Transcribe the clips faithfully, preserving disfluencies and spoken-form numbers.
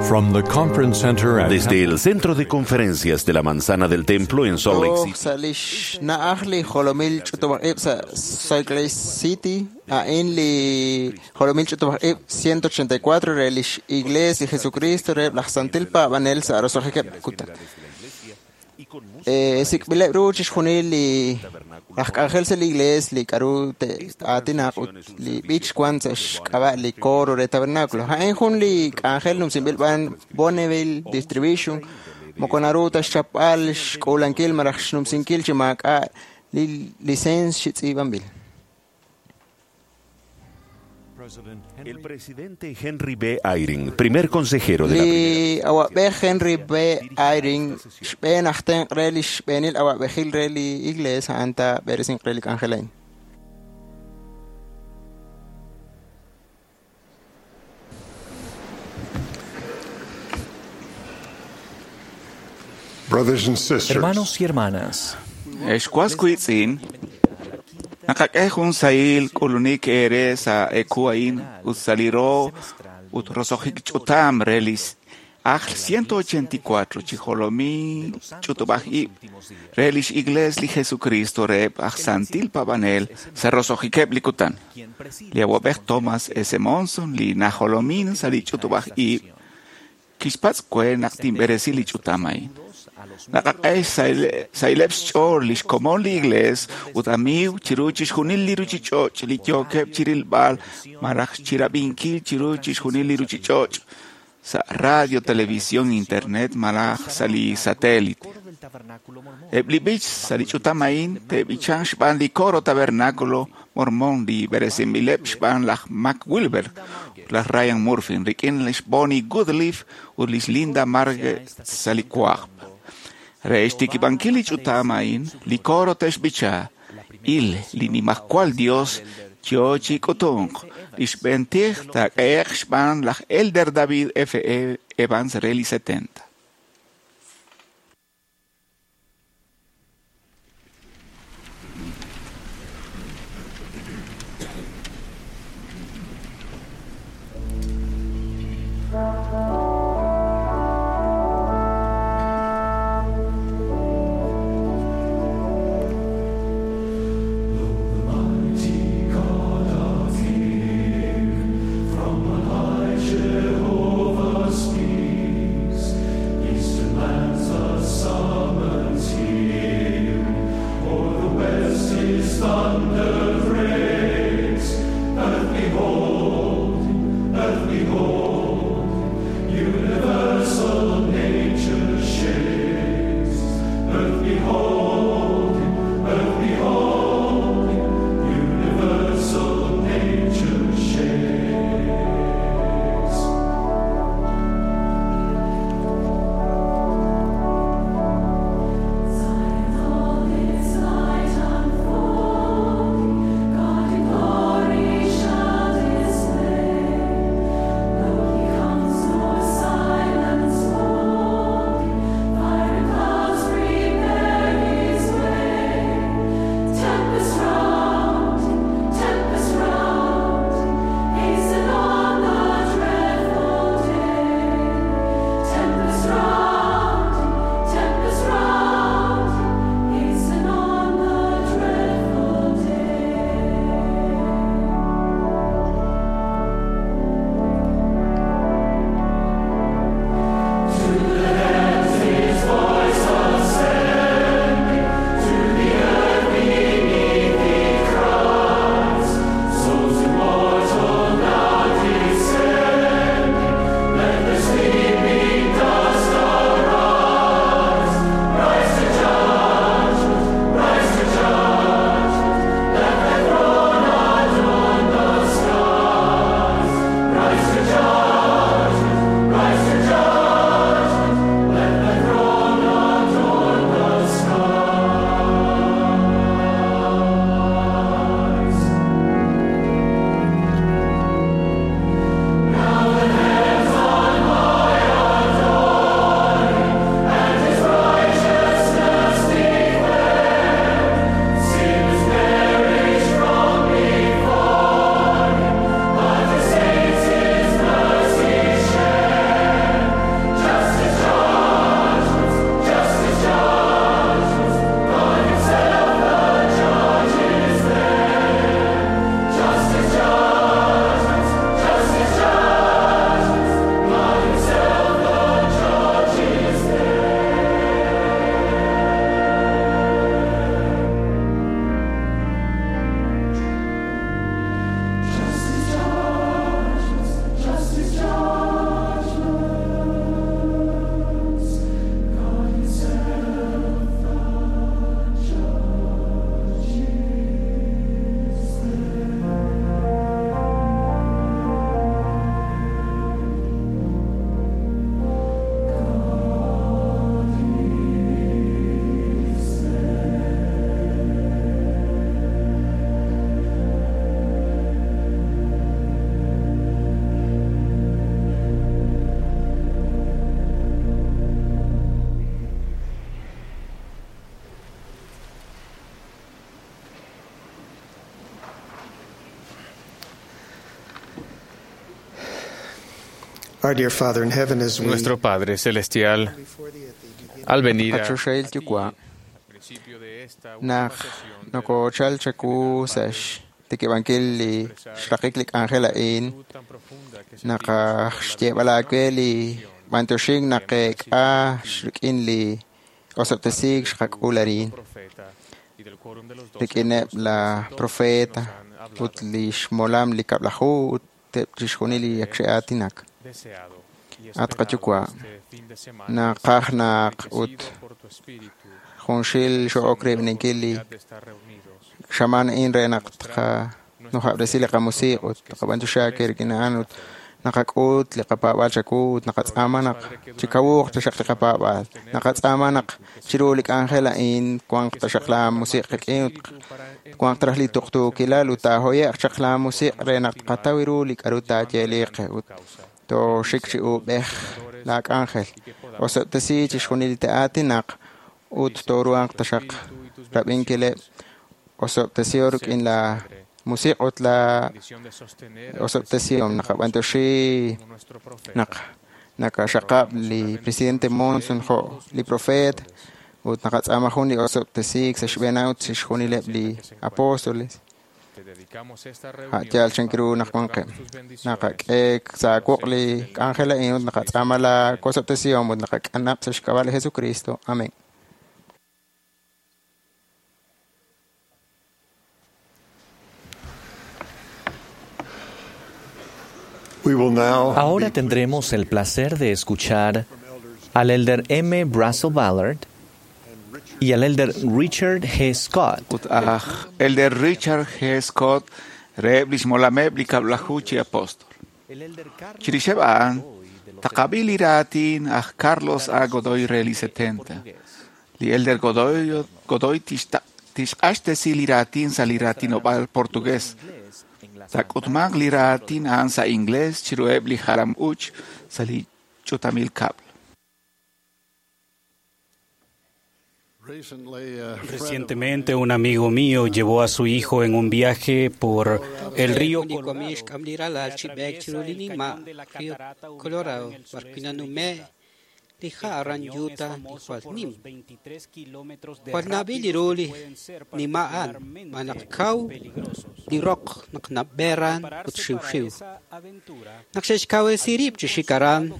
From the conference center at Desde el Centro de Conferencias de la Manzana del Templo en Salt Lake Toj City, sa' lix na'aj li jolomil ch'utub'aj ib' sa' Salt Lake City, a'in li jolomil ch'utub'aj ib' ciento ochenta y cuatro re lix Iglesia Jesucristo re laj Santil Paab'anel sa' roso'jikeb' kutan. Eh, sik'b'ileb' ru chixjunil li laj k'anjel sa' li iglees li k'aru te'aatinaq ut li b'ich wan sa' xk'ab'a' li coro re tabernáculo. A'in jun li k'anjel numsinb'il b'an Bonneville Distribution moko naru ta xchapb'al xk'uulankil malaj xnumsinkil chi maak'a' li licencia xitz'iib'anb'il. El presidente Henry B. Eyring, primer consejero de la Li awab'ej Henry B. Eyring xb'een aj tenq' re li xb'eenil awab'ejil re li iglees a'an ta b'eresinq re li k'anjel a'in. Brothers and sisters, Hermanos y hermanas, Ex wiitz'in, naqak'e jun sahil k'ulunik ere sa ekuain ut saliro ut roso'jik ch'utam relis ajl ciento ochenta y cuatro chi jolomi ch'utub'aj ib' re lix iglees li Jesucristo reheb' aj Santil Paab'anel sa roso'jikeb' li kutan. Li awab'ej Thomas S. Monson li najolomin sa li ch'utub'aj ib' kixpatz' kwe naq tinb'eresi li ch'utam a'in. Naqak'e sahileb' xch'ool lix komon li iglees ut amiiw chiru chixjunil li ruchich'och' li yookeb' chirilb'al malaj chirab'inkil chiru chixjunil li ruchich'och' sa' radio, televisión, internet malaj sa' li satélite. Eb' li b'ich sa' li ch'utam a'in te'b'ichan xb'aan li coro tabernáculo mormón li b'eresinb'ileb' xb'aan laj Mac Wilber, laj Ryan Murphy, rik'in lix Bonnie Goodleaf ut lix Linda Marge sa' li cuajb'. Re xtikib'ankil li ch'utam a'in, li coro te'xb'icha il li nimajwal Dios yo chi k'utunq, li xb'een tij taak'ehe'q xb'aan laj Elder David F. E. Evans re li setenta. Jehovah speaks, Eastern lands the summons hear, o'er the west his thunder breaks. Earth behold, earth behold, universal nature shakes. Earth behold, earth behold, universal nature shakes. All its light unfold, Our dear Father in heaven, as we Nuestro Padre Celestial, al venir a Qachoxahil yuwa' naq nokochal chawu sa' xtikib'ankil li xraqik li k'anjel a'in, naqaj xyeeb'al aawe li b'antioxink naqeek'a rik'in li osob'tesiik xqak'ul arin rik'ineb' la profeta ut li xmolam li kab'laju ut eb' chixjunil li ak xe'aatinak. At qayuwa', naqaj naq ut junxil xo'ok rib'ninkil li xamaan a'in re naq tqanujab'resi li qamusiq' ut tqab'antioxi aawe rik'in a'an ut naqak'ut li qapaab'aal chawu ut naqatz'aama naq chikawuuq taxaq li qapaab'aal. Naqatz'aama naq chiru li k'anjel a'in wanq taxaq la musiq' qik'in ut wanq taraj li tuqtuukilal ut taahoye'q chaq la musiq' re naq tqataw ru li k'a'ru taayeeliq qe ut tooxik chi uub'ej la k'anjel. Osob'tesi chixjunil li te'aatinaq ut tooruhanq taxaq rab'inkileb'. Osob'tesiho rik'in la musiq' ut la osob'tesihom. Naqab'antioxi naq nakaxaqab' li presidente Monson jo' li profeet ut naqatz'aama jun li osob'tesiik sa' xb'een ut chixjunileb' li apóstoles. A' yaal chan ru naq wanqeb'. Naqak'e sa' wuq' li k'anjel a'in ut naqatz'aama la osob'tesihom ut naqak'anab' sa' xk'ab'a' li Jesucristo. Amén. We will now Ahora tendremos el placer de escuchar al elder M. Russell Ballard y al elder Richard G. Scott. Ut aj elder Richard G. Scott reheb' lix molameb' li kab'laju chi apóstol. Chirixeb' a'an, taqab'i li raatin aj Carlos A. Godoy re li setenta. Li elder Godoy, Godoy tixta- tixq'axtesi li raatin sa' li raatinob'aal portugués. Taak'utmanq li raatin a'an sa' inglés chiruheb' li jalam-uuch sa' li ch'utamil kab'l. Recientemente un amigo mío llevó a su hijo en un viaje por el río Jun li Colorado. wamiiw xk'am li ralal chi b'eek chiru li nima' río Colorado b'ar wi' nanume' li ha' aran Utah li jwal nim. Jwal nab'il li ru li nima' a'an, ma naq kaw li roq naq nab'eran ut xiwxiw. Naq xe'xkawresi rib' chi xik aran,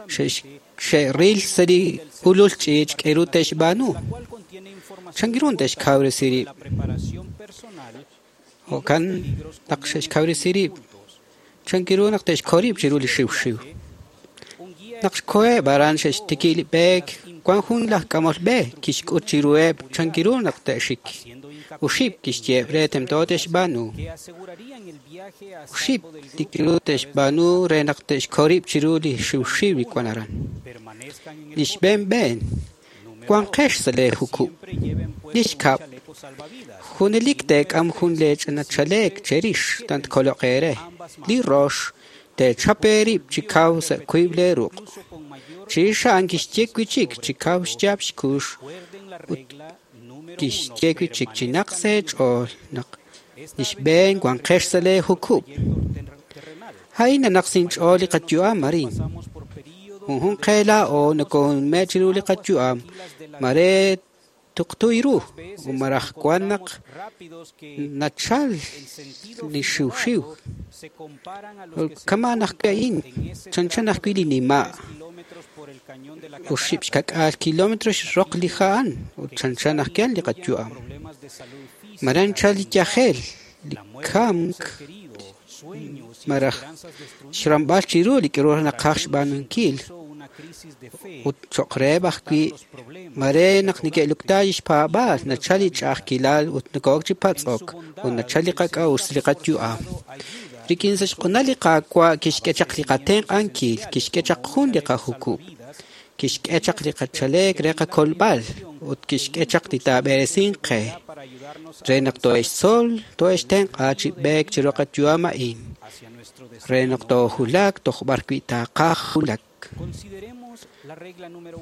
xe'x- xe'ril sa' li ulul ch'iich' k'eru te'xb'aanu. Chan ru te'xkawresi rib'? Jo'kan naq xe'xkawresi rib'. Chan ru naq te'xkol rib' chiru li xiwxiw. Naq xkoheb' aran xe'xtiki li b'eek, wan jun laj k'amol b'e kixk'ut chiruheb' chan ru naq te'xik. Uxib' kixyeeb' re tento te'xb'aanu. Uxib' li k'aru te'xb'aanu re naq te'xkol rib' chiru li xiwxiw li wan aran. Li xb'een b'een, wanqex sa' lee jukub'. Li xkab', junelik teek'am jun lee ch'ina chaleek cherix tant koloq eere. Li rox, teechap eerib' chi kaw sa' wiib' lee ruq'. Chirix a'an kixye wi' chik chi kaw xyaab' xkux ut kixye wi' chik chi naq sa' eech'ool naq li xb'een wanqex sa' lee jukub'. A'in nanaq sa' inch'ool li qayu'am arin. Junjun qe laa'o nokonume' chiru li qayu'am mare tuqtuy ru ut maraj wan naq nachal li xiwxiw. Kama' ajwi' a'in, chanchan ajwi' li nima'. Oxib' xka'k'aal kilómetro xroq li ha' a'an ut chanchan ajwi' li qayu'am. Mare anchal li yajel, li kamk, maraj xramb'al chiru li k'aru naqaj xb'aanunkil. Ut cho'q reheb' ajwi' mare naq neke'lukta li xpaab'aal, nachal li ch'a'ajkilal ut noko'ok chi patz'ok ut nachal li qak'a'uxl sa' li qayu'am. Rik'in sa' xq'unal li Qaawa' kixk'e chaq li qatenq'ankil, kixk'e chaq jun li qajukub', kixk'e chaq li qachaleek re qakolb'al ut kixk'e chaq li taab'eresinq qe re naq too'extzol, too'extenq'a chi b'eek chiru qayu'am a'in, re naq toojulak toj b'ar wi' taqaj julak.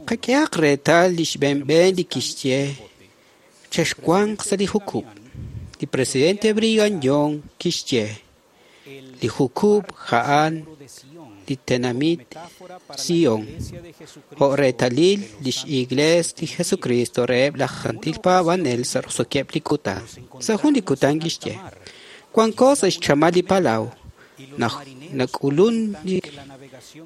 Qak'ehaq reetal li xb'een b'een li kixye chexwanq sa' li jukub'. Li presidente Brigham Young kixye li jukub' a'an li tenamit Sion, jo' reetalil lix Iglees li Jesucristo reheb' laj Santil Paab'anel sa' roso'keb' li kutan. Sa' jun li kutan kixye, wanko sa' xchamal li palaw, nak'ulun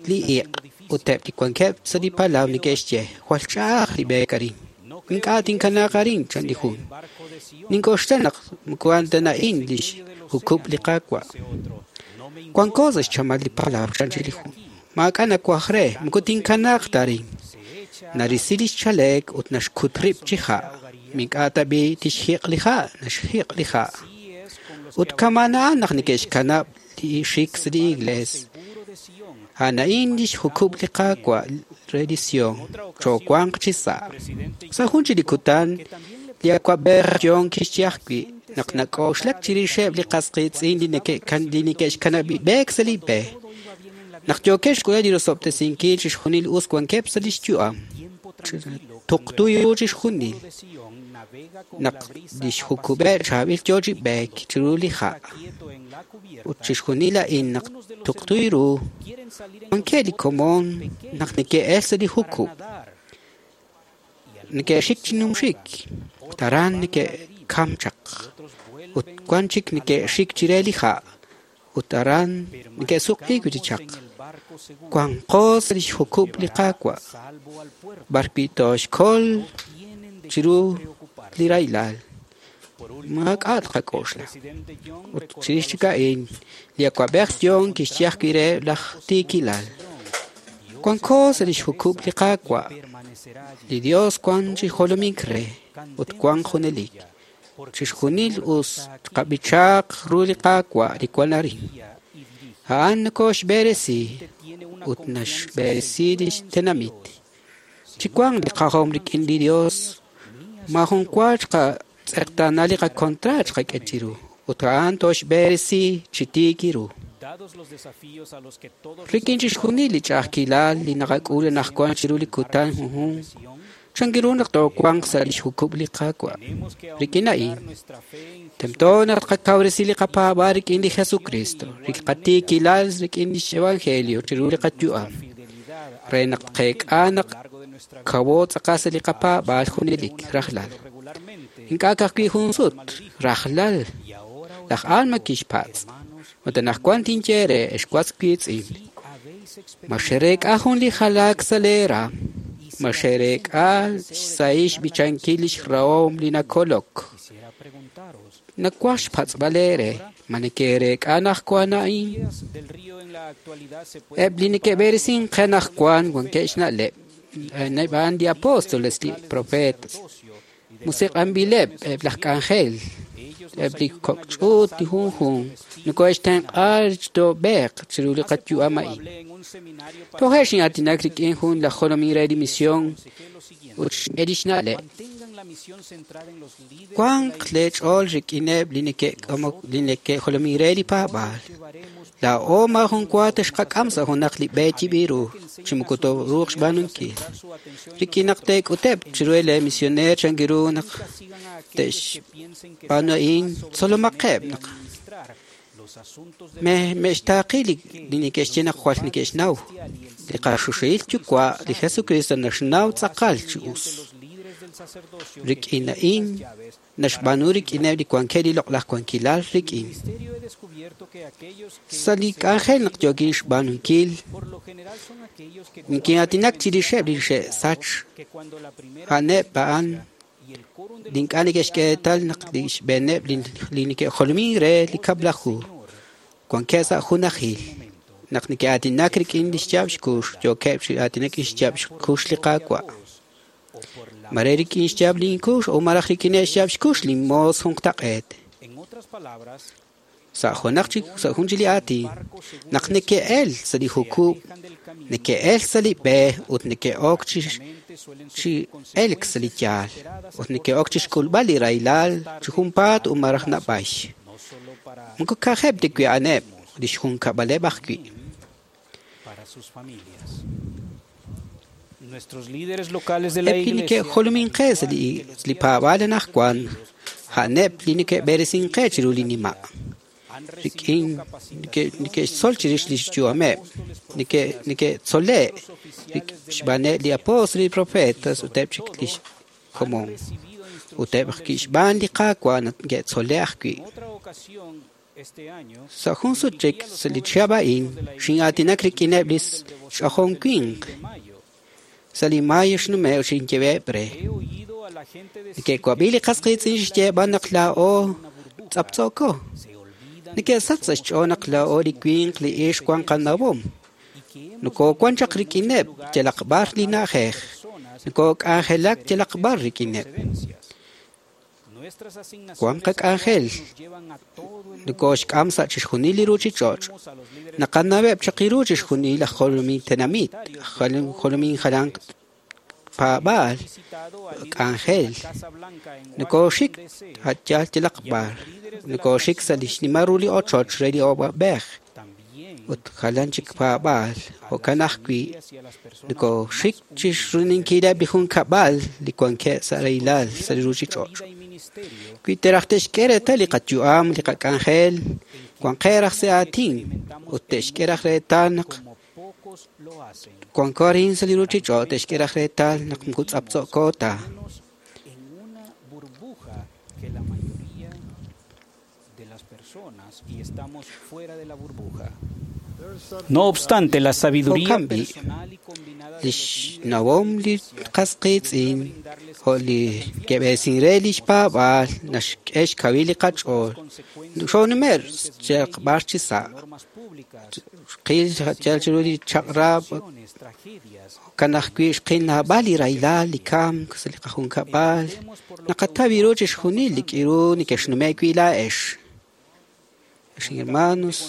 li iq' ut eb' li wankeb' sa' li palaw neke'xye, jwal ch'a'aj li b'eek arin. Ink'a' tinkanaaq arin, chan li jun. Nink'oxla naq moko a'an ta a'in lix jukub' li Qaawa'. Wanko sa' xchamal li palaw, chan li jun. Maak'a' nawaj re, moko tinkanaaq ta arin. Narisi lix chaleek ut naxkut rib' chi ha'. Mink'a' tab'i tixjiq' li ha', naxjiq' li ha'. Ut kama'an a'an naq neke'xkanab' li xik sa' li iglees. A'an a'in lix jukub' li Qaawa' re li Sion, choowanq chi sa'. Sa' jun chi li kutan, li awa'b'ej Young kixye ajwi' naq nak'oxlak chirixeb' li qas qiitz'in li neke'xkanab' b'eek sa' li b'e. Naq yookeb' xk'uleb' li rosob'tesinkil chixjunil us wankeb' sa' lix yu'am. Tuqtu ru chixjunil. Naq lix jukub'eb' chaab'il yoo chi b'eek chiru li ha'. Ut chixjunil a'in naq tuqtu ru, wankeb' li komon naq neke'el sa' li jukub'. Neke'xik chi numxik, ut aran neke'kam chaq. Ut wan chik neke'xik chire li ha', ut aran neke'suq'iik wi' chaq. Wanqo sa' lix jukub' li Qaawa', b'arwi' tooxkol chiru li rahilal. Maak'a' tqak'oxla. Ut chirix chik a'in, li awa'b'ej Young kixye ajwi' re laj tiikilal. Wanko sa' lix jukub' li Qaawa'. Li Dios wan chi jolomink re ut wan junelik. Chixjunil us tqab'ichaaq ru li Qaawa' li wan arin. A'an nokoxb'eresi ut naxb'eresi lix tenamit. Chiwanq li qajom rik'in li Dios, maajun wa xqatz'eqtaana li qakontraat xqak'e chiru, ut a'an toxb'eresi chi tiik ru. Rik'in chixjunil li ch'a'ajkilal li naqak'ul anaqwan chiru li kutan junjun, chan ru naq toowanq sa' lix jukub' li Qaawa'. Rik'in a'in, tento naq tqakawresi li qapaab'aal rik'in li Jesucristo, li qatiikilal rik'in lix evangelio chiru li qayu'am, re naq tqeek'a naq kawo tz'aqal sa' li qapaab'aal junelik rajlal. Ink'a' ka'ajwi' jun sut, rajlal. Laj Alma kixpatz'. Ut anaqwan tinye re ex was wiitz'in. Ma xereek'a jun li jalaak sa' leera, ma xereek'a xsahil xb'ichankil lix rahom li nakolok. Nawaj xpatz'b'al eere, ma neke'reek'a anaqwan a'in. Eb' li neke'b'eresin qe anaqwan wankeb' xna'leb', a'an li apóstoles, li profetas. Musiq'anb'ileb' eb' laj k'anjel, eb' li kok' ch'uut li junjun, nokohe'xtenq'a xtoob'eeq chiru li qayu'am a'in. Toje' xin'aatinak rik'in jun laj jolomin re li misión ut xk'e lix na'leb'. Wanq leech'ool rik'ineb' li neke'jolomin re li paab'aal. Laa'o maajun wa texqak'am sa' junaq li b'e yib'il ru, chi moko tooruuq xb'aanunkil. Rik'in naq teek'uteb' chiru lee misioneer chan ru naq te'xb'aanu a'in, tzolomaqeb' naq me'xtaaqi li neke'xye naq jwal neke'xnaw. Li qaxuxil Yuwa' li Jesucristo naxnaw tz'aqal chi us. Rik'in a'in naxb'aanu rik'ineb' li wankeb' li loq'laj wankilal rik'in. Sa' li k'anjel naq yookin xb'aanunkil, nikin'aatinak chirixeb' li xe'sach. A'aneb' a'an li ink'a' neke'xk'e reetal naq li xb'eeneb' li neke'jolomin re li kab'laju wankeb' sa' junajil. Naq neke'aatinak rik'in lix yaab' xkux, yookeb' chi aatinak lix yaab' xkux li Qaawa'. Mare rik'in xyaab' linkux o malaj rik'in xyaab' xkux linmoos junqtaq'eet. Sa' junaq chi sa' jun chi li aatin, naq neke'el sa' li jukub', neke'el sa' li b'e ut neke'ok chi chi elk sa' li yaal, ut neke'ok chi xk'ulb'al li rahilal chi junpaat ut malaj nab'ay. Moko ka'ajeb' ta wi' a'aneb' lix junkab'aleb' ajwi'. Eb' li neke'jolomin qe sa' li paab'aal anaqwan, a'aneb' li neke'b'eresin qe chiru li nima'. Rik'in neke'xtzol chirix li xyu'ameb', neke'tzole' xb'aaneb' li apóstol li profetas ut eb' chik li xkomon. Ut eb' ajwi' xb'aan li Qaawa' neke'tzole' ajwi'. Sa' jun sut chik sa' li chihab' a'in, xin'aatinak rik'ineb' li xch'ojom winq. Sa' li mayo xnume' xinyeb'eb' re. Neke'wab'i li qas qiitz'in xyeeb'al naq laa'o tz'aptz'o'ko. Neke'sach sa' xch'ool naq laa'o li winq li ixq wan qanawom. Nokowan chaq rik'ineb' yalaq b'ar li na'ajej. Nokok'anjelak yalaq b'ar rik'ineb'. Wan qak'anjel. Nokoxk'am sa' chixjunil li ruchich'och'. Naqanaweb' chaq ru chixjunil aj jolomin tenamit, aj jolomin jalan paab'aal, k'anjel. Nokoxik yal yalaq b'ar. Nokoxik sa' li xnimal ru li ochoch re li awab'ej ut jalan chik paab'aal. Jo'kan ajwi' nokoxik chixruninkileb' li junkab'al li wankeb' sa' rahilal sa' li ruchich'och'. Wi te'raj te'xk'e reetal li qayu'am, li qak'anjel, wanqeb' raj sa' aatin ut te'xk'e raj reetal naq wanko arin sa' li ruchich'och', te'xk'e raj reetal naq moko tz'aptz'o'ko ta. No obstante, la sabiduría Jo'kan b'i' li xnawom li qas qiitz'in jo' li ke'b'eesin re li xpaab'aal naxk'e xkawil li qach'ool. Xoonume' yalaq b'ar chi sa'. Xqil yal chiru li chaq'rab' jo'kan ajwi' xqil naab'al li rahilal, li kamk sa' li qajunkab'al. Naqataw ru chixjunil li k'iru neke'xnume' wi' laa'ex. Hermanos,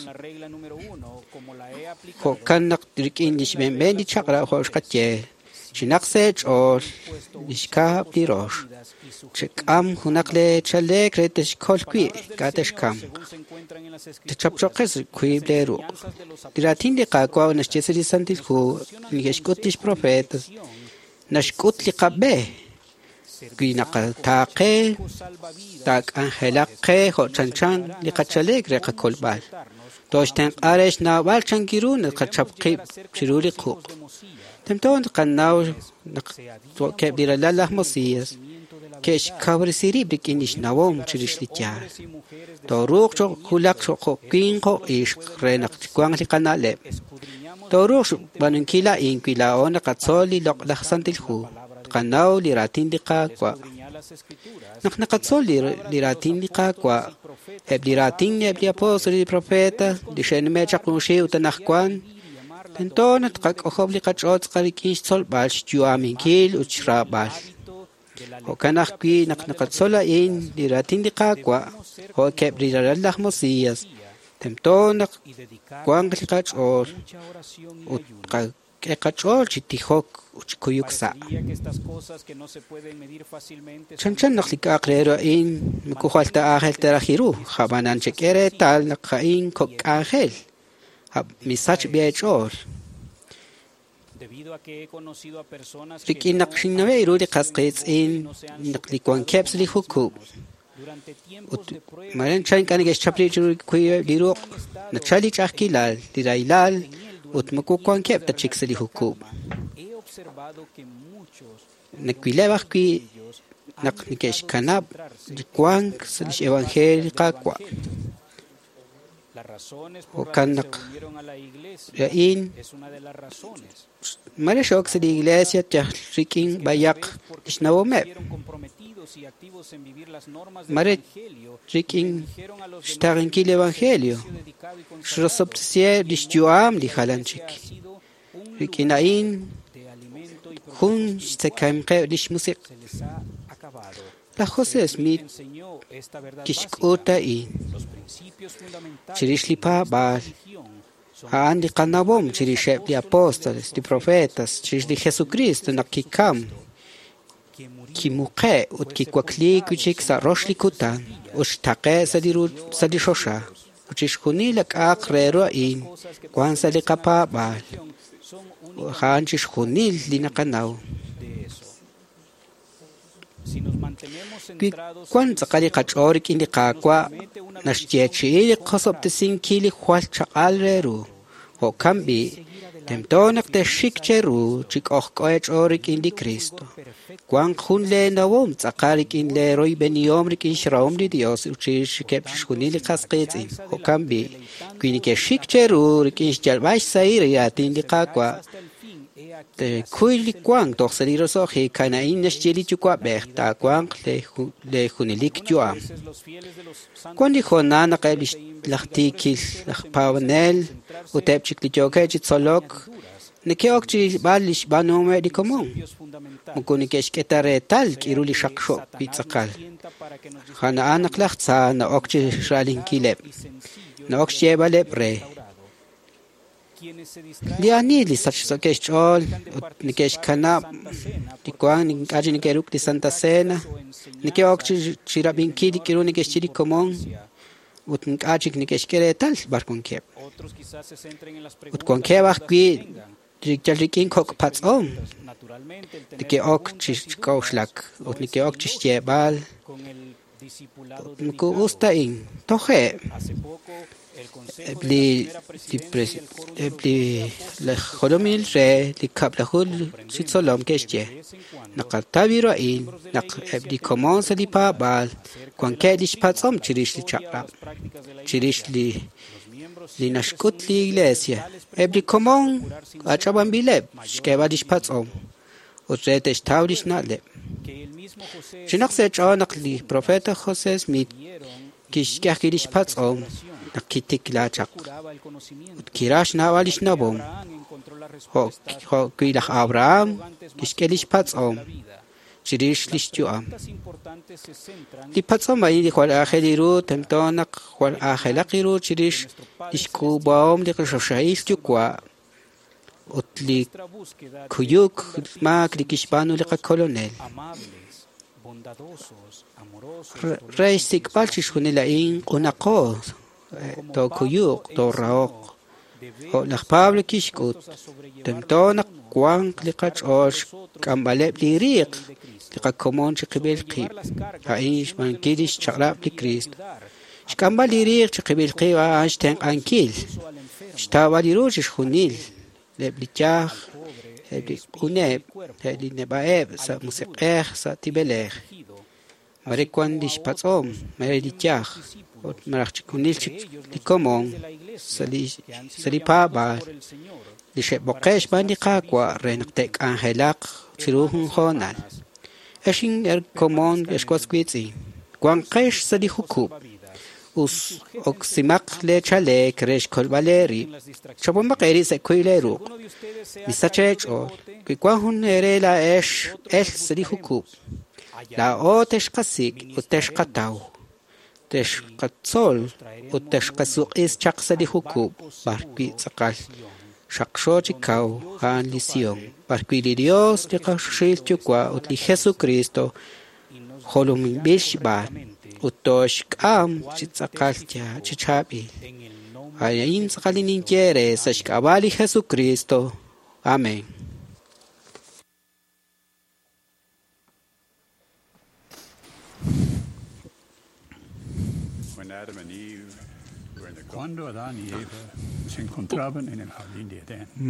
jo'kan naq rik'in li xb'eenb'een li chaq'rab' jo' xqaye, chinaq sa' eech'ool li xkab' li rox. Chek'am junaq lee chaleek re texkol wi' ink'a' texkamq. Techapchoqes wiib' lee ruq'. Li raatin li Qaawa' naxye sa' li Santil Hu neke'xk'ut lix profetas, naxk'ut li qab'e. Wi naqataaqe taak'anjelaq qe jo' chanchan li qachaleek re qakolb'al. Toxtenq'a re xnawb'al chankiru naqachap qib' chiru li quq'. Tento naqanaw naq jo'keb' li ralal laj Mosías ke'xkawresi rib' rik'in li xnawom chirix li yaal. Tooruuq wulak jo' winq jo' ixq re naq wanq li qana'leb'. Tooruuq xb'aanunkil a'in wi laa'o naqatzol li loq'laj Santil Hu. Tqanaw li raatin li Qaawa'. Naq naqatzol li raatin li Qaawa', eb' li raatin eb' li apóstol li profeta li xe'nume' chaq junxil ut anaqwan, tento naq tqak'ojob' li qach'ool tz'aqal rik'in xtzolb'al, xyu'aminkil ut xraab'al. Jo'kan ajwi' naq naqatzol a'in li raatin li Qaawa', jo'keb' li ralal laj Mosías, tento naq wanq li qach'ool ut k'e qach'ool chi tijok ut chi kuyuk sa'. Chanchan naq li k'a'aq re ru a'in moko jwal ta aajel ta raj ru, ab'anan chek'e reetal naq a'in kok' k'anjel, misach b'i eech'ool. Rik'in naq xinnawe' ru li qas qiitz'in naq li wankeb' sa' li jukub' ut mare chan ink'a' neke'xchap rib' chiru wiib'eb' li ruq', nachal li ch'a'ajkilal, li rahilal ut moko wankeb' ta chik sa' li jukub'. Nawileb' ajwi' naq neke'xkanab' li wank sa' lix evangelio li Qaawa'. Jo'kan naq a'in mare xok sa' li iglesia yal rik'in b'ayaq lix nawomeb'. Mare rik'in xtaqenkil li evangelio, xrosob'tesiheb' lix yu'am li jalan chik. Rik'in a'in jun xtzekamqeb' lix musiq'. Laj José Smith kixk'ut a'in chirix li paab'aal, a'an li qanawom chirixeb' li apóstoles, li profetas, chirix li Jesucristo naq kikam, kimuqe' ut kiwakliik wi'chik sa' rox li kutan ut xtaqe' sa' li sa' li xoxa. Ut chixjunil li k'a'aq re ru a'in wan sa' li qapaab'aal. A'an chixjunil li naqanaw. Wi wan tz'aqal li qach'ool rik'in li Qaawa' Naxyeechi'i li qosob'tesinkil li jwal chaq'al re ru. Jo'kan b'i', tento naq texxik cheru chi k'ojk'o eech'ool rik'in li Cristo. Wanq jun lee nawom tz'aqal rik'in lee royb'enihom rik'in xrahom li Dios ut chirixeb' chixjunil li qas qiitz'in. Jo'kan b'i', wi nekexxik cheru rik'in xyalb'al xsahil li raatin li Qaawa', tekuy li wank toj sa' li roso'jik a'in naxye li Yuwa'b'ej taawanq lee junelik yu'am. Wan li hoonal naq eb' laj tiikil laj paab'anel ut eb' chik li yookeb' chi tzolok neke'ok chi rilb'al li xb'aanuhomeb' li komon. Moko neke'xk'e ta reetal k'iru li xaqxo wi' tz'aqal. A'an naq laj tza na'ok chi xra'alinkileb', na'ok xyeeb'aleb' re. Li ani li sachsookeb' xch'ool ut neke'xkanab' li wank ink'a' chik neke'ruk' li Santa Cena, neke'ok chi rab'inkil li k'iru neke'xye li komon ut ink'a' chik neke'xk'e reetal b'ar wankeb'. Ut wankeb' ajwi' yal rik'in kok' patz'om neke'ok chi k'a'uxlak ut neke'ok chi xyeeb'al moko us ta a'in, toje'. Eb' li eb' li laj jolomil re li kab'laju chi tzolom ke'xye naqataw ru a'in naq eb' li komon sa' li paab'aal wankeb' lix patz'om chirix li chaq'rab', chirix li li naxk'ut li Iglesia. Eb' li komon ach'ab'anb'ileb' xk'eeb'al lix patz'om ut re te'xtaw lix na'leb'. Chinaq sa' eech'ool naq li profeta José Smith kixk'e ajwi' lix patz'om naq kitikla chaq ut kiraj xnawb'al lix nawom. Jo' wi' laj Abraham kixk'e lix patz'om chirix lix yu'am. Li patz'om a'in li jwal aajel ru tento naq jwal aajelaq ru chirix lix k'uub'ahom li qachoxahil Yuwa' ut li kuyuk maak li kixb'aanu li qakolonel. Re xsik'b'al chixjunil a'in q'unaqo tookuyuq toorahoq. Jo' laj Pablo kixk'ut, tento naq wanq li qach'ool xk'amb'aleb' li riiq li qakomon chiqib'il qib'. A'in xb'aanunkil lix chaq'rab' li Cristo. Xk'amb'al li riiq chiqib'il qib' a'an xtenq'ankil, xtawb'al ru chixjunil eb' li yaj, eb' li q'uneb', eb' li neb'a'eb' sa' musiq'ej, sa' tib'elej. Mare wan lix patz'om, mare li yaj, ut malaj chixjunil chik li komon sa' li paab'aal li xe'b'oqe' xb'aan li Qaawa' re naq te'k'anjelaq chiru jun hoonal. Ex inkomon ex was wiitz'in, wanqex sa' li jukub'. Us oksimaq lee chaleek re xkolb'al eerib'. Chapomaq eerib' sa' kuy lee ruq'. Misach eech'ool. Wi wan jun eere laa'ex el sa' li jukub', laa'o texqasik' ut texqataw, texqatzol ut texqasuq'is chaq sa' li jukub' b'ar wi' tz'aqal xaqxo chi kaw a'an li Sion, b'ar wi' li Dios li qachoxahil Yuwa' ut li Jesucristo jolominb'il xb'aan ut tooxk'am chi tz'aqal chi chaab'il. A'in tz'aqal li ninye eere sa' xk'ab'a' li Jesucristo. Amén.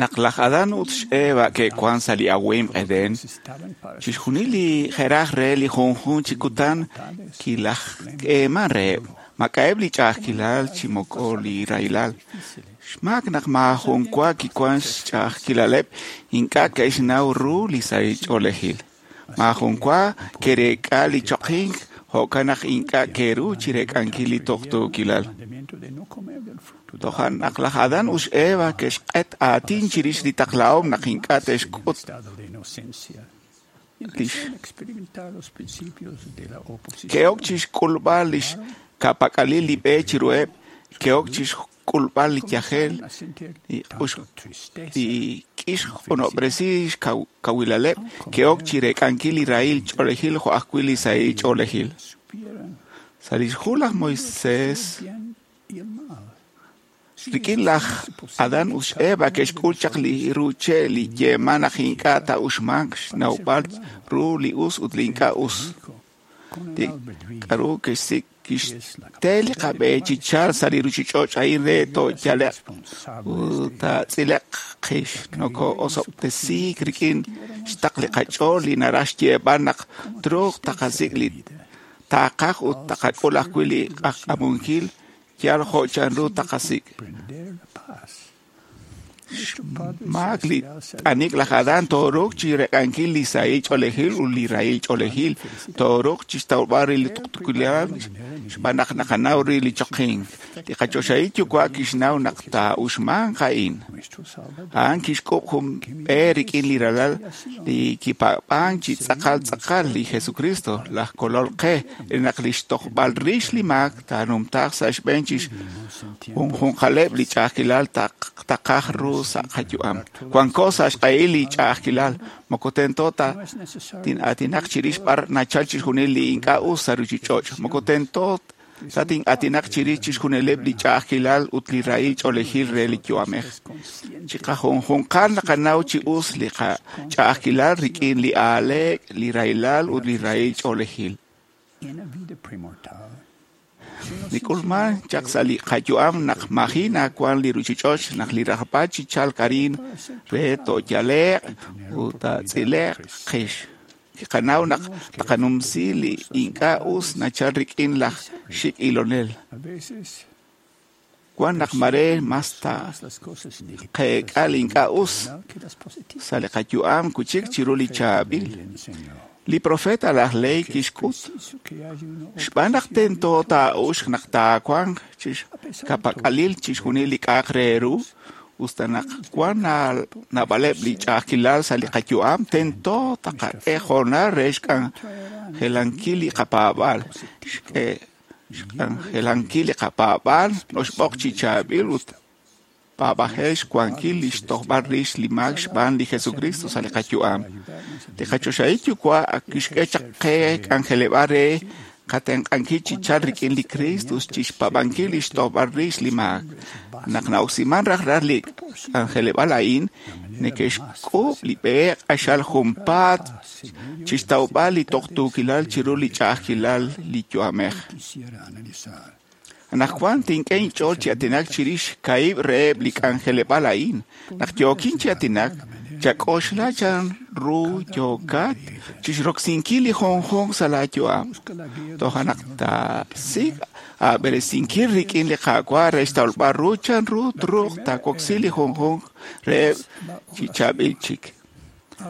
Naq laj Adán ut xEva ke'wan sa' li awimq Edén, chixjunil li jeraj re li junjunq chi kutan kilaj k'eeman reheb', mak'a'eb' li ch'a'ajkilal chi moko li rahilal. Xmaak naq maajun wa kiwan xch'a'ajkilaleb' ink'a' ke'xnaw ru li sahil ch'oolejil. Maajun wa ke'reek'a li choqink jo'kan naq ink'a' ke'ru chireek'ankil li tuqtuukilal. Toja' naq laj Adán ut xEva ke'xq'et aatin chirix li taqlahom naq ink'a' te'xk'ut lix ke'ok chixk'ulb'al lix ka'pak'alil li b'e chiruheb', ke'ok chixk'ulb'al li yajel, li k'ix q'unob'resi xkawilaleb', ke'ok chireek'ankil li rahil ch'oolejil jo' ajwi' li sahil ch'oolejil. Sa' lix hu laj Moisés, rik'in laj Adán ut xEva ke'xk'ul chaq li ru che' li yeeman naq ink'a' taa'uxmanq xnawb'al ru li us ut li ink'a' us. Li k'aru kixsik' kixte li qab'e chi chalk sa' li ruuchich'och' a'in re tooyale'q ut taatz'ile'q qix. Noko'osob'tesiik rik'in xtaql li qach'ool li naraj xyeeb'al naq truuq taqasik' li taqaj ut taqak'ul ajwi' li q'ajk'amunkil yal jo' chanru taqasik'. Xmaak li t'anik laj Adán tooruuq chi rek'ankil li sahil ch'oolejil ut li rahil ch'oolejil, tooruuq chi xtawb'al ri li tuqtuukilal xb'aan naq naqanaw ri li choqink. Li qachoxahil Yuwa' kixnaw naq taa'uxmanq a'in. A'an kixk'ub' jun b'e rik'in li ralal li kipaab'ank chi tz'aqal tz'aqal li Jesucristo, laj Kolol qe, re naq li xtojb'al rix li maak taanumtaaq sa' xb'een chi junjunqaleb' li ch'a'ajkilal taqaj ru sa' qayu'am. Wanko sa' xq'ehil li ch'a'ajkilal, moko tento ta tin'aatinaq chirix b'ar nachal chixjunil li ink'a' us sa' ruuchich'och', moko tento ta tin'aatinaq chirix chixjunileb' li ch'a'ajkilal ut li rahil ch'oolejil re li yu'amej. Chiqajunjunqal naqanaw chi us li qach'a'ajkilal rik'in li aaleek, li rahilal ut li rahil ch'oolejil. Li k'ulman chaq sa' li qayu'am naq maji' nawank li ruuchich'och' naq li rajb'al chi chalk arin re tooyale'q ut taatz'ile'q qix. Kiqanaw naq taqanumsi li ink'a' us nachal rik'in laj xik' ilonel. Wan naq mare mas ta qeek'a li ink'a' us sa' li qayu'am kuchik chiru li chaab'il. Li profeta laj Lehi kixk'ut xb'aan naq tento taa'uxq naq taawanq chixkapak'alil chixjunil li k'a'aq re ru, usta naq wan naab'aleb' li ch'a'ajkilal sa' li qayu'am, tento taqak'e hoonal re xk'anjelankil li qapaab'aal. Xk'anjelankil li qapaab'aal noxb'oq chi chaab'il ut paab'ajel xwankil li xtojb'al rix li maak xb'aan li Jesucristo sa' li qayu'am. Li qachoxahil Yuwa' ak kixk'e chaq qe k'anjeleb'aal re qatenq'ankil chi chalk rik'in li Cristo chi xpaab'ankil li xtojb'al rix li maak. Naq na'oksiman rajlal li k'anjeleb'aal a'in, neke'xk'uub' li b'e q'axal junpaat chi xtawb'al li tuqtuukilal chiru li ch'a'ajkilal li yu'amej. Anaqwan tink'e inch'ool chi aatinak chirix kaahib' reheb' li k'anjeleb'aal a'in. Naq yookin chi aatinak, chak'oxla chan ru yookat chixroksinkil li junjunq sa' laayu'am. Toja' naq taasik' aab'eresinkil rik'in li Qaawa' re xtawb'al ru chan ru truuq taawoksi li junjunq reheb' chi chaab'il chik.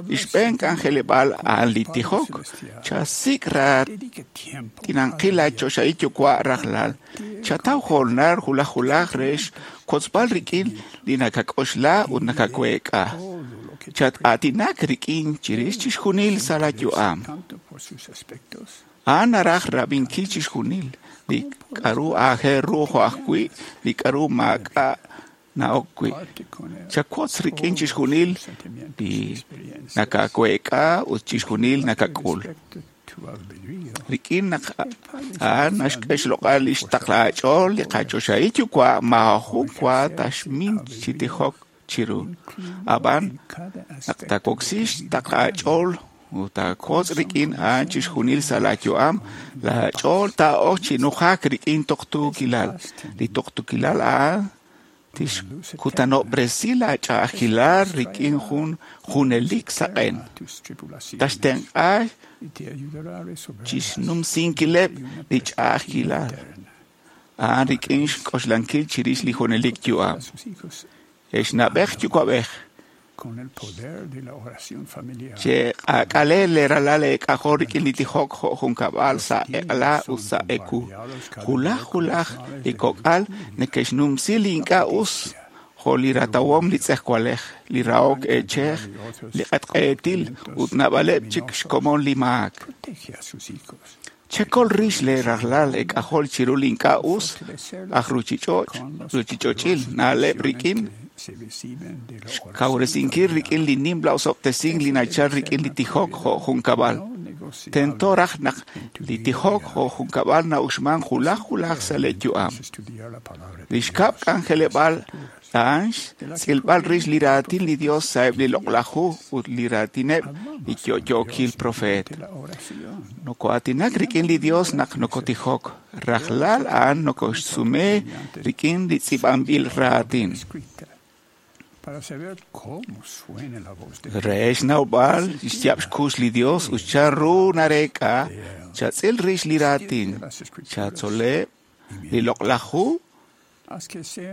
Li xb'een k'anjeleb'aal a'an li tijok. Chasik' raatinanqil laachoxahil Yuwa' rajlal. Chataw hoonal wulaj wulaj re xkotzb'al rik'in li nakak'oxla ut nakaweek'a. Chat-aatinak rik'in chirix chixjunil sa' laayu'am. A'an naraj rab'inkil chixjunil li k'aru aajel ru jo' ajwi' li k'aru maak'a' na'ok wi'. Chawotz rik'in chixjunil li nakaweek'a ut chixjunil nakak'ul. Rik'in naq a'an naxk'e xloq'al li xtaql aach'ool li qachoxahil Yuwa' maajun wa taxmin chi tijok chiru. Ab'an naq taawoksi xtaql aach'ool ut taawotz rik'in a'an chixjunil sa' laayu'am, laach'ool taa'ok chi nujak rik'in tuqtuukilal. Li tuqtuukilal a'an tixkutanob'resi laach'a'ajkilal rik'in jun junelik saqen. Taxtenq'a chixnumsinkileb' li ch'a'ajkilal a'an rik'in xk'oxlankil chirix li junelik yu'am. Ex na'b'ej yuwa'b'ej, che'q'aak'ale leeralal eek'ajol rik'in li tijok jo' junkab'al sa' eq'la ut sa' ewu. Wulaj wulaj li kok'al neke'xnumsi li ink'a' us jo' li ratawom li tz'ejwalej, li rahok eechej, li q'etq'eetil ut naab'aleb' chik xkomon li maak. Chekol rix leerajlal eek'ajol chiru li ink'a' us aj ruuchich'och' ruuchich'och'il na'leb' rik'in xkawresinkil rik'in li nimla osob'tesink li nachal rik'in li tijok jo' junkab'al. Tento raj naq li tijok jo' junkab'al na'uxman julaj julaj sa' li yu'am. Li xkab' k'anjeleb'aal a'an xtz'ilb'al rix li raatin li Dios sa'eb' li loq'laj hu ut li raatineb' li yo'yookil profeet. Noko'aatinak rik'in li Dios naq nokotijok. Rajlal a'an nokoxsume rik'in li tz'iib'anb'il raatin. Re xnawb'al xyaab' xkux li Dios ut chanru nareek'a, chatz'il rix li raatin, chatzoleb' li loq'laj hu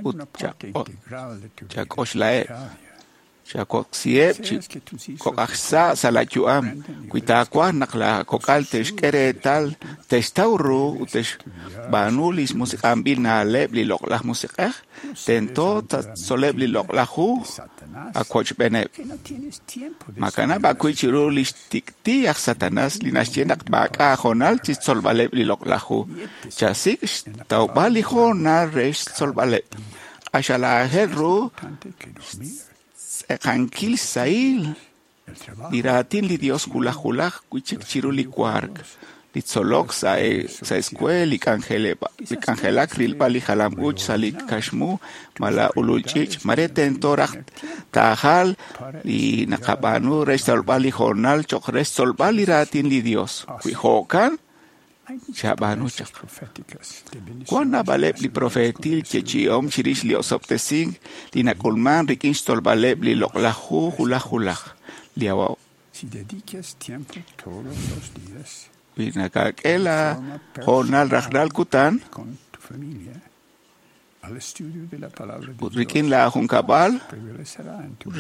ut chak'oxlaheb', chawoksiheb' chi kok'aj xsa' sa' la yu'am. Wi taawaj naq la kok'al te'xk'e reetal, te'xtaw ru ut te'xb'aanu li musiq'anb'il na'leb' li loq'laj musiq'ej, tento tatzoleb' li loq'laj hu awochb'eeneb'. Makanab' ajwi' chiru li xtik'ti' aj Satanas li naxye naq maak'a' hoonal chi xtzolb'aleb' li loq'laj hu. Chasik' xtawb'al li hoonal re xtzolb'aleb'. Q'axal aajel ru xtz'eqankil xsahil li raatin li Dios julaj julaj wi'chik chiru li wark, li tzolok sa' escuela, li k'anjelak rilb'al li jalam-uuch sa' li kaxmu malaj ulul ch'iich'. Mare tento raj taajal li naqab'aanu re xtzolb'al li hoonal cho'q re xtzolb'al li raatin li Dios. Wi jo'kan, chab'aanu chaq. Wan naab'aleb' li profeetil yeechi'om chirix li osob'tesink li nak'ulman rik'in xtzolb'aleb' li loq'laj hu julaj julaj. Li Wi nakak'e la hoonal rajlal kutan ut rik'in la junkab'al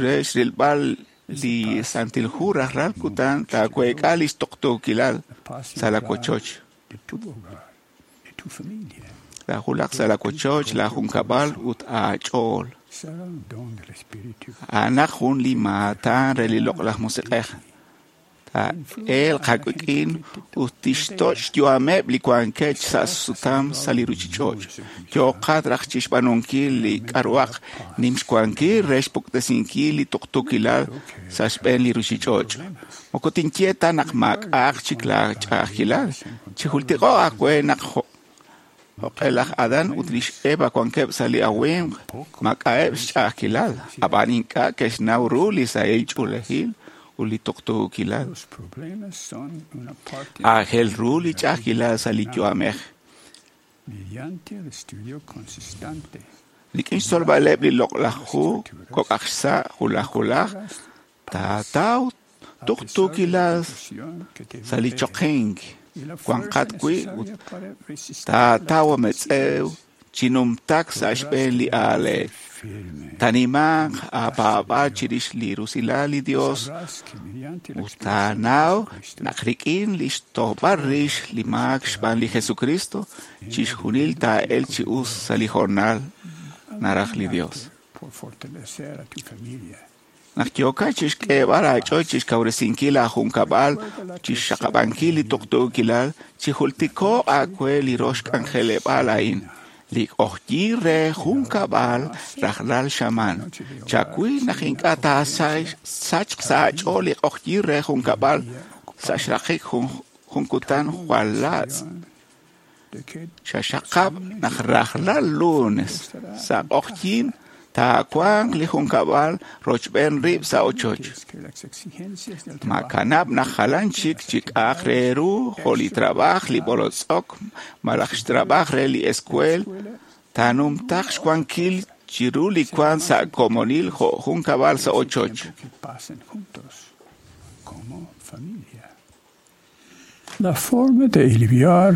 re xrilb'al li Santil Hu rajlal kutan taaweek'a li xtuqtuukilal sa' la wochoch. Taajulaq sa' la wochoch, la junkab'al ut aach'ool. A'anaq jun li maatan re li loq'laj musiq'ej. Taa'elq aawik'in ut tixtoch' xyu'ameb' li wankeb' sa' sutam sa' li ruuchich'och'. Yooqat raj chixb'aanunkil li k'a'ruhaq nim xwankil re xpuktesinkil li tuqtuukilal sa' xb'een li ruuchich'och'. Moko tinye ta naq maak'a'aq chik la ch'a'ajkilal. Chijultiko'q aawe naq jo'q'e laj Adán ut lix Eva wankeb' sa' li awimq maak'a'eb' xch'a'ajkilal, ab'an ink'a' ke'xnaw ru li sahil ch'oolejil ut li tuqtuukilal. Aajel ru li ch'a'ajkilal sa' li yu'amej. Rik'in xtzolb'aleb' li loq'laj hu kok'aj xsa' julaj julaj, taataw tuqtuukilal sa' li choqink wanqat wi' ut taataw ametz'ew chi numtak sa' xb'een li aaleek. Tanimanq aapaab'aal chirix li rusilal li Dios ut taanaw naq rik'in li xtojb'al rix li maak xb'aan li Jesucristo, chixjunil taa'elq chi us sa' li hoonal naraj li Dios. Naq yookat chixk'eeb'al aach'ool chixkawresinkil aajunkab'al, chixxaqab'ankil li tuqtuukilal, chijultiko'q aawe li rox k'anjeleb'aal a'in, li q'ojyin re junkab'al rajlal xamaan. Chawil naq ink'a' taasachq sa' aach'ool li q'ojyin re junkab'al sa' xraqik jun kutan jwal laatz'. Xaxaqab' naq rajlal lunes sa' q'ojyin taawanq li junkab'al rochb'een rib' sa' ochoch. Makanab' naq jalan chik chi k'a'aq re ru jo' li trab'aj, li b'olotz'ok malaj xtrab'aj re li escuel taanumtaq xwankil chiru li wank sa' komonil jo' junkab'al sa' ochoch. La forma de aliviar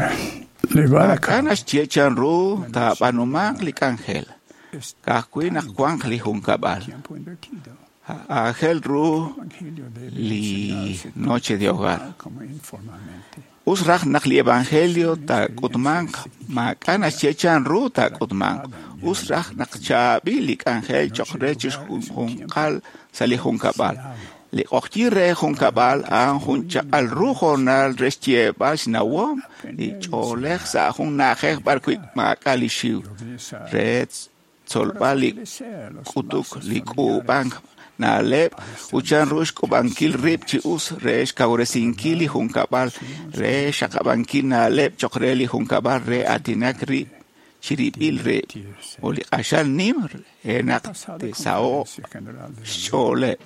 llevar a Maak'a' naxye chanru taab'aanumanq li k'anjel. Ka'ajwi' naq wanq li junkab'al. Aajel ru li noche de hogar. Us raj naq li evangelio taak'utmanq, maak'a' naxye chanru taak'utmanq. Us raj naq chaab'il li k'anjel cho'q re chixjunjunqal sa' li junkab'al. Li q'ojyin re junkab'al a'an jun chaq'al ru hoonal re xyeeb'al xnawom li ch'oolej sa' jun na'ajej b'arwi' maak'a' li xiw re tzolb'al li k'utuk li k'uub'ank na'leb' ut chanru xk'ub'ankil rib' chi us re xkawresinkil li junkab'al, re xaqab'ankil na'leb' choq re li junkab'al re aatinak rib' chirib'il rib' ut li q'axal nim re naq te'saho'q xch'ooleb'.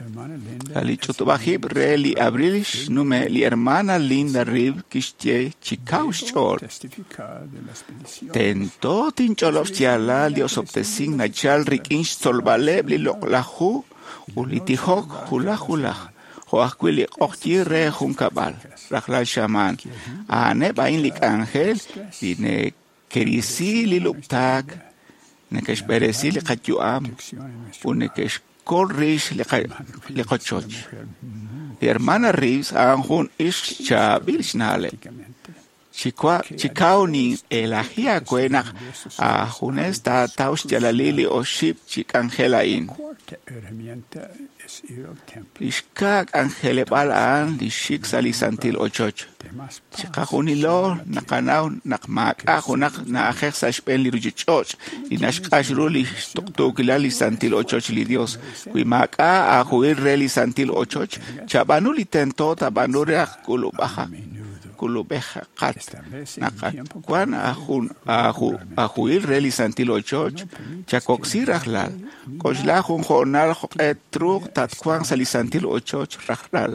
Sa' li ch'utub'ajib' re li abril xnume' li hermana Linda Reeves kixye chi kaw xch'ool: Tento tinch'olob' xyaalal li osob'tesink nachal rik'in xtzolb'aleb' li loq'laj hu ut li tijok wulaj wulaj, jo' ajwi' li q'oqyink re junkab'al rajlal xamaan. A'aneb' a'in li k'anjel li neke'risi li lub'taak, neke'xb'eresi li qayu'am ut neke'xkol rix li qochoch. Li hermana Reeves a'an jun ixq chaab'il xna'leb'. Chi kaw nin'elaji aawe naq aajunes taataw xyaalalil li oxib' chi k'anjel a'in. Li xkaa k'anjeleb'aal a'an li xik sa' li santil ochoch. Chiqajunilo naqanaw naq maak'a' junaq na'ajej sa' xb'een li ruchich'och' li naxq'ax ru li xtuqtuukilal li santil ochoch li Dios. Wi maak'a' aahuhil re li santil ochoch, chab'aanu li tento taab'aanu re aj k'ulub'ajaq. K'ulub'ejaqat naq wan aahuhil re li santil ochoch, chakoksi rajlal. K'oxla jun hoonal jo'q'e truuq tatwanq sa' li santil ochoch rajlal.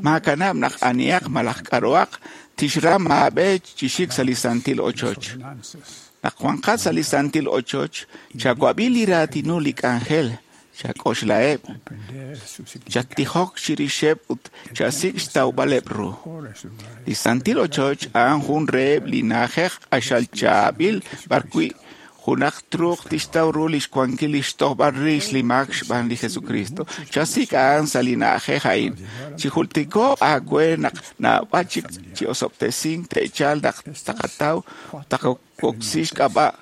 Maakanab' naq anihaq malaj k'a'ruhaq tixram aab'e chi xik sa' li santil ochoch. Naq wanqat sa' li santil ochoch, chawab'i li raatinul li k'anjel, chak'oxlaheb', chattijok chirixeb' ut chasik' xtawb'aleb' ru. Li santil ochoch a'an jun reheb' li na'ajej q'axal chaab'il b'arwi' junaq truuq tixtaw ru li xwankil li xtojb'al rix li maak xb'aan li Jesucristo. Chasik' a'an sa' li na'ajej a'in. Chijultiko'q aawe naq naab'al chik chi osob'tesink te'chalq naq taqataw taqoksi xk'ab'a'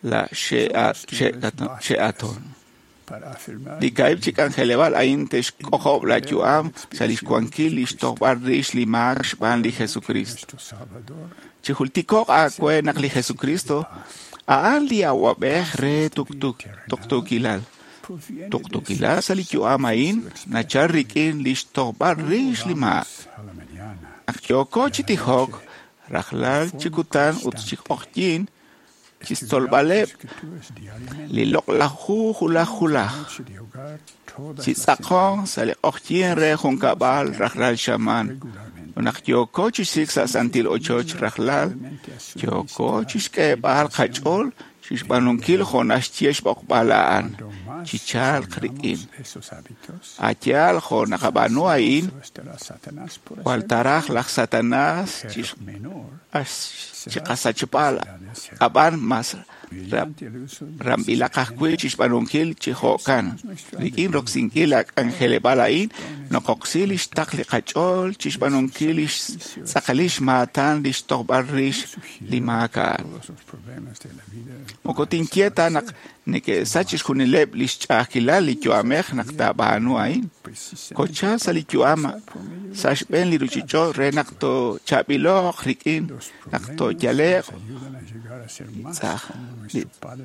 la xe'aton. Li kaahib' chi k'anjeleb'aal a'in te'xk'ojob' la yu'am sa' li xwankil li xtojb'al rix li maak xb'aan li Jesucristo. Chijultiko'q aawe naq li Jesucristo a'an li awab'ej re tuqtuukilal. Tuqtuukilal sa' li yu'am a'in nachal rik'in li xtojb'al rix li maak. Naq yooko chi tijok, rajlal chi kutan ut chi q'oqyink, chixtzolb'aleb' li loq'laj hu wulaj wulaj, chi tz'aqonk sa' li q'oqyink re junkab'al rajlal xamaan. Ut naq yooko chi xik sa' santil ochoch rajlal, yooko chixk'eeb'al qach'ool chixb'aanunkil jo' naxye xb'oqb'al a'an, chichalq rik'in. A' yaal jo' naqab'aanu a'in, jwal taraj laj Satanás chiqasachb'al, ab'an mas ramb'ilaq ajwi' chixb'aanunkil chi jo'kan. Rik'in roksinkil la k'anjeleb'aal a'in, noqoksi li xtaql li qach'ool chixb'aanunkil li xtz'aqalil xmaatan li xtojb'al rix li maak a'an. Moko tinye ta naq neke'sach chixjunileb' li xch'a'ajkilal li yu'amej naq taab'aanu a'in. Kochal sa' li yu'am sa' xb'een li ruchich'och' re naq toochaab'ilo'q rik'in naq tooyale'q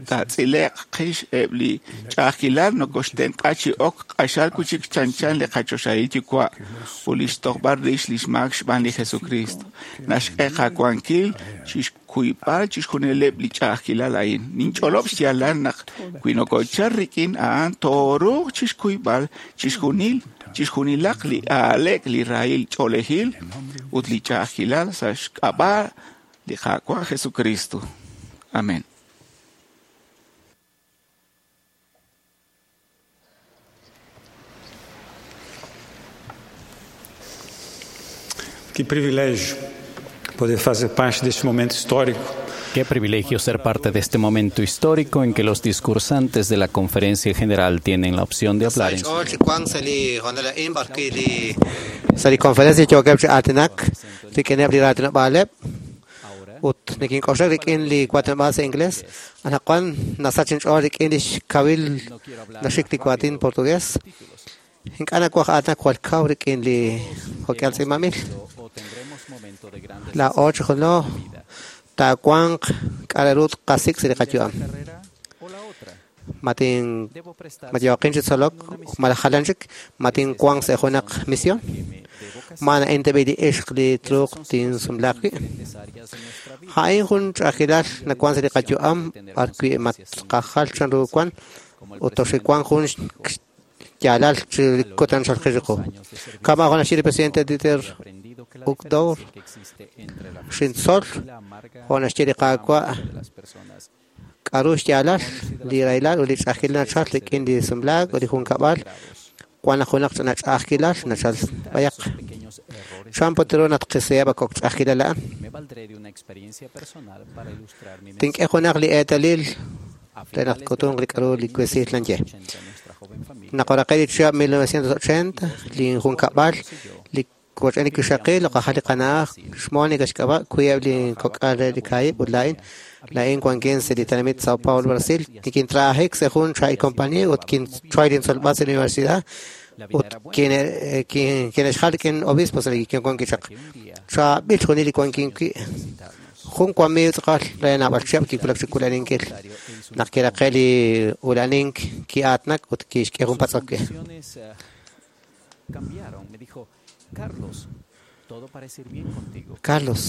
taatz'ile'q qix eb' li ch'a'ajkilal nokoxtenq'a chi ok q'axal wi' chik chanchan li qachoxahil Yuwa' ut li xtojb'al rix li xmaak xb'aan li Jesucristo. Naxk'e qawankil chixkuyb'al chixjunileb' li ch'a'ajkilal a'in. Ninch'olob' xyaalal naq wi nokochal rik'in a'an tooruuq chixkuyb'al chixjunil chixjunilaq li aaleek, li rahil ch'oolejil ut li ch'a'ajkilal sa' xk'ab'a' li Qaawa' Jesucristo. Amén. Que privilégio poder fazer parte deste momento histórico. Qué privilegio ser parte de este momento histórico en que los discursantes de la Conferencia General tienen la opción de hablar en su Sa' li conferencia yookeb' chi aatinak rik'ineb' li raatinob'aaleb' ut nikink'oxlak rik'in li waatinob'aal sa' inglés. Anaqwan nasach inch'ool rik'in li xkawil naxik li waatin portugués. Ink'a' nawaj aatinak jwal kaw rik'in li jo'k'ihal tz'iib'anb'il. Laa'o chi junlo taawanq k'a' re ru tqasik' sa' li qayu'am. Ma tin ma yooqin chi tzolok malaj jalan chik ma tinwanq sa' junaq misión? Ma na'in tab'i li ixq li truuq tinsumlaaq wi'? A'in jun ch'a'ajkilal nawank sa' li qayu'am b'arwi' ma tqajal chanru wan ut toxiwanq jun xyaalal chi kutan chalqil chiqu. Kama' jo' naxye li presidente Dieter Uchtdorf, xintzol jo' naxye li Qaawa' k'aru xyaalal li rahilal ut li ch'a'ajkilal nachal rik'in li sumlaak ut li junkab'al wan naq junaq ch'ina ch'a'ajkilal nachal b'ayaq. Chan put ru naq tqisiheb' kok' ch'a'ajkilal a'an? Tink'e junaq li eetalil re naq tk'utunq li k'aru li kwesiil nanye. Naq oraqe' li chihab' mil novecientos ochenta, li junkab'al li woch'en li wixaqil oqajal li qana'aj xMonica xk'ab'a' wiib' li kok'al re li kaahib' ut laa'in laa'in wankin sa' li tenamit Sao Paulo, Brasil. Nikintrabajik sa' jun chaab'il compañía ut kinchoy lintzolb'al sa' la universidad ut kine'xjal rik'in obispo sa' li kinwank wi' chaq. Chaab'il chixjunil li wankin wi'. Jun wamiiw tz'aqal re naab'al chihab' kiwulak chi wula'aninkil. Naq kiraqe' li ula'anink ki'aatinak ut kixk'e jun patz'ok we. Carlos,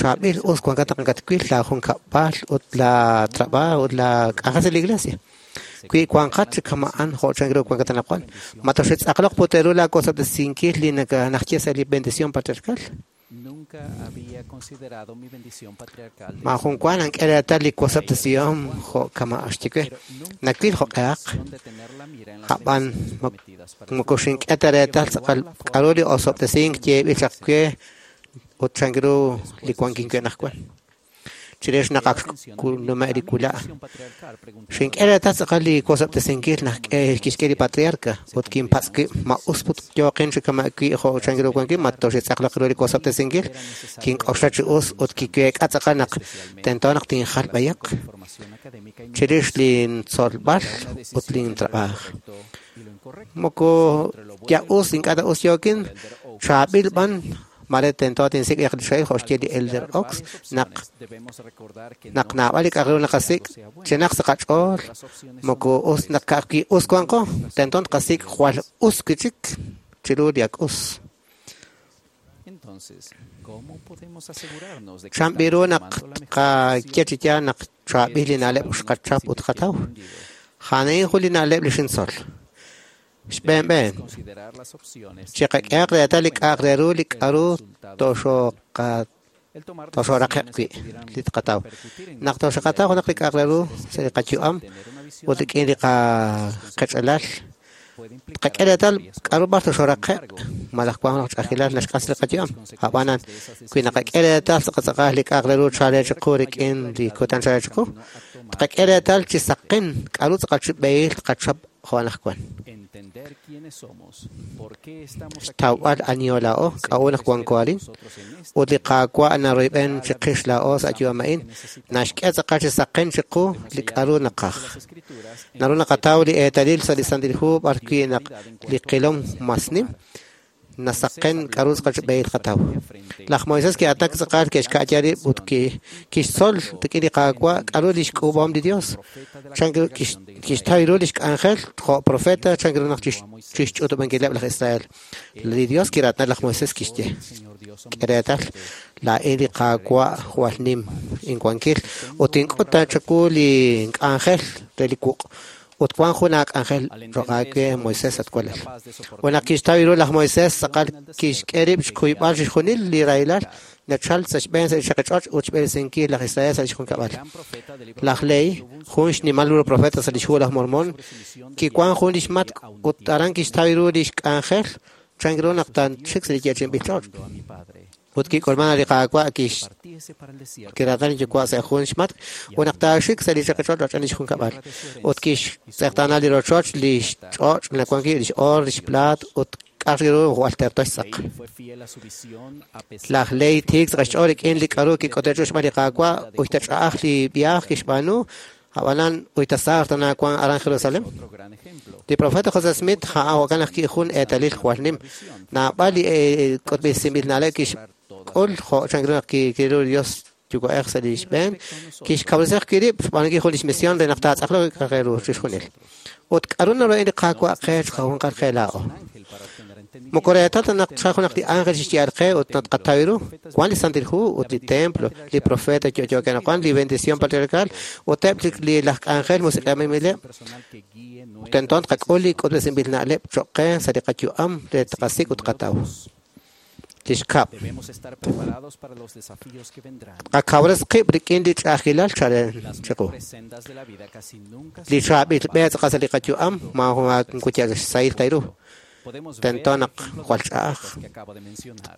chaab'il us wankat naq nakatwil laajunkab'al ut laatrabajo ut laak'anjel sa' li iglesia. Wi wanqat chi kama'an jo' chanru wankat anaqwan, ma toxitz'aqloq put ru laakosob'tesinkil li naxye sa' li bendición patriarcal? Maajun wa nank'e reetal li wosob'tesihom jo' kama' xye we. Nawil jo'q'ehaq, a'b'an moko xink'e ta reetal tz'aqal k'aru li osob'tesink yeeb'il chaq we ut chanru li wankin wi' anaqwan. Chirix naq ak xnume' li wula', xink'e reetal tz'aqal li wosob'tesinkil naq kixk'e li patriarca ut kinpatz' wib' ma us put yooqin chi kama' wi' jo' chanru wankin ma toxitz'aqloq ru li wosob'tesinkil. Kink'oxla chi us ut kiweek'a tz'aqal naq tento naq tinjal b'ayaq chirix lintzolb'al ut lintrabaaj. Moko ya us ink'a' ta us yookin, chaab'il b'an mare tento tinsik' li xahil jo' xye li Elder Oaks naq naq naab'al li k'a'aq ru naqasik' chinaq sa' qach'ool moko us naq ka'ajwi' us wanqo tento tqasik' jwal us wi' chik chiru li ak us. Chan b'i ru naq tqaye chi yaal naq chaab'il li na'leb' xqachap ut qataw? A'an jun li na'leb' li xintzol. Xb'een b'een, chiqak'ehaq reetal li k'a'aq re ru li k'aru toxooraqe'q wi' li tqataw. Naq toxaqataw junaq li k'a'aq re ru sa' li qayu'am ut rik'in li qach'alal, tqak'e reetal k'aru b'ar toxooraqe'q malaj wank junaq ch'a'ajkilal naxk'as li qayu'am. A'b'anan, wi naqak'e reetal tz'aqal li k'a'aq re ru chaalel chiqu rik'in li kutan chaalel chiqu, tqak'e reetal chi saqen k'aru tz'aqal chi b'ehil tqachap jo' anaqwan. Xtawb'al aniho laa'o k'a'u naq wanko arin ut li Qaawa' naroyb'en chiqix laa'o sa' yu'am a'in naxk'e tz'aqal chi saqen chiqu li k'aru naqaj. Naru naqataw li eetalil sa' li Santil Hu b'arwi' naq li qilom mas nim nasaqen k'aru tz'aqal chi b'ehil qataw. Laj Moisés ki'aatinak tz'aqal ke'xka'ya rib' ut kixtzol rik'in li Qaawa' k'aru li xk'uub'ahom li Dios. Chan kixtaw ru li xk'anjel jo' profeta chan ru naq chixch'utub'ankileb' laj Israel. Li Dios kiraatina laj Moisés kixye: K'e reetal, laa'in li Qaawa' jwal nim inwankil ut ink'ut ta chawu li k'anjel re li wuq'. Ut wank jun aak'anjel cho'q aawe Moisés at walal. Ut naq kixtaw ru laj Moisés tz'aqal kixk'e rib' xkuyb'al chixjunil li rahilal nachal sa' xb'een sa' li chaqich'och' ut xb'eresinkil laj Israel sa' li xjunkab'al. Laj Lehi, jun xnimal ru profeta sa' li xhu laj Mormón, kiwank jun li xmatk' ut aran kixtaw ru li xk'anjel chan ru naq taanxik sa' li yeechi'inb'il ch'och'. Ut kik'ulman li Qaawa' kiraatina li yuwa' sa' jun xmatk' ut naq taaxik sa' li chaqich'och' roch'en li xjunkab'al. Ut kixtz'eqtaana li rochoch, li xch'och' nawank wi' li x'oor, li xplaat ut k'a'aq ru jwal terto xtz'aq. Laj Lehi tiik tz'aqal xch'ool rik'in li k'aru kik'ote' xb'aan li Qaawa' ut tach'a'aj li viaaj kixb'aanu a'b'anan uy tasaar tana wank aran Jerusalén. Li profeta José Smith a'an jo'kan ajwi' jun eetalil jwal nim. Naab'al li k'utb'esinb'il na'leb' kixk'ul jo' chan ru naq kiru li Dios yuwa'ej sa' li xb'een kixkawresi ajwi' rib' xb'aanunkil jun lix misión re naq taatz'aqloq k'a'aq re ru chixjunil. Ut k'aru naroyb'eni li Qaawa' qe chiqajunqal qe laa'o? Moko reetal ta naq tchal junaq li ángel xixye'al qe ut naq tqataw ru. Wan li Santil Hu ut li templo, li profeta yo'yookeb' anaqwan, li bendición patriarcal ut eb' li laj k'anjel musiq'ejileb'. Tento tqak'ul li k'utb'esinb'il na'leb' cho'q qe sa' li qayu'am re tqasik' ut tqataw. Li xkab'. Qakawres qib' rik'in li ch'a'ajkilal chalen chiqu. Li chaab'il b'e tz'aqal sa' li qayu'am maajun wa xsahil ta ru. Tento naq jwal ch'a'aj.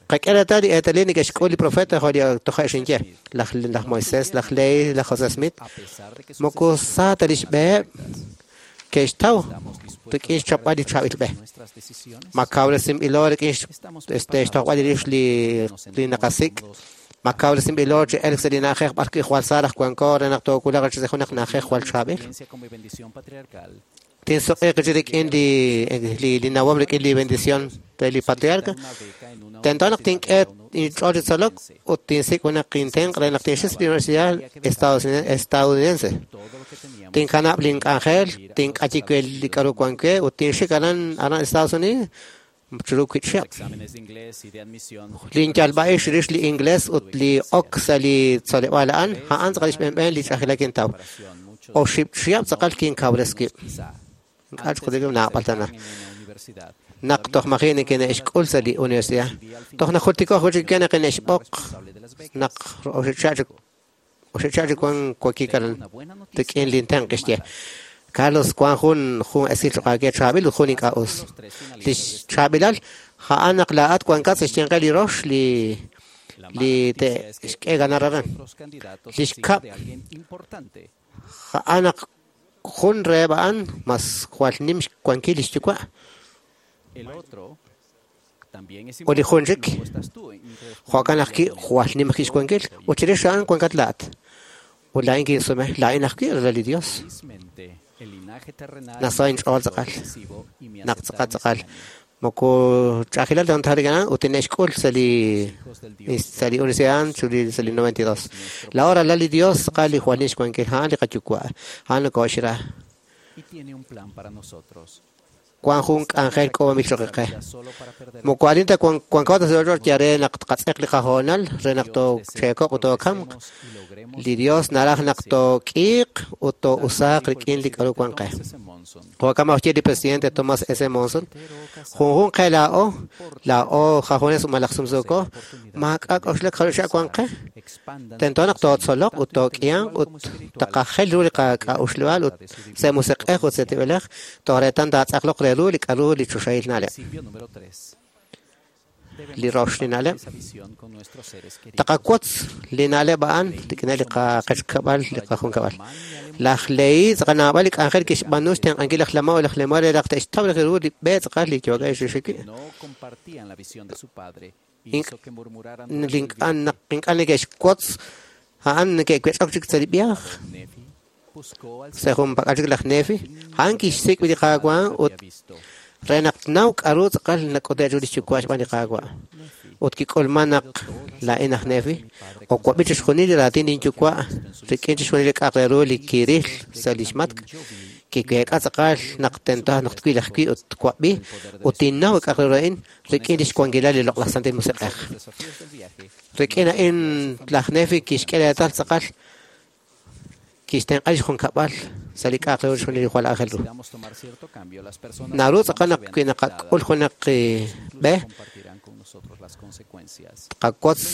Qak'e reetal li eetalil neke'xk'ul li profeta jo' li toje' xinye, laj laj Moisés, laj Lehi, laj José Smith. Moko sa ta lix b'eheb' ke'xtaw rik'in xchapb'al li chaab'il b'e. Ma kawresinb'ilo rik'in este xtojb'al rix li li naqasik'. Ma kawresinb'ilo chi elk sa' li na'ajej b'ar wi' jwal sa raj wanko re naq toowulaq chi junaq na'ajej jwal chaab'il. Tinsuq'iiq chi rik'in li li li nawom rik'in li bendición re li patriarca. Tento naq tink'e inch'ool chi tzolok ut tinsik' junaq intenq' re naq tinxik li universidad estadounidense. Tinkanab' link'anjel, tink'ayi we li k'aru wan we ut tinxik aran aran Estados Unidos chiru wiib' chihab'. Linyalb'a'ix rix li inglés ut li ok sa' li tzoleb'aal a'an, a'an tz'aqal li xb'een b'een li ch'a'ajkilal kintaw. Oxib' chihab' tz'aqal kinkawres wib'. Ink'a' ch'uqul naab'al tana. Naq toj maji' neke'xk'ul sa' li universidad. Toj najultiko ajwi' chik naq neke'xb'oq naq oxib' chihab' chik oxib' chihab' chik wan wakik aran rik'in lintenq' kixye. Carlos wan jun jun esil cho'q aawe chaab'il ut jun ink'a' us. Li chaab'ilal a'an naq laa'at wankat sa' xyanqeb' li rox li li te'xk'e ganar aran. Li xkab' a'an naq jun reheb' a'an mas jwal nim xwankil lix yuwa'. Ut li jun chik jo'kan ajwi' jwal nim ajwi' xwankil ut chirix a'an wankat laa'at. Ut laa'in kinsume, laa'in ajwi' ralal li Dios. Naso inch'ool tz'aqal. Naq tz'aqal tz'aqal. Moko ch'a'ajkilal ta rik'in a'an ut tine'xk'ul sa' li sa' li universidad sa' li noventa y dos. Laa'o ralal li Dios tz'aqal li jwal nim xwankil a'an li qayuwa'. A'an nokooxra. Wan jun k'anjel k'oomil cho'q qe. Moko arin ta wanko ta sa' ch'och' re naq tqatz'eq li qahoonal re naq toocheekoq ut tookamq. Li Dios naraj naq took'iiq ut too'usaaq rik'in li k'aru wan qe. Jo'kan ajwi' li presidente Thomas S. Monson, junjun qe laa'o, laa'o jajones malaj sumsuuko, maak'a' k'oxlak jaru xa' wan qe. Tento naq tootzoloq ut took'ihanq ut taqajel ru li qak'a'uxleb'aal ut sa' musiq'ej ut sa' tib'elej toj reetal taatz'aqloq re ru li k'aru li choxahil na'leb'. Li rox li na'leb'. Taqawotz li na'leb' a'an rik'ineb' li qaqechkab'al li qajunkab'al. Laj Lehi tz'aqal naab'al li k'anjel kixb'aanu xtenq'ankil laj Lamán ut laj Lemuel re naq te'xtaw ru li b'e tz'aqal li yookeb' xixik wi'. Ink'a' naq ink'a' neke'xwotz a'an neke'wech'ok chik sa' li viaje. Sa' junpak'al chik laj Nefi, a'an kixsik' li Qaawa' ut re naq tnaw k'aru tz'aqal nak'ute' ru lix yuwa' xb'aan li Qaawa'. Ut kik'ulman naq laa'in aj Nefi, okwab'i chixjunil li raatin linyuwa' rik'in chixjunil li k'a'aq re ru li kiril sa' lix matk'. Kiweek'a tz'aqal naq tento naq twil ajwi' ut twab'i ut tinnaw k'a'aq re ru a'in rik'in lix wankilal li Loq'laj Santil Musiq'ej. Rik'in a'in laj Nefi kixk'e reetal tz'aqal kixtenq'a lix junkab'al sa' li k'a'aq re ru chixjunil li jwal aajel ru. Naru tz'aqal naq wi naqak'ul junaq b'e tqawotz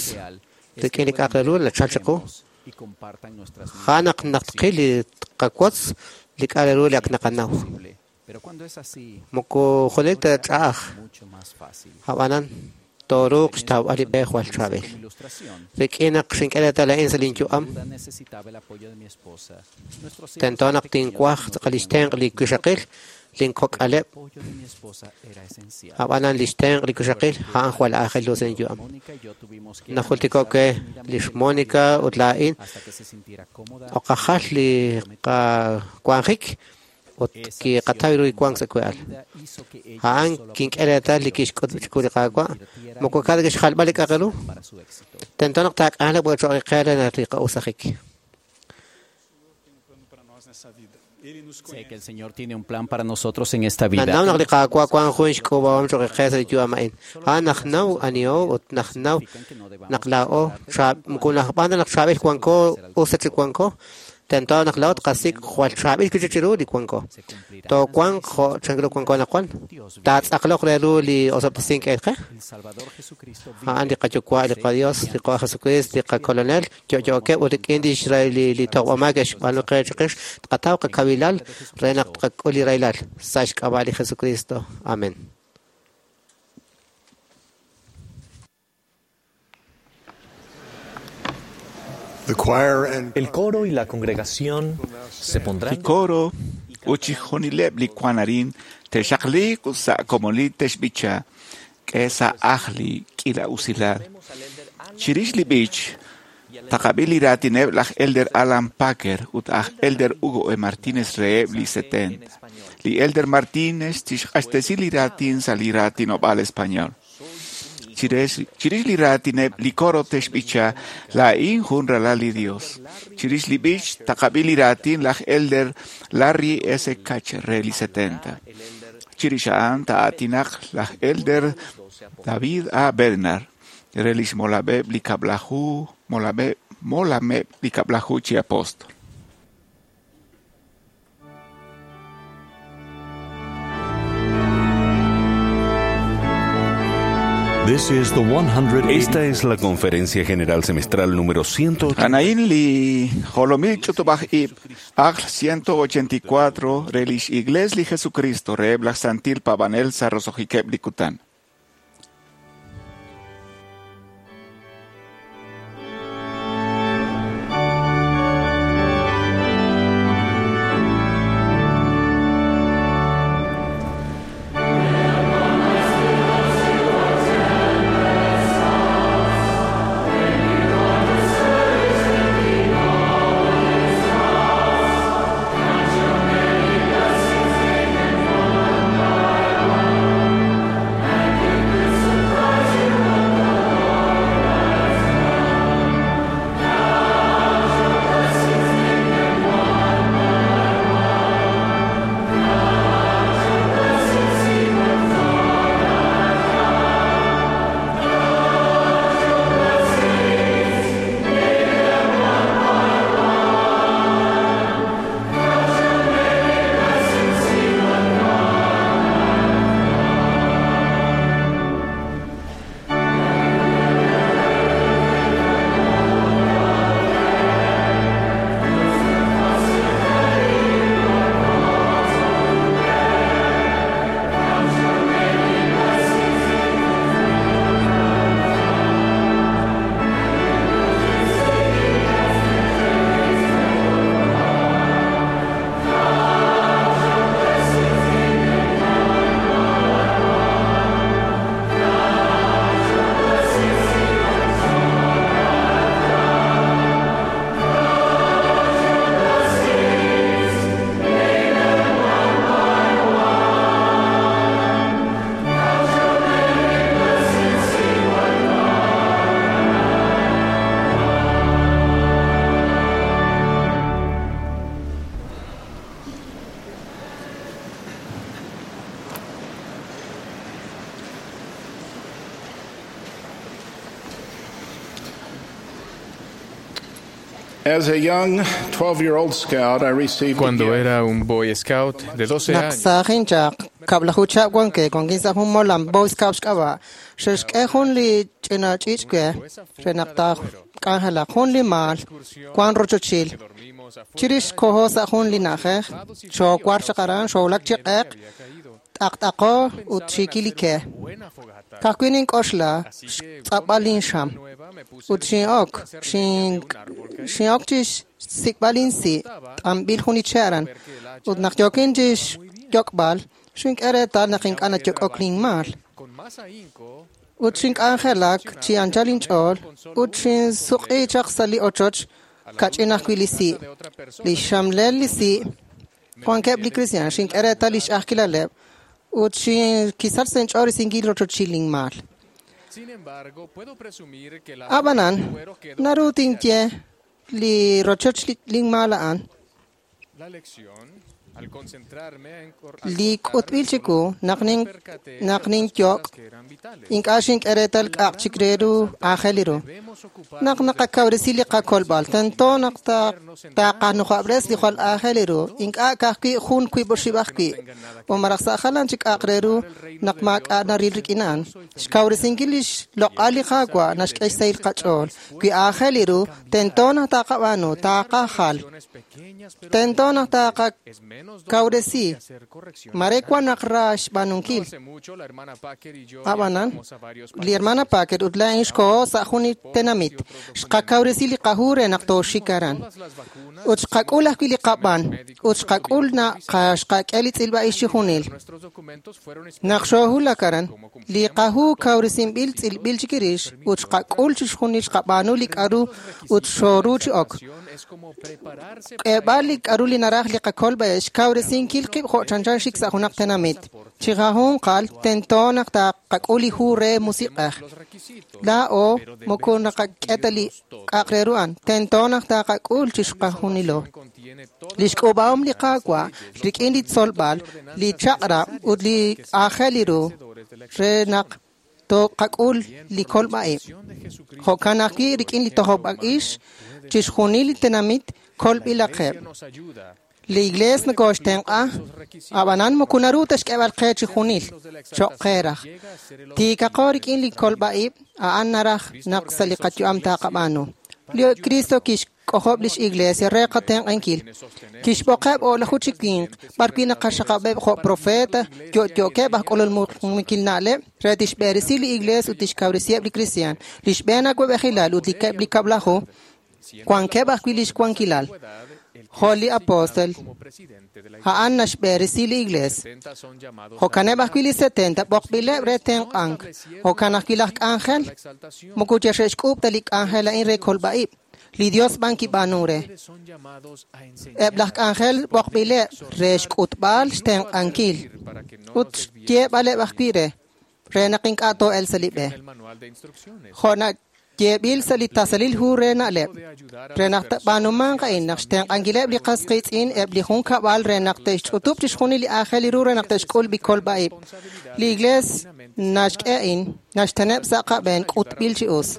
rik'in li k'a'aq re ru nachal chiqu. A'an naq naq tqil li tqawotz li k'a'aq re ru li ak naqanaw. Moko junelik ta ch'a'aj. Ab'anan tooruuq xtawb'al li b'e jwal chaab'il. Rik'in naq xink'e reetal a'in sa' linyu'am, tento naq tinwaj tz'aqal lix tenq' li wixaqil, linkok'aleb'. Ab'anan lix tenq' li wixaqil a'an jwal aajel ru sa' linyu'am. Najultiko' we lix Mónica ut laa'in oqajal li qawanjik Ut kiqataw ru li wank sa' we'al. A'an kink'e reetal li kixk'ut chiqu li Qaawa', moko ka'aj ta xjalb'al li k'a'aq re ru. Tento naq taak'anjelaq cho'q qe re naq li qa'usajik. Sé que el Señor tiene un plan para nosotros en esta vida. Nanaw naq li Qaawa' wank jun xk'uub'ahom cho'q qe sa' li yu'am a'in. A'an naq naw aniho ut naq naw naq laa'o moko naqb'aan ta naq chaab'il wanko us ta chik wanko, tento naq laa'o tqasik' jwal chaab'il wi' chik chiru li wanko. Toowanq jo' chanru wanko anaqwan. Taatz'aqloq re ru li osob'tesink k'e qe. A'an li qaYuwa', li qaDios, li Qaawa' Jesucristo, li qaKolonel, yo'yookeb' ut rik'in lix li toq'ob'aak xb'aanu qe chiqix, tqataw qakawilal re naq tqak'ul li rahilal sa' xk'ab'a' li Jesucristo. Amén. El coro y la congregación se pondrán. Li coro ut chixjunileb' li wank arin te'xaqliiq ut sa' komonil te'xb'icha k'e sa' ajl li k'iila usilal. Chirix li b'ich, taqab'i li raatineb' laj Elder Alan Packer ut aj Elder Hugo E. Martínez reheb' li setenta. Li Elder Martínez tixq'axtesi li raatin sa' li raatinob'aal español. Chirix li raatineb' li coro te'xb'icha laa'in jun ralal li Dios. Chirix li b'ich taqab'i li raatin laj Elder Larry S. Katcher re li setenta. Chirix a'an taa'aatinaq laj Elder David A. Bednar re lix molab'eb' li kab'laju molab'eb' molameb' li kab'laju chi apóstol. Esta es la Conferencia General Semestral número ciento ochenta. Anaín li jolomil ch'utub'aj ib' ajl ciento ochenta y cuatro re lix Iglesia li Jesucristo reheb' laj Santil Paab'anel sa' roso'jikeb' li kutan. Cuando era un Boy Scout de doce años, Naqsaajin chaq kab'laju chihab' wankej wankin sa' jun molam Boy Scout xk'ab'a' xe'xk'e jun li ch'ina ch'iich' we re naq taak'anjelaq jun li maal wank rochochil. Chirix koho sa' jun li na'ajej xoowar chaq aran xoowulak chi q'eq t'aqt'aqo ut xiikil li ke. Ka'ajwi' nink'oxla xtz'ab'al linxam ut xin'ok xin'ok chi xsik'b'al insi' t'anb'il jun li che' aran ut naq yookin chi xyok'b'al xink'e reetal naq ink'a' nayok'ok linmaal. Ut xink'anjelak chi anchal inch'ool ut xinsuq'i chaq sa' li ochoch kach'in ajwi' li si'. Li xxamlel li si' Wankeb' li kristiaan xink'e reetal lix ch'a'ajkilaleb' ut kisach sa' inch'ool risinkil rochochil inmaal. Ab'anan, naru tinye li rochoch linmaal a'an li k'utb'il chiwu naq nin naq ninyok' ink'a' xink'e reetal k'a'aq chik re ru aajel ru. Naq naqakawresi li qakolb'al, tento naq taqanujob'res li jwal aajel ru, ink'a' ka'ajwi' jun wiib' oxib' ajwi', o malaj sa' jalan chik k'a'aq re ru naq maak'a' naril rik'in a'an. Xkawresinkil lix loq'al li Qaawa' naxk'e xsahil qach'ool. Wi aajel ru, tento naq taqab'aanu, taqajal. Tento naq taqakawresi. Mare wan naq ra xb'aanunkil. Ab'anan, li hermana Packer ut laa'in xkoho sa' jun li tenamit. Xqakawresi li qahu re naq tooxik aran. Ut xqak'ul ajwi' li qab'an. Ut xqak'ul naq xqak'e li tz'ilb'a'ix chi junil. Naq xoohulak aran, li qahu kawresinb'il tz'ilb'il chik rix ut xqak'ul chi xjunil xqab'aanu li k'aru ut xooru chi ok. K'eeb'al li k'aru li naraj li qakolb'a'ix xkawresinkil qib' jo' chanchan xik sa' junaq tenamit. Chi qajunqal tento naq taqak'ul li hu re musiq'ej. Laa'o moko naqak'e ta li k'a'aq re ru a'an. Tento naq taqak'ul chi xqajunilo. Li xk'ub'ahom li Qaawa' rik'in li tzolb'al, li chaq'rab' ut li aajel ru re naq toqak'ul li kolb'a'ib'. Jo'kan ajwi' rik'in li tojob'a'ix chi xjunil li tenamit kolb'ilaqeb'. Li iglees nokoxtenq'a, ab'anan moko naru ta xk'eeb'al qe chi junil, cho'q qe raj. Tiikaqo rik'in li kolb'a'ib', a'an naraj naq sa' li qayu'am taqab'aanu. Li Cristo kixk'ojob' lix iglesia re qatenq'ankil. Kixb'oqeb' o'laju chi winq, b'arwi' naqaxaqab'eb' jo' profeta, yo'yo'keb' aj k'ulul muqmukil na'leb' re tixb'eresi li iglees ut tixkawresiheb' li kristiaan. Li xb'een awab'ejilal ut li keb' li kab'laju wankeb' ajwi' lix wankilal. Jo' li apóstol, a'an naxb'eresi li iglees. Jo'kaneb' ajwi' li setenta b'oqb'ileb' re tenq'ank. Jo'kan ajwi' laj k'anjel, moko xe'xk'uub' ta li k'anjel a'in re kolb'a'ib'. Li Dios b'an kib'aanu re. Eb' laj k'anjel b'oqb'ileb' re xk'utb'al xtenq'ankil ut xyeeb'aleb' ajwi' re, re naq ink'a' too'el sa' li b'e. Jo' na yeeb'il sa' li tasalil hu re na'leb', re naq b'aanumanq a'in naq xtenq'ankileb' li qas qiitz'in eb' li junkab'al re naq te'xch'utub' chi xjunil li aajel ru re naq te'xk'ul bi kolb'a'ib'. Li iglees naxk'e a'in, naxteneb' sa' qab'een k'utb'il chi us.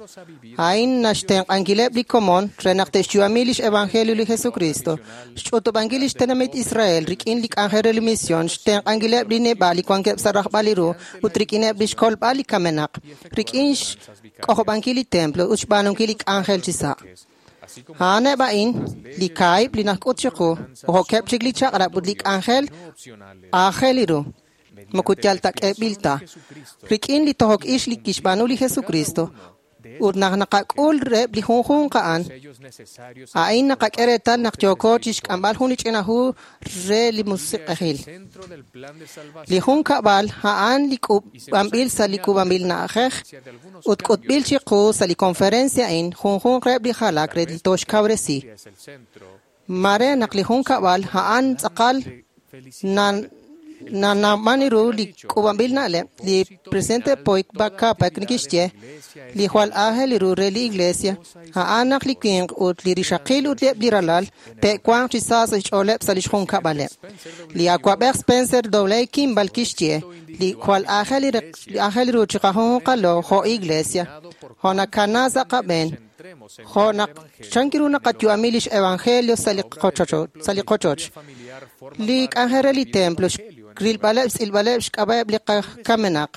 A'in naxtenq'ankileb' li komon re naq te'xyu'ami lix evangelio li Jesucristo. Xch'utub'ankil lix tenamit Israel rik'in li k'anjel re li mision, xtenq'ankileb' li neb'a' li wankeb' sa' rajb'al li ru ut rik'ineb' lix kolb'al li kamenaq, rik'in xk'ojob'ankil li templo ut xb'aanunkil li k'anjel chi sa'. A'aneb' a'in li kaahib' li najk'ut chiqu, jo'keb' chik li chaq'rab' ut li k'anjel aajel ru. Moko yal ta k'eeb'il ta. Rik'in li tojok ix li kixb'aanu li Jesucristo ut naq naqak'ul reheb' li junjunq a'an, a'in naqak'e reetal naq yooko chixk'amb'al jun li ch'ina hu re li musiq'ejil. Li junkab'al a'an li k'uub'anb'il sa' li k'uub'anb'il na'ajej ut k'utb'il chiqu sa' li conferencia a'in junjunq reheb' li jalak re li toxkawresi. Mare naq li junkab'al a'an tz'aqal nan nanawman ru li k'uub'anb'il na'leb', li presidente Poik Kapak nikixye, li jwal aajel ru re li iglesia, a'an naq li winq ut li rixaqil ut eb' li ralal te'wanq chi sa sa' xch'ooleb' sa' lix junkab'aleb'. Li awab'ej Spencer W. Kimball kixye, li jwal aajel ru chi qajunqalo jo' iglesia, jo' nakana sa' qab'een, jo' naq chank ru naqayu'ami lix evangelio sa' li qochoch, sa' li qochoch. Li k'anjel re li templo, rilb'aleb' tz'ilb'aleb' xk'ab'a'eb' li qakamenaq,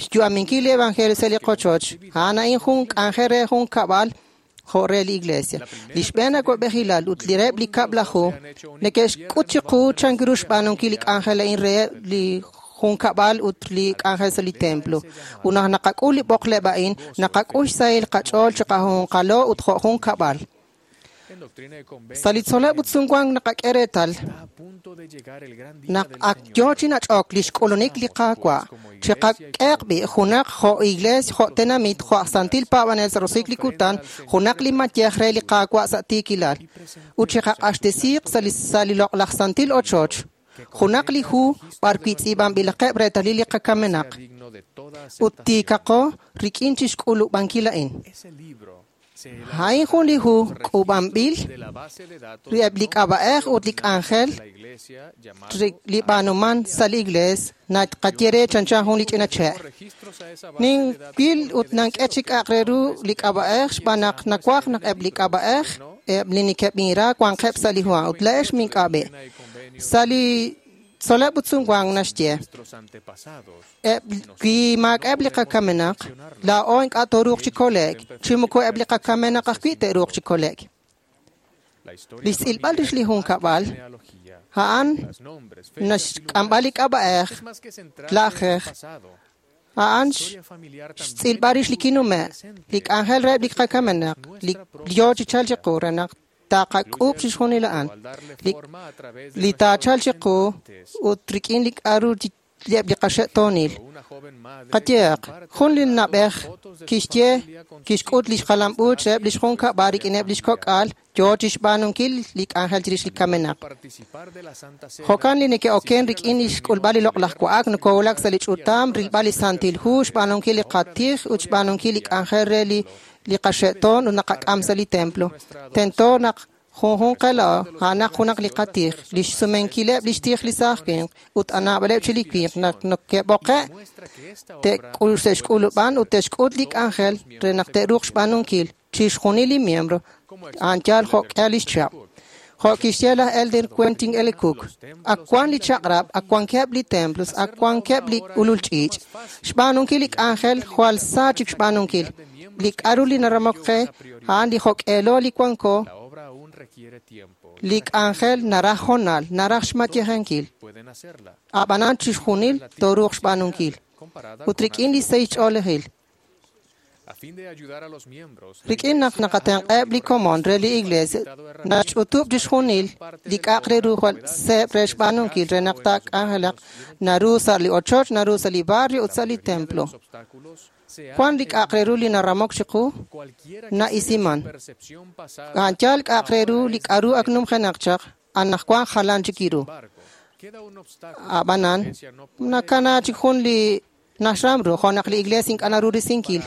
xyu'aminkil li evangelio sa' li qochoch, a'an a'in jun k'anjel re jun kab'al jo' re li iglesia. Li xb'een awab'ejilal ut li reheb' li kab'laju neke'xk'ut chiqu chank ru xb'aanunkil li k'anjel a'in reheb' li junkab'al ut li k'anjel sa' li templo. Ut naq naqak'ul li b'oqleb' a'in, naqak'ul xsahil qach'ool chi qajunqalo ut jo' jun kab'al. Sa' li tzoleb' ut sumwank naqak'e reetal naq ak yoo chi nach'ok li xk'ulunik li Qaawa', chiqak'eeq b'i' junaq jo' iglees, jo' tenamit, jo' aj santil paab'anel sa' roso'jik li kutan, junaq li mayej re li Qaawa' sa' tiikilal, ut chiqaq'axtesiiq sa' li sa' li loq'laj santil ochoch. Junaq li hu b'arwi' tz'iib'anb'ilaqeb' reetalil li qakamenaq. Ut tiikaqo rik'in chixk'ulub'ankil a'in. A'in jun li hu k'uub'anb'il eb' li k'ab'a'ej ut li k'anjel li b'aanuman sa' li iglees naqaye re chanchan jun li ch'ina che'. Ninwil ut nank'e chi k'a'aq re ru li k'ab'a'ej xb'aan naq nawaj naq eb' li k'ab'a'ej eb' li neke'b'inra wanqeb' sa' li hu ut la'ex mink'ab'e. Sa' li tzol'leb' ut sumwank naxye eb' wi maak'a'eb' li qakamenaq laa'o ink'a' tooruuq chi kole'k chi moko eb' li qakamenaq ajwi' te'ruuq chi kole'k. Li xtz'ilb'al rix li junkab'al a'an naxk'amb'al li k'ab'a'ej la'ajej a'an xtz'ilb'al rix li kinume' li k'anjel reheb' li qakamenaq li yo chi chalk chiqu re naq taqak'uub' chixjunil a'an li taachalq chiqu ut rik'in li k'a'ru eb' li qaxe'toonil. Qayehaq, jun li na'b'ej kixye kixk'ut li xjalam-uuch reheb' li xjunkab'al rik'ineb' li xkok'al yo chixb'aanunkil li k'anjel chirix li kamenaq. Jo'kan li neke'oken rik'in li xk'ulb'al li loq'laj wa'ak nokowulak sa' li ch'utam rilb'al li Santil Hu, xb'aanunkil li qatij ut xb'aanunkil li k'anjel re li li qaxe'toon ut naqak'am sa' li templo. Tento naq junjunq qela'o a'anaq junaq li qatij, li xsumenkileb' li xtij li saaj winq ut anaab'aleb' chi li winq naq neke'b'oqe' te'xk'ulub'an ut te'xk'ut li k'anjel re naq te'ruuq xb'aanunkil chixjunil li miembro a'an yaal jo'k'ihal li xchihab'. Jo' kixye laj Elder Quentin L. Cook, ak wan li chaq'rab', ak wankeb' li templos, ak wankeb' li ulul ch'iich'. Xb'aanunkil li k'anjel jwal sa chik xb'aanunkil. Li k'a'ru li naramok qe a'an li jo'k'eelo li wanko li k'anjel naraj honal, naraj xmayejankil. Ab'anan chixjunil tooruuq xb'aanunkil. Ut rik'in li sahil ch'oolejil. Rik'in naq naqatenq'eb' li komon re li iglesia, naxch'utub' chixjunil li k'a'aq re ru jwal seeb' re xb'aanunkil re naq taak'anjelaq naru sa' li ochoch, naru sa' li barrio ut sa' li templo. Wan li k'a'aq re ru li naramok chiqu na'isiman. A'an yaal k'a'aq re ru li k'a'ru ak numjenaq chaq, anaqwan jalan chik iru. Ab'anan, nakana chik jun li naxram ru, jo' naq li iglesia ink'a' naru risinkil.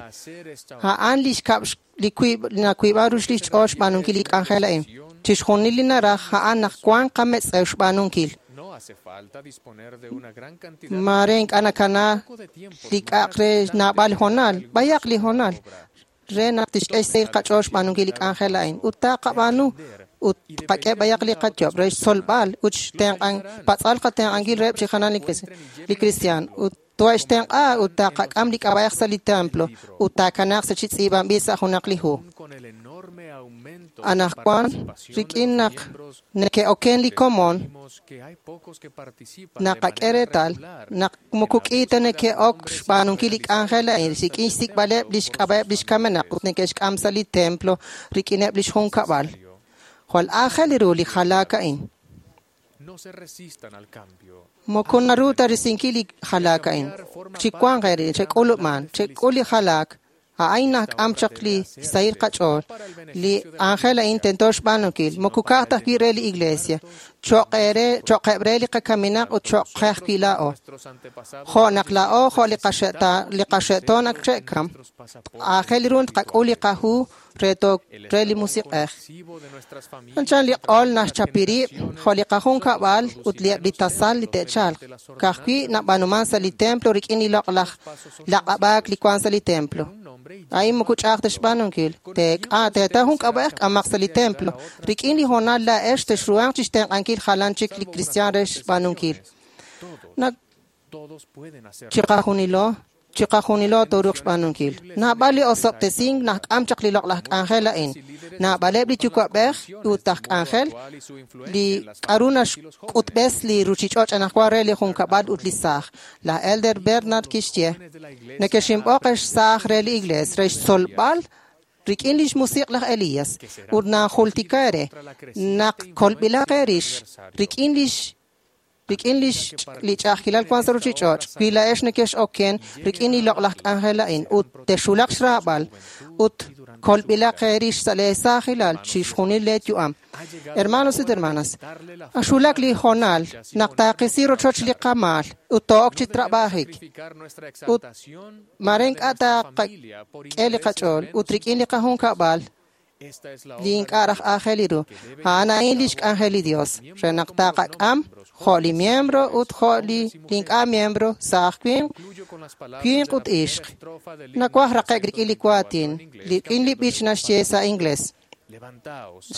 A'an li xkab' li wiib' nawiib'an ru li xch'ool xb'aanunkil li k'anjel a'in. Chixjunil li naraj a'an naq wanq qametz'ew xb'aanunkil. Maare ink'a' nakana li k'a'aq re naab'al honal, b'ayaq li honal, re naq tixk'e xsahil qach'ool xb'aanunkil li k'anjel a'in. Ut taqab'aanu ut qak'e b'ayaq li qayob' re xtzolb'al ut xtenq'an patz'al qatenq'ankil reheb' chi jalan li kristiaan. Ut to'extenq'a ut taqak'am li k'ab'a'ej sa' li templo ut taakanaq sa' chi tz'iib'anb'il sa' junaq li hu. Anaqwan rik'in naq neke'oken li komon naqak'e reetal naq moko k'i ta neke'ok xb'aanunkil li k'anjel a'in rik'in xsik'b'aleb' li xk'ab'a'eb' li xkamenaq ut neke'xk'am sa' li templo rik'ineb' li xjunkab'al. Jwal aajel ru li jalaak a'in. Moko naru ta risinkil li jalaak a'in. Chiwanq eeri, chek'ulub'an, chek'ul li jalaak. A'in nak'am chaq li sahil qach'ool. Li ángel a'in tento xb'aanunkil. Moko ka'aj ta ajwi' re li iglesia. Cho'q eere, cho'qeb' re li qakaminaq ut cho'q qe ajwi' laa'o. Jo' naq laa'o jo' li qaxe'ta, li qaxe'toon ak xe'kam. Aajel ru tqak'ul li qahu re to re li musiq'ej. Chanchan li q'ol naxchapi rib' jo' li qajunkab'al ut li eb' li tasal li te'chalq. Ka'ajwi' nab'aanuman sa' li templo rik'in li loq'laj laq'ab'aak li wank sa' li templo. A'in moko ch'a'aj ta xb'aanunkil. Teek'a teeta jun k'ab'a'ej k'amaq sa' li templo. Rik'in li honal la'ex texruhanq chixtenq'ankil jalan chik li kristiaan re xb'aanunkil. Nak chiqajunilo chiqajunilo tooruuq xb'aanunkil. Naab'al li osob'tesink nak'am chaq li loq'laj k'anjel a'in. Naab'aleb' li yuwa'b'ej ut aj k'anjel li k'a'ru naxk'utb'es li ruchich'och' anaqwan re li junkab'al ut li saaj. Laj Elder Bernard kixye, neke'xinb'oq ex saaj re li iglees re xtzolb'al rik'in li xmusiq' laj Elías ut najultika eere naq kolb'ilaq eerix rik'in lix rik'in li li ch'a'ajkilal wank sa' ruchich'och' wi la'ex neke'x'oken rik'in li loq'laj k'anjel a'in ut texulaq xraab'al ut Kolb'ilaq eerix sa' lee saajilal chixjunil lee yu'am. Hermanos ut hermanas, axulak li hoonal naq taqisi rochoch li qamaal ut to'ok chi trabajik. Ut mare ink'a' taqak'e li qach'ool ut rik'in li qajunkab'al li ink'a' raj aajel ru. A'an a'in lix k'anjel li Dios, re naq taqak'am jo' li miembro ut jo' li ink'a' miembro sa' aj winq, winq ut ixq. Nawaj raqe'k rik'in li waatin, rik'in li b'ich naxye sa' inglés.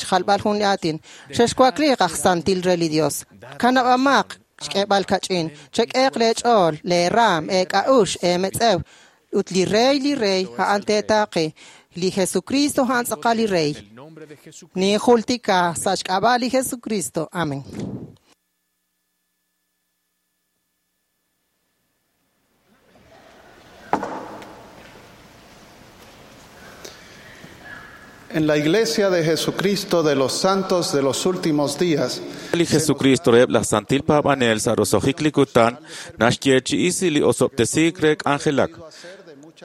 Xjalb'al jun li aatin. Xexwakliiq aj santil re li Dios. Kanab'amaq xk'eeb'al kach'in. Chek'eeq lee ch'ool, lee raam, eek'a'ux, eemetz'ew. Ut li rey, li rey, a'an teetaaqi. Li Jesucristo a'an tz'aqal li rey. Ninjultika sa' xk'ab'a' li Jesucristo. Amén. En la Iglesia de Jesucristo de los Santos de los Últimos Días, Li Jesucristo reheb' laj santil paab'anel sa' roso'jik li kutan naxyeechi'isi li osob'tesiik re k'anjelak.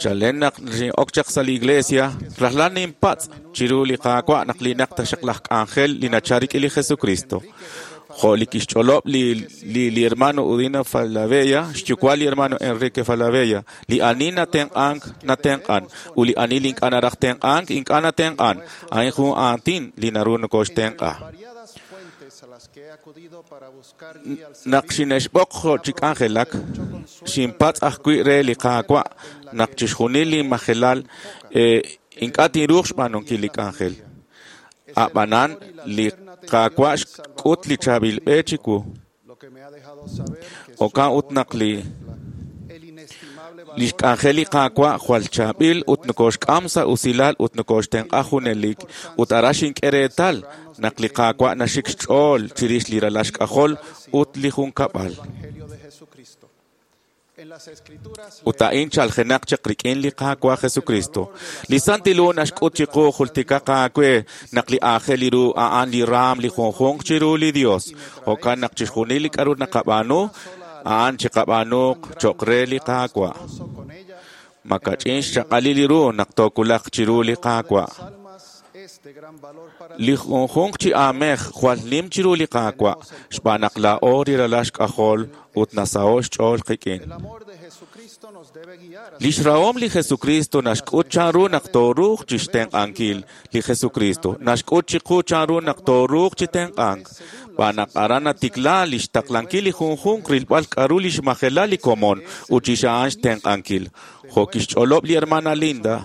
Chalen naq xin'ok chaq sa' li iglesia, rajlal ninpatz' chiru li Qaawa' naq linaq taxaq laj k'anjel li nachal rik'in li Jesucristo. Jo' li kixch'olob' li, li, li hermano Udina Falabella, xyuwa' li hermano Enrique Falabella, li ani natenq'ank, natenq'an, ut li ani li ink'a' naraj tenq'ank, ink'a' natenq'an. A'in jun aatin li naru nokoxtenq'a. Naq xine'xb'oq jo' chi k'anjelak, xinpatz' ajwi' re li Qaawa' naq chixjunil li majelal eh, ink'a' tinruuq xb'aanunkil li k'anjel. A'b'anan li Qaawa' xk'ut li chaab'il b'e chiwu. Jo'kan ut naq li lix k'anjel li Qaawa' jwal chaab'il ut nokoxk'am sa' usilal ut nokoxtenq'a junelik ut aran xink'e reetal naq li Qaawa' naxik xch'ool chirix li ralal xk'ajol ut li junkab'al. Ut a'in chaljenaq chaq rik'in li Qaawa' Jesucristo. Li Santil Hu naxk'ut chiqu jultikaq aawe naq li aajel ru a'an li raam li junjunq chiru li Dios. Jo'kan naq chixjunil li k'a'ru naqab'aanu, a'an chiqab'aanuq cho'q re li Qaawa'. Makach'in xchaq'alil li ru naq tookulaq chiru li Qaawa'. Li junjunq chi aamej jwal nim chiru li Qaawa' xb'aan naq laa'o li ralal xk'ajol ut nasaho' xch'ool qik'in. Lix rahom li Jesucristo naxk'ut chanru naq tooruuq chixtenq'ankil li Jesucristo. Naxk'ut chiqu chanru naq tooruuq chi tenq'ank. Xb'aan naq aran natikla lix taqlankil li junjunq rilb'al k'a'ru lix majelal li komon ut chix a'an xtenq'ankil. Jo' kixch'olob' li hermana Linda,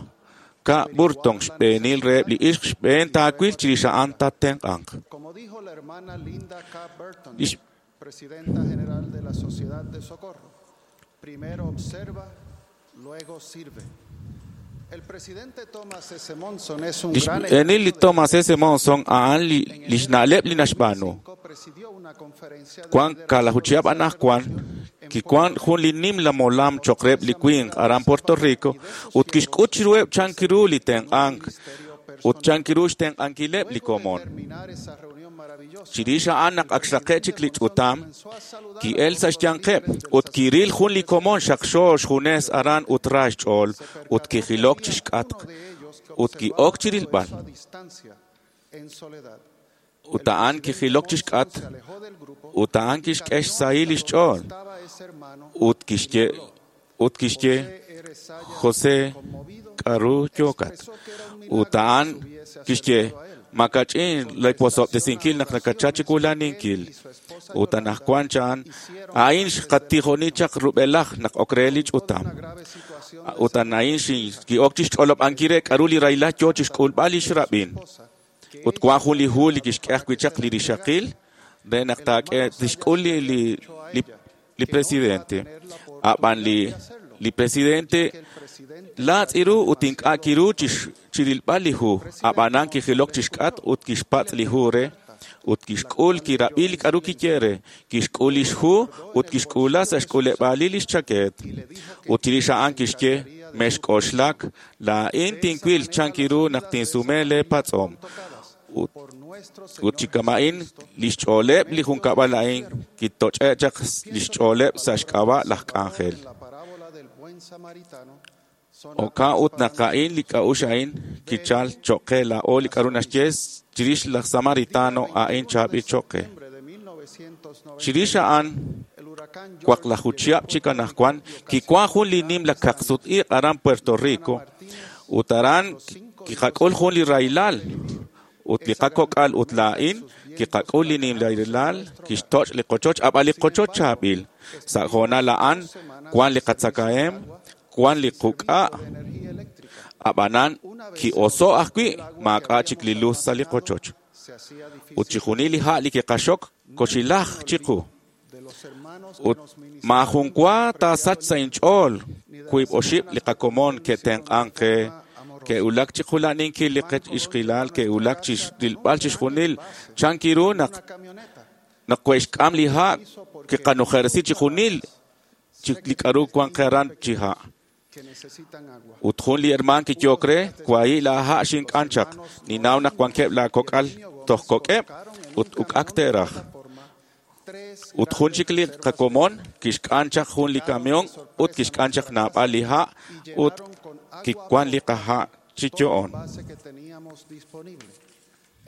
K. Burton xb'eenil reheb' li ixq xb'een taawil chirix a'an tattenq'anq. como dijo la hermana Linda K. Burton, Lix presidenta general de la Sociedad de Socorro, primero observa, luego sirve. El presidente Thomas S. Monson es un Lix gran xb'eenil li Thomas S. Monson a'an li lix na'leb' li naxb'aanu. presidió una conferencia de Cuan kalajuchihab' anajwan, kiwan jun li nimla molam cho'q reheb' li winq aran Puerto Rico ut kixk'ut chiruheb' chan kiru li tenq'ank ut chan kiru xtenq'ankileb' li komon. Chirix a'an naq ak xraqe' chik li ch'utam, ki'el sa' xyanqeb' ut kiril jun li komon xaqxo xjunes aran ut ra xch'ool ut kijilok chixk'atq ut ki'ok chirilb'al. a distancia, en soledad. Ut a'an kijilok chixk'atq ut a'an kixk'e xsahil lix ch'ool ut kixye ut kixye José k'a'ru yookat ut a'an kixye makach'in lawosob'tesinkil naq nakachal chiwulaninkil ut anajwan chan a'in xqatijoni chaq rub'elaj naq ok re li ch'utam ut a'in ki'ok chixch'olob'ankil re k'a'ru li rahilal yoo chixk'ulb'al lix rab'in ut wan jun li hu li kixk'e ajwi' chaq li rixaqil re naq taak'e tixk'ul li li li li presidente a'b'an li li presidente laatz' iru ut ink'a' kiru chix- chirilb'al li hu a'b'anan kijilok chixk'atq ut kixpatz' li hu re ut kixk'ul kirab'i li k'a'ru kiye re kixk'ul lix hu ut kixk'ula sa' xk'uleb'aalil lix chakeet ut chirix a'an kixye mexk'oxlak laa'in tinwil chan kiru naq tinsume lee patz'om ut ut chi kama'in lix ch'ooleb' li junkab'al a'in kitoch'e' chaq lix ch'ooleb' sa' xk'ab'a' laj k'anjel. La parábola del buen samaritano Jo'kan ut naq a'in li k'a'uxl a'in kichal cho'q qe laa'o li k'a'ru naxye chirix laj Samaritano a'in chaab'il cho'q qe. Chirix a'an, waqlaju chihab' chik anaqwan, kiwan jun li nimla kaqsut-iq' aran Puerto Rico, ut aran kiqak'ul jun li rahilal, ut li qakok'al ut laa'in kiqak'ul li nimla rahilal, kixtoch' li qochoch, ab'an li qochoch chaab'il. Sa' hoonal a'an, wan li qatzakahem, wan li quk'a', ab'anan ki'oso' ajwi' maak'a' chik li luz sa' li qochoch. Ut chixjunil li ha' li kiqaxok koxilaj chiqu. Ut maajun wa taasach sa' inch'ool wiib' oxib' li qakomon ke'tenq'ank qe, ke'wulak chi qula'ninkil li qech-ixqilal, ke'wulak chi rilb'al chixjunil chan kiru naq naq we'xk'am li ha' kiqanujersi chixjunil li k'a'ru wan qe aran chi ha'. Ut jun li hermaan kiyo'k re, wahi' laa ha' xink'an chaq, ninnaw naq wankeb' laa kok'al toj kok'eb' ut uk'ak te'raj. Ut jun chik li qakomon kixk'an chaq jun li camión ut kixk'an chaq naab'al li ha' ut kiwan li qaha' chi yo'on.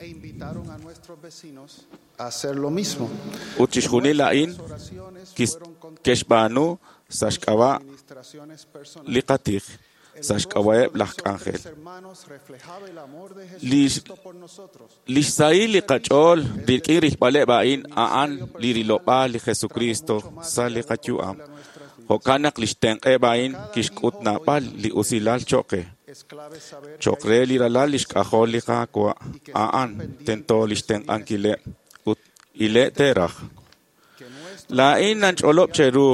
E invitaron a nuestros vecinos a hacer lo mismo. Ut chixjunil a'in ke'xb'aanu sa' xk'ab'a' li qatij, sa' xk'ab'a'eb' laj k'anjel. Li xsahil li qach'ool rik'in rilb'aleb' a'in a'an li rilob'aal li Jesucristo sa' li qayu'am. Jo'kan naq li xtenq'eb' a'in kixk'ut naab'al li usilal cho'q qe. Cho'q re li ralal li xk'ajol li Qaawa' a'an tento li xtenq'ankileb' ut ile' te'raj. Laa'in nanch'olob' cheru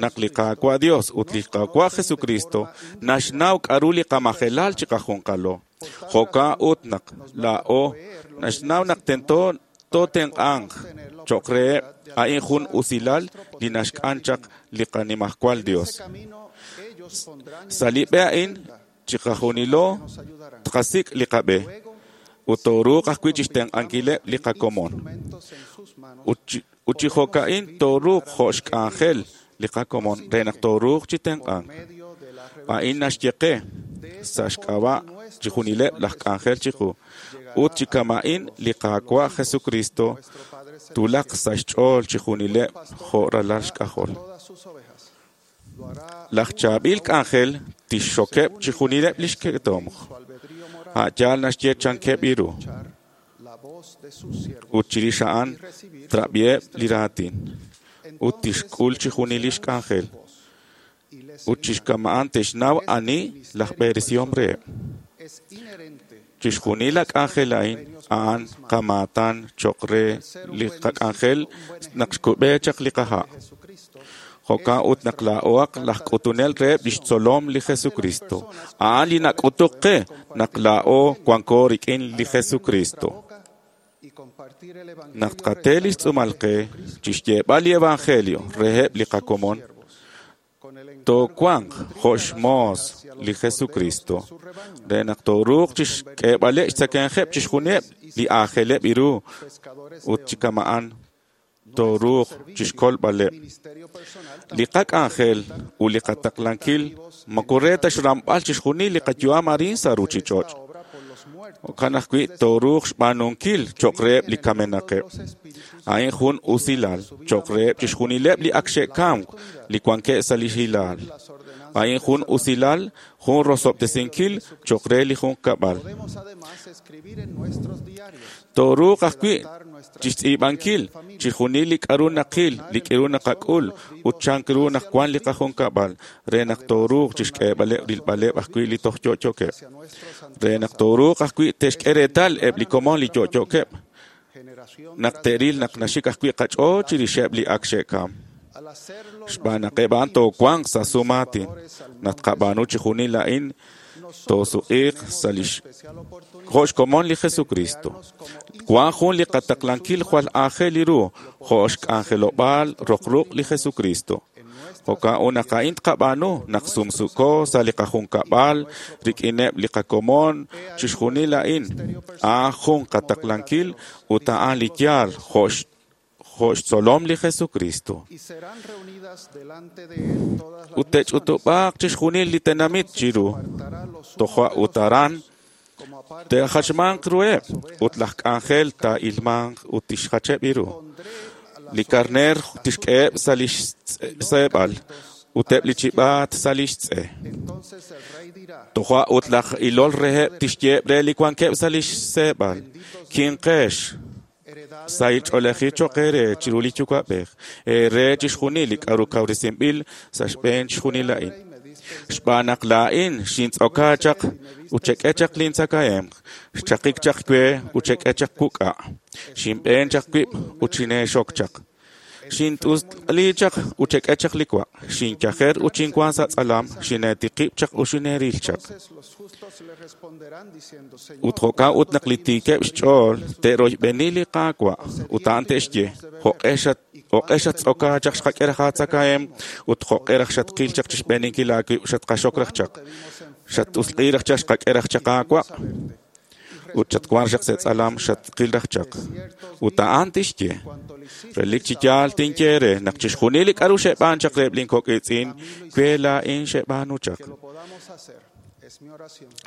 naq li Qaawa' Dios ut li Qaawa' Jesucristo naxnaw k'a'ru li qamajelal chiqajunqalo. Jo'kan ut naq laa'o naxnaw naq tento tootenq'anq cho'q reheb' a'in jun usilal li naxk'an chaq li qanimajwal Dios. Sa' li b'e a'in chiqajunilo tqasik' li qab'e ut tooruuq ajwi' chixtenq'ankileb' li qakomon. Ut chi jo'ka'in tooruuq jo' xk'anjel li qakomon re naq tooruuq chi tenq'ank. A'in naxye qe sa' xk'ab'a' chixjunileb' laj k'anjel chiqu. Ut chi kama'in li Qaawa' Jesucristo tulaq sa' xch'ool chixjunileb' jo' ralal xk'ajol. Laj chaab'il k'anjel tixxokeb' chixjunileb' li xketomq. A' yaal naxye chankeb' iru. Ut chirix a'an trab'iheb' li raatin. Ut tixk'ul chixjunil li xk'anjel. Ut chixkama'an te'xnaw ani laj b'eresihom reheb'. Chixjunil la k'anjel a'in a'an qamaatan cho'q re li qak'anjel naq xkub'e chaq li qaha'. Jo'kan ut naq laa'oaq laj k'utunel reheb' lix tzolom li Jesucristo. A'an li nak'utuk qe naq laa'o wanko rik'in li Jesucristo. Naq tqate li xtz'uumal qe chixyeeb'al li evangelio reheb' li qakomon, toowanq jo' xmoos li Jesucristo re naq tooruuq chixk'eeb'aleb' xtzakemqeb' chixjunileb' li aajeleb' iru ut chi kama'an tooruuq chixkolb'aleb'. Li qak'anjel ut li qataqlankil moko re ta xramb'al chixjunil li qayu'am arin sa' ruchich'och'. Jo'kan ajwi' tooruuq xb'aanunkil cho'q reheb' li kamenaqeb'. A'in jun usilal cho'q reheb' chixjunileb' li ak xe'kamk li wankeb' sa' li hilaal. A'in jun usilal, jun rosob'tesinkil cho'q re li junqkab'al. Tooruuq ajwi' chixtz'iib'ankil chixjunil li k'a'ru naqil, li k'a'ru naqak'ul ut chan ru naq wan li qajunkab'al re naq tooruuq chixk'eeb'aleb' rilb'aleb' ajwi' li toj yo'yookeb'. Re naq tooruuq ajwi' te'xk'e reetal eb' li komon li yo'yookeb' naq te'ril naq naxik ajwi' qach'ool chirixeb' li ak xe'kam. Xb'aan naq eb' a'an toowanq sa' sumaatin, naq tqab'aanu chixjunil a'in toosuq'iiq sa' lix jo' xkomon li Jesucristo. Wan jun li qataqlankil jwal aajel ru jo' xk'anjelob'aal roq ruq' li Jesucristo. Jo'kan ut naq a'in tqab'aanu naq sumsuko sa' li qajunkab'al rik'ineb' li qakomon chixjunil a'in a'an jun qataqlankil ut a'an li yaal jo' jo' xtzolom li Jesucristo. Ut te'ch'utub'aaq chixjunil li tenamit chiru, toja' ut aran te'jachmanq ruheb' ut laj k'anjel taa'ilmanq ut tixjacheb' ru. Li karneer tixk'eheb' sa' li xseeb'al ut eb' li chib'aat sa' li xtz'e. Toja' ut laj ilol reheb' tixyeeb' re li wankeb' sa' li xseeb'al: Kinqex, sahil ch'oolejil cho'q eere chiru li Yuwa'b'ej, eere chixjunil li k'aru kawresinb'il sa' xb'een chixjunil a'in. Xb'aan naq laa'in xintz'oka chaq ut xek'e chaq lintzakahemq, xchaqik chaq we ut xek'e chaq wuk'a', xinb'een chaq wib' ut xineexok chaq. Xint'usli chaq ut xek'e chaq li wa', xinyajer ut xinwank sa' tz'alam, xineetiqib' chaq ut xineeril chaq. Ut jo'kan ut naq li tiikeb' xch'ool te'royb'eni li Qaawa' ut a'an te'xye: Jo'q'e xat- xattz'oka chaq xqak'e raj aatzakahemq ut jo'q'e raj xatqil chaq chixb'eeninkil aawib' xatqaxok raj chaq. Xat'usq'i raj chaq xqak'e raj chaq aawa' ut xatwank chaq sa' tz'alam xatqil raj chaq. Ut a'an tixye: Relik chi yaal tinye eere naq chixjunil li k'aru xeb'aan chaq reheb' linkok' iitz'in, we laa'in xeb'aanu chaq.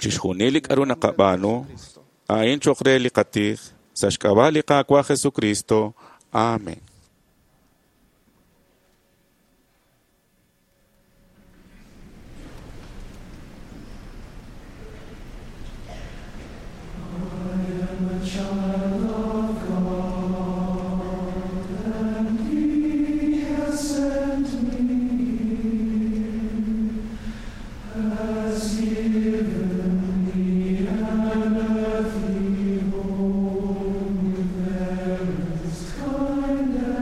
Chixjunil li k'aru naqab'aanu, a'in cho'q re li qatij, sa' xk'ab'a' li Qaawa' Jesucristo. Amén. Kind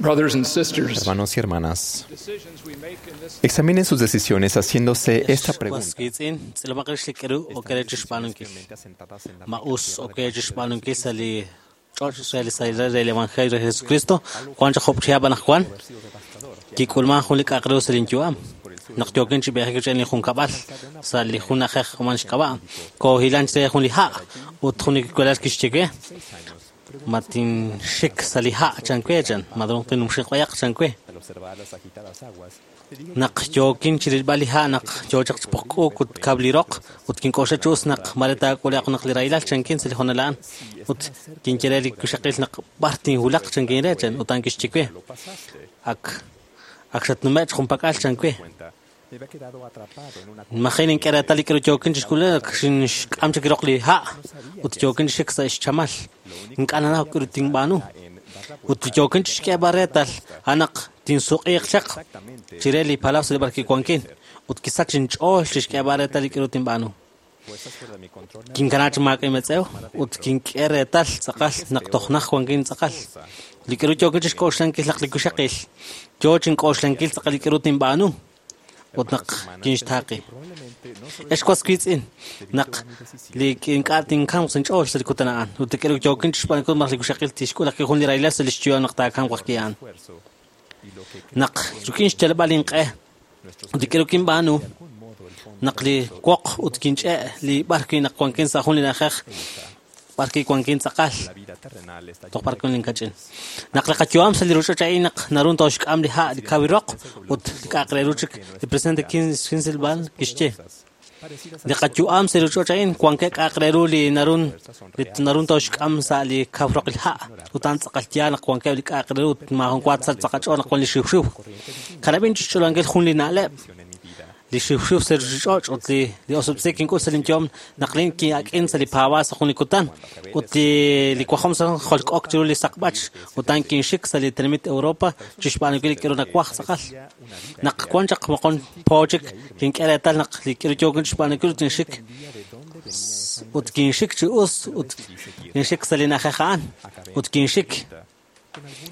Brothers and sisters, Hermanos y hermanas, examinen sus decisiones haciéndose esta pregunta. Was wiitz'in, tz'ilomaq rix li k'aru ok re chixb'aanunkil. Ma us ok re chixb'aanunkil sa' li ch'och' re li sahilal re li Evangelio re Jesucristo, wan chaq job' chihab' anaqwan, kik'ulman jun li k'a'aq re sa' linyu'am. Naq yookin chi b'eejik rik'in li junkab'al sa' li jun na'ajej man xk'ab'a', koohilan chire jun li ha' ut jun li walal kixye we, ma tinxik sa' li ha' chan we chan, ma tinumxiq b'ayaq chan we. Naq yookin chirilb'al li ha' naq yoo chaq chipoqk'uuk ut kab' li roq ut kink'oxla chi us naq mare taak'ule'q naq li rahilal chankin sa' li hoonal a'an ut kinye re li wixaqil naq b'ar tinwulaq chankin re chan ut a'an kixye we ak ak xatnume' junpak'al chan we. Maji nink'e reetal li k'aru yookin chixk'ulel ak xinxk'am chik roq li ha' ut yookin chixik sa' xchamal. Ink'a' nanaw k'aru tinb'aanu. Ut yookin chixk'eeb'al reetal a'an naq tinsuq'iiq chaq chire li palaw sa' li b'ar kiwankin ut kisach inch'ool chixk'eeb'al reetal li k'aru tinb'aanu. Kinkana chi maak'a' inmetz'ew ut kink'e reetal tz'aqal naq toj naj wankin tz'aqal. Li k'aru yookin chixk'oxlankil naq li wixaqil yoo chink'oxlankil tz'aqal li k'aru tinb'aanu ut naq kinxtaaqi. Ex was wiitz'in naq li ink'a' tinkamq sa' inch'ool sa' li kutan a'an ut li k'aru yookin chixb'aanunkil naq li wixaqil tixk'ul ajwi' jun li rahilal sa' lix yu'am naq taakamq ajwi' a'an. Naq rik'in xyalb'al inq'e ut li k'aru kinb'aanu naq li woq ut kinch'e' li b'ar wi' naq wankin sa' jun li na'ajej b'ar wi' wankin tz'aqal toj b'ar wi' linkach'in. Naq li qayu'am sa' li ruuchich'och' a'in naq naru tooxk'am li ha' li kawi roq ut li k'a'aq re ru chik li presidente Kinsilvan kixye. Li qayu'am sa' li ruuchich'och' a'in wankeb' k'a'aq re ru li narun li narun tooxk'am sa' li kaw roq li ha' ut a'an tz'aqal yaal naq wankeb' li k'a'aq re ru ut maajun wa tzal tz'aqach'ool naq wan li xiwxiw. Kanab'in chixch'olankil jun li na'leb' li xiwxiw sa' ruuchich'och' ut li li osob'tzi kink'ul sa' linyu'am naq lin ki'ak'in sa' li paab'aal sa' jun li kutan ut li li wajom sa' jolk'ok chiru li saqb'ach ut a'an kinxik sa' li tenamit Europa chixb'aanunkil li k'aru nawaj tz'aqal. Naq wan chaq moqon po chik kink'e reetal naq li k'aru yookin chixb'aanunkil ut kinxik ut kinxik chi us ut kinxik sa' li na'ajej a'an ut kinxik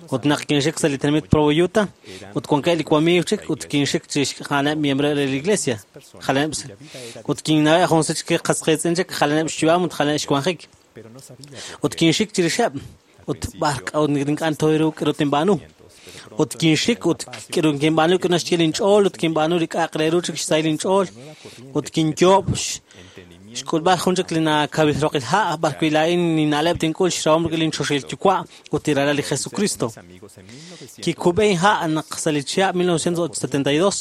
ut naq kinxik sa' li tenamit Provo Utah ut wankeb' li wamiiw chik ut kinxik chi xja'aneb' miembro re li iglesia jalaneb' ut kinnaweb' jun sut chik qas qiitz'in chik jalaneb' xyu'am ut jalaneb' xwanjik ut kinxik chirixeb' ut b'ar k'a'ut ink'a' tooru k'aru tinb'aanu ut kinxik ut k'aru kinb'aanu k'aru naxye linch'ool ut kinb'aanu li k'a'aq re ru chik xsahil linch'ool ut kinyoob' xk'ulb'al jun chik li nakawil roqil ha' b'ar wi' laa'in ninna'leb' tink'ul xrahom rik'in linchoxahil yuwa' ut li ralal li Jesucristo. Kikub'e inha' naq sa' li chihab' mil novecientos setenta y dos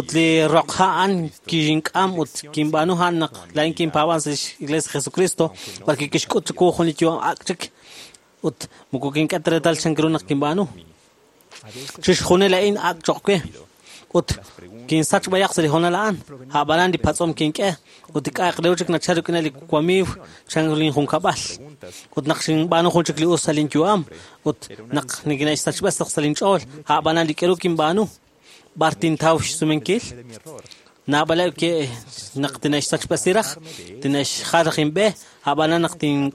ut li roq ha' a'an kink'am ut kinb'aanu a'an naq laa'in kinpaab'an sa' lix Iglesia Jesucristo b'ar wi' kixk'ut chiwu jun li yu'am ak' chik ut moko kink'e ta reetal chan ru naq kinb'aanu. Chixjunil a'in ak' choq' we ut kinsach b'ayaq sa' li hoonal a'an a'b'anan li patz'om kink'e ut li k'a'aq re ru chik nachal rik'in li wamiiw chan linjunkab'al ut naq xinb'aanu jun chik li us sa' linyu'am ut naq nikine'xsachb'es sa' linch'ool a'b'anan li k'aru kinb'aanu b'ar tintaw xsumenkil naab'aleb' ke naq tine'xsachb'esi raj tine'xjal raj inb'e a'b'anan naq tin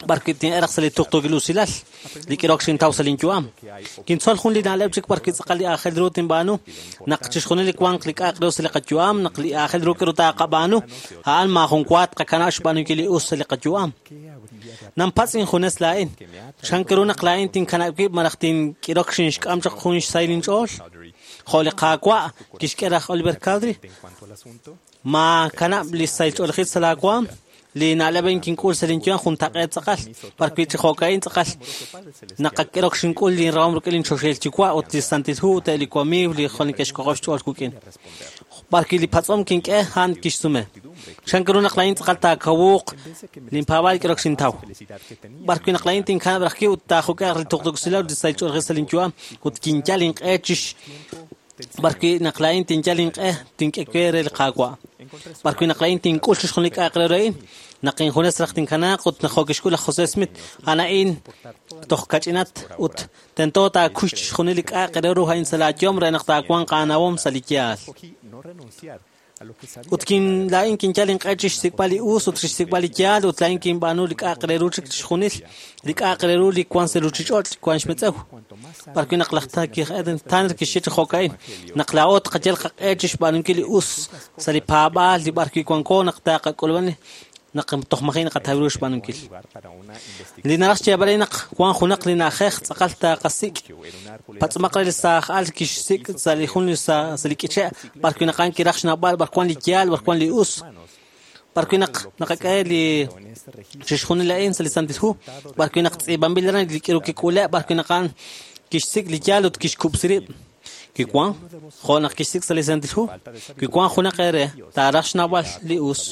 b'ar wi' tin'eraq sa' li tuqtuukil usilal li k'irok xintaw sa' linyu'am. Kintzol jun li na'leb' chik b'ar wi' tz'aqal li aajel ru tinb'aanu naq chixjunil li wanq li k'a'aq ru sa' li qayu'am naq li aajel ru k'aru taaqab'aanu a'an maajun wa tqakanab' xb'aanunkil li us sa' li qayu'am. Nanpatz' injunes laa'in chan ru naq laa'in tinkanab' wib' malaj tink'irok xinxk'am chaq jun xsahil inch'ool jo' li Qaawa' kixk'e raj Oliver Cowdery ma kanab' li sahil ch'oolejil sa' laawaam li na'leb' a'in kink'ul sa' linyu'am juntaq'eet tz'aqal b'ar wi' chi jo'ka'in tz'aqal naqak'irok xink'ul linrahom rik'in linchoxahil yuwa' ut li Santil Hu ut eb' li wamiiw li jwal neke'xk'ojob' xch'ool wik'in. B'ar wi' li patz'om kink'e a'an kixsume. Chan ru naq laa'in tz'aqal taakawuuq linpaab'aal k'irok xintaw. B'ar wi' naq laa'in tinkanab' raj wib' ut taajuk'e'q li tuqtuukilal ut li sahil ch'oolejil sa' linyu'am ut kinyal inq'e chix b'ar wi' naq laa'in tinyal inq'e tink'e we re li Qaawa'. B'ar wi' naq laa'in tink'ul chixjunil li k'a'aq re ru a'in naq injunes raj tinkanaaq ut naq jo' kixk'ul laj José Smith a'an a'in toj kach'inat ut tento taakuy chixjunil li k'a'aq re ru a'in sa' laayom re naq taawanq aanawom sa' li yaal. Ut kin laa'in kinyal inq'e chixsik'b'al li us ut chixsik'b'al li yaal ut laa'in kinb'aanu li k'a'aq re ru chik chixjunil li k'a'aq re ru li wan sa' ruuchich'och' wan xmetz'ew. B'arwi' naq laj Tanner kixye chi jo'ka'in naq laa'o tqayal qaq'e chixb'aanunkil li us sa' li paab'aal li b'arwi' wanko naq taaqak'ulub'an naq toj maji' naqataw ru xb'aanunkil. Li naraj xyeeb'al naq wan junaq li na'ajej tz'aqal taqasik'. Patz'omaq re li saaj al kixsik' sa' li jun sa' li k'iche' b'arwi' naq a'an kiraj xnawb'al b'ar wan li yaal b'ar wan li us. B'arwi' naq naqak'e li chixjunil a'in sa' li Santil Hu, b'arwi' naq tz'iib'anb'il aran li k'iru kik'ule' b'arwi' naq a'an kixsik' li yaal ut kixkub'si rib'. Kiwan jo' naq kixsik' sa' li Santil Hu, kiwan junaq eere taaraj xnawb'al li us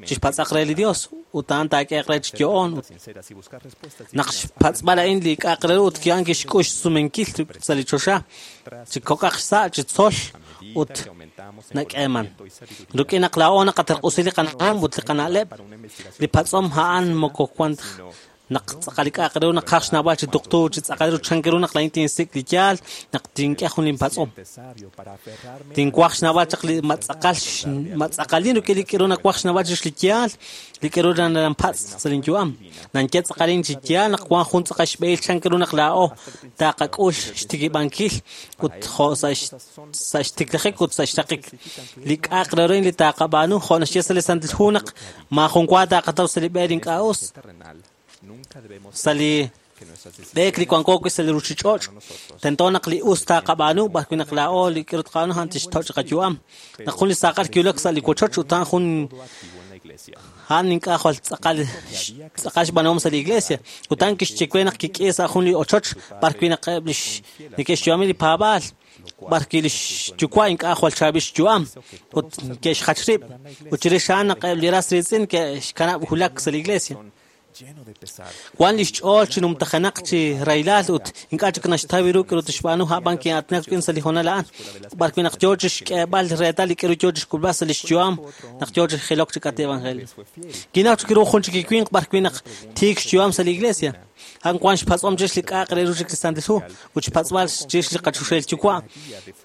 chixpatz'aq re li Dios ut a'an taak'eeq re chi yo'oon. Naq xpatz'b'al a'in li k'a'aq re ru ut a'an kixk'ux xsumenkil sa' li choxa chi kok'aq xsa' chi tzol ut nak'eeman. Rik'in naq laa'o naqaterq'usi li qana'om ut li qana'leb', li patz'om a'an moko wan naq tz'aqal li k'a'aq re ru naqaj xnawb'al chi tuqtu chi tz'aqal ru chan ru naq laa'in tinsik' li yaal naq tink'e jun linpatz'om. Tinwaj xnawb'al chaq li matz'aqal matz'aqalin rik'in li k'iru nawaj xnawb'al chirix li yaal li k'iru nanpatz' sa' linyu'am. Nanye tz'aqalin chi yaal naq wan jun tz'aqal xb'ehil chan ru naq laa'o taqak'ul xtikib'ankil ut jo' sa' sa' xtiklajik ut sa' xraqik li k'a'aq re ru li taqab'aanu jo' naxye sa' li Santil Hu naq maajun wa taqataw sa' li b'e li ink'a' us. Sa' li b'eek li wanko wi' sa' li ruuchich'och' tento naq li us taqab'aanu b'arwi' naq laa'o li k'iru tqab'aanu a'an tixtoch' qayu'am. Naq jun li saaqal kiwulak sa' li wochoch ut a'an jun a'an ink'a' jwal tz'aqal tz'aqal xb'aanuhom sa' li iglesia ut a'an kixye we naq kik'i sa' jun li ochoch b'arwi' naq eb' li neke'xyu'ami li paab'aal b'arwi' li xyuwa' ink'a' jwal chaab'il xyu'am ut ke'xjach rib' ut chirix a'an naq eb' li ras riitz'in ke'xkanab' wulak sa' li iglesia. Wan li xch'ool chi numtajenaq chi rahilal ut ink'a' chik naxtaw ru k'iru tixb'aanu a'b'an kin'aatinak rik'in sa' li hoonal a'an. B'arwi' naq yoo chixk'eeb'al reetal li k'iru yoo chixk'ulb'al sa' li xyu'am naq yoo chi jilok chi k'ati evangelio. Kinaw chik ru jun chik li winq b'arwi' naq tiik xyu'am sa' li iglesia. A'an wan xpatz'om chirix li k'a'aq re ru chik li Santil Hu ut xpatz'b'al chirix li qachoxahil yuwa'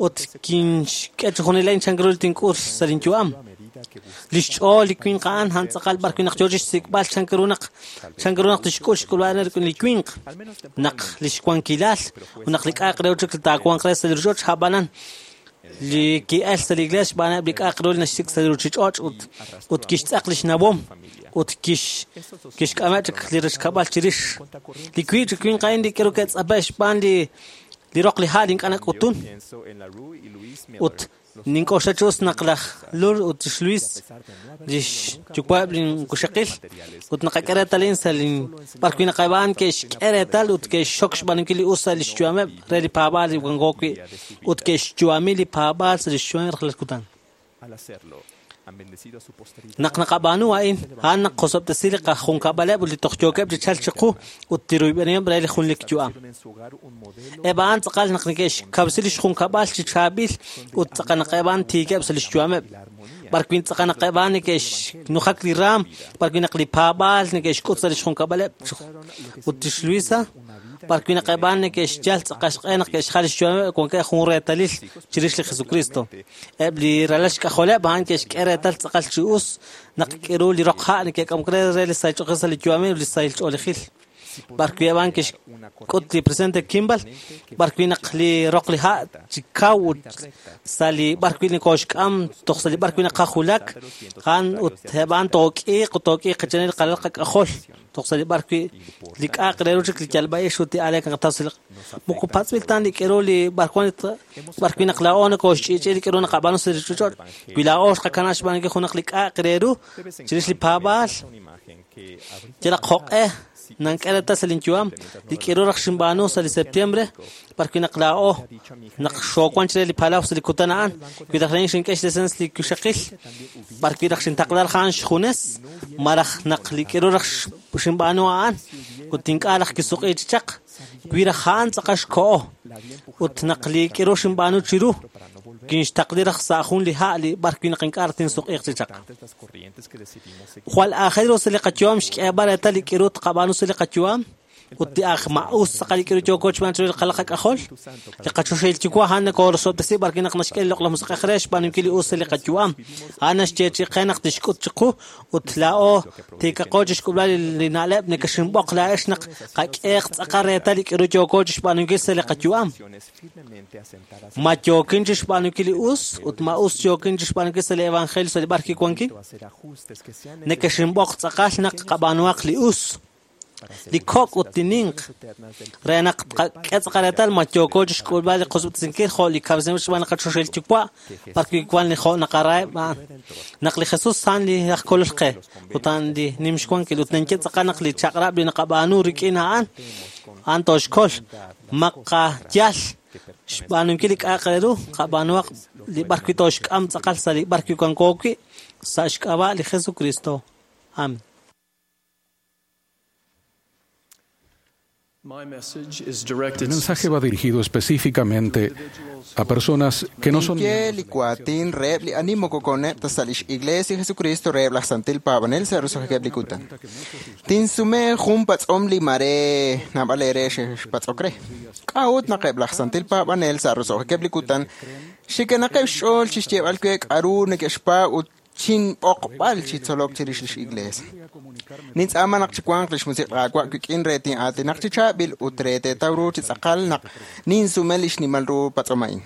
ut kinxk'e chi junil a'in chan ru li tink'ul sa' linyu'am. Li xch'ool li winq a'an a'an tz'aqal b'arwi' naq yoo chixsik'b'al chan ru naq chan ru naq tixk'ul xk'ulb'al rik'in li winq naq li xwankilal ut naq li k'a'aq re ru chik li taawanq re sa' li ruuchich'och' a'b'anan li ki'el sa' li iglesia xb'aaneb' li k'a'aq ru li naxsik' sa' li ruuchich'och' ut ut kixtz'aq li xnawom ut kix kixk'ameb' chik li rixkab'al chirix. Li wiib' chi winq a'in li k'iru ke'tz'ape' xb'aan li li roq li ha' li ink'a' nak'utun ut nink'oxla chi us naq laj Lur ut lix Luis lix yuwa'eb' linkuxaqil ut naqak'e reetal a'in sa' lin b'arwi' naq eb' a'an ke'xk'e reetal ut ke'xxok xb'aanunkil li us sa' lix yu'ameb' re li paab'aal li wanko wi' ut ke'xyu'ami li paab'aal sa' lix yu'ameb' rajlal kutan. Naq naqab'aanu a'in, a'an naq qosob'tesi li qajunkab'aleb' ut li toj yookeb' chi chalk chiqu ut tiruyb'enihom re li junlik yu'am. Eb' a'an tz'aqal naq neke'xkawsi lix junkab'al chi chaab'il ut tz'aqal naq eb' a'an tiikeb' sa' lix yu'ameb'. B'arwi' tz'aqal naq eb' a'an neke'xnujak li raam, b'arwi' naq li paab'aal neke'xk'ut sa' lix junkab'aleb' ut lix Luisa, b'arwi' naq eb' a'an neke'xyal tz'aqal xq'e naq ke'xjal lix yu'ameb' wankeb' jun reetalil chirix li Jesucristo. Eb' li ralal xk'ajoleb' a'an ke'xk'e reetal tz'aqal chi us naq k'iru li roq ha' neke'k'amok re re li sahil ch'oolejil sa' li yu'amil ut li sahil ch'oolejil. B'arwi' eb' a'an ke'xk'ut li presidente Kimball, b'arwi' naq li roq li ha' chi kaw ut sa' li b'arwi' nekoxk'am toj sa' li b'arwi' naqajulak a'an ut eb' a'an took'iiq ut took'iiq qachanil qalal qak'ajol toj sa' li b'arwi' li k'a'aq re ru chik li yalb'a'ix ut li aleek naqataw sa' li moko patz'b'il tan li k'iru li b'arwan b'arwi' naq laa'o nokoxch'i'ch'i li k'iru naqab'aanu sa' li ruuchich'och' wi laa'o xqakana xb'aanunkil junaq li k'a'aq re ru chirix li paab'aal yalaq jo'q'e nank'e reetal sa' linyu'am li k'iru raj xinb'aanu sa' li septiembre b'arwi' naq laa'o naq xoowan chire li palaw sa' li kutan a'an wi raj laa'in xink'e xdesens li kuxaqil b'arwi' raj xintaqla raj a'an xjunes maraj naq li k'iru raj xinb'aanu a'an ut ink'a' raj kisuq'i chi chaq wi raj a'an tz'aqal xko'o ut naq li k'iru xinb'aanu chiru kinxtaqli raj sa' jun li ha' li b'arwi' naq ink'a' raj tinsuq'iiq chi chaq. Jwal aajel ru sa' li qayu'am xk'eeb'al reetal li k'iru tqab'aanu sa' li qayu'am Ut li aj ma'us tz'aqal li k'aru yooko xb'aan chiru li qalaq qak'ajol. Li qachoxahil yuwa' a'an nakorosob'tesi b'arwi' naq naxk'e li loq'laj musiq'ej re xb'aanunkil li us sa' li qayu'am. A'an naxyeechi'i qe naq tixk'ut chiqu ut laa'o tiikaqo chixk'ulb'al li na'leb' nekexinb'oq laa'ex naq qak'eeq tz'aqal reetal li k'aru yooko chixb'aanunkil sa' li qayu'am. Ma yookin chixb'aanunkil li us ut ma us yookin chixb'aanunkil sa' li evangelio sa' li b'arwi' wankin. Nekexinb'oq tz'aqal naq qab'aanuhaq li us. Li kok' ut li ninq re naq qak'e tz'aqal reetal ma yooko chixk'ulb'al li qosob'tesinkil jo' li kawresinb'il xb'aan li qachoxahil yuwa' b'arwi' wan li jo' naqaraheb' a'an. Naq li Jesus a'an li aj kolol qe ut a'an li nim xwankil ut ninye tz'aqal naq li chaq'rab' li naqab'aanu rik'in a'an a'an tooxkol. Maqayal xb'aanunkil li k'a'aq re ru qab'aanuhaq li b'arwi' tooxk'am tz'aqal sa' li b'arwi' wanko wi' sa' xk'ab'a' li Jesucristo. Amen. El mensaje va dirigido específicamente a personas que no son Ninye li waatin reheb' li ani moko koneb' ta sa' lix Iglesia Jesucristo reheb' laj Santil Paab'anel sa' roso'jikeb' li kutan. Tinsume jun patz'om li mare naab'al eere xpatz'ok re. K'a'ut naq eb' laj Santil Paab'anel sa' roso'jikeb' li kutan xikenaqeb' xch'ool chixyeeb'al we k'aru neke'xpaab' ut chinb'oqb'al chi tzolok chirix lix Iglesia. Nintz'aama naq chiwanq lix musiq' Qaawa' wik'in re tin'aatinaq chi chaab'il ut re teetaw ru chi tz'aqal naq ninsume lix nimal ru patz'om a'in.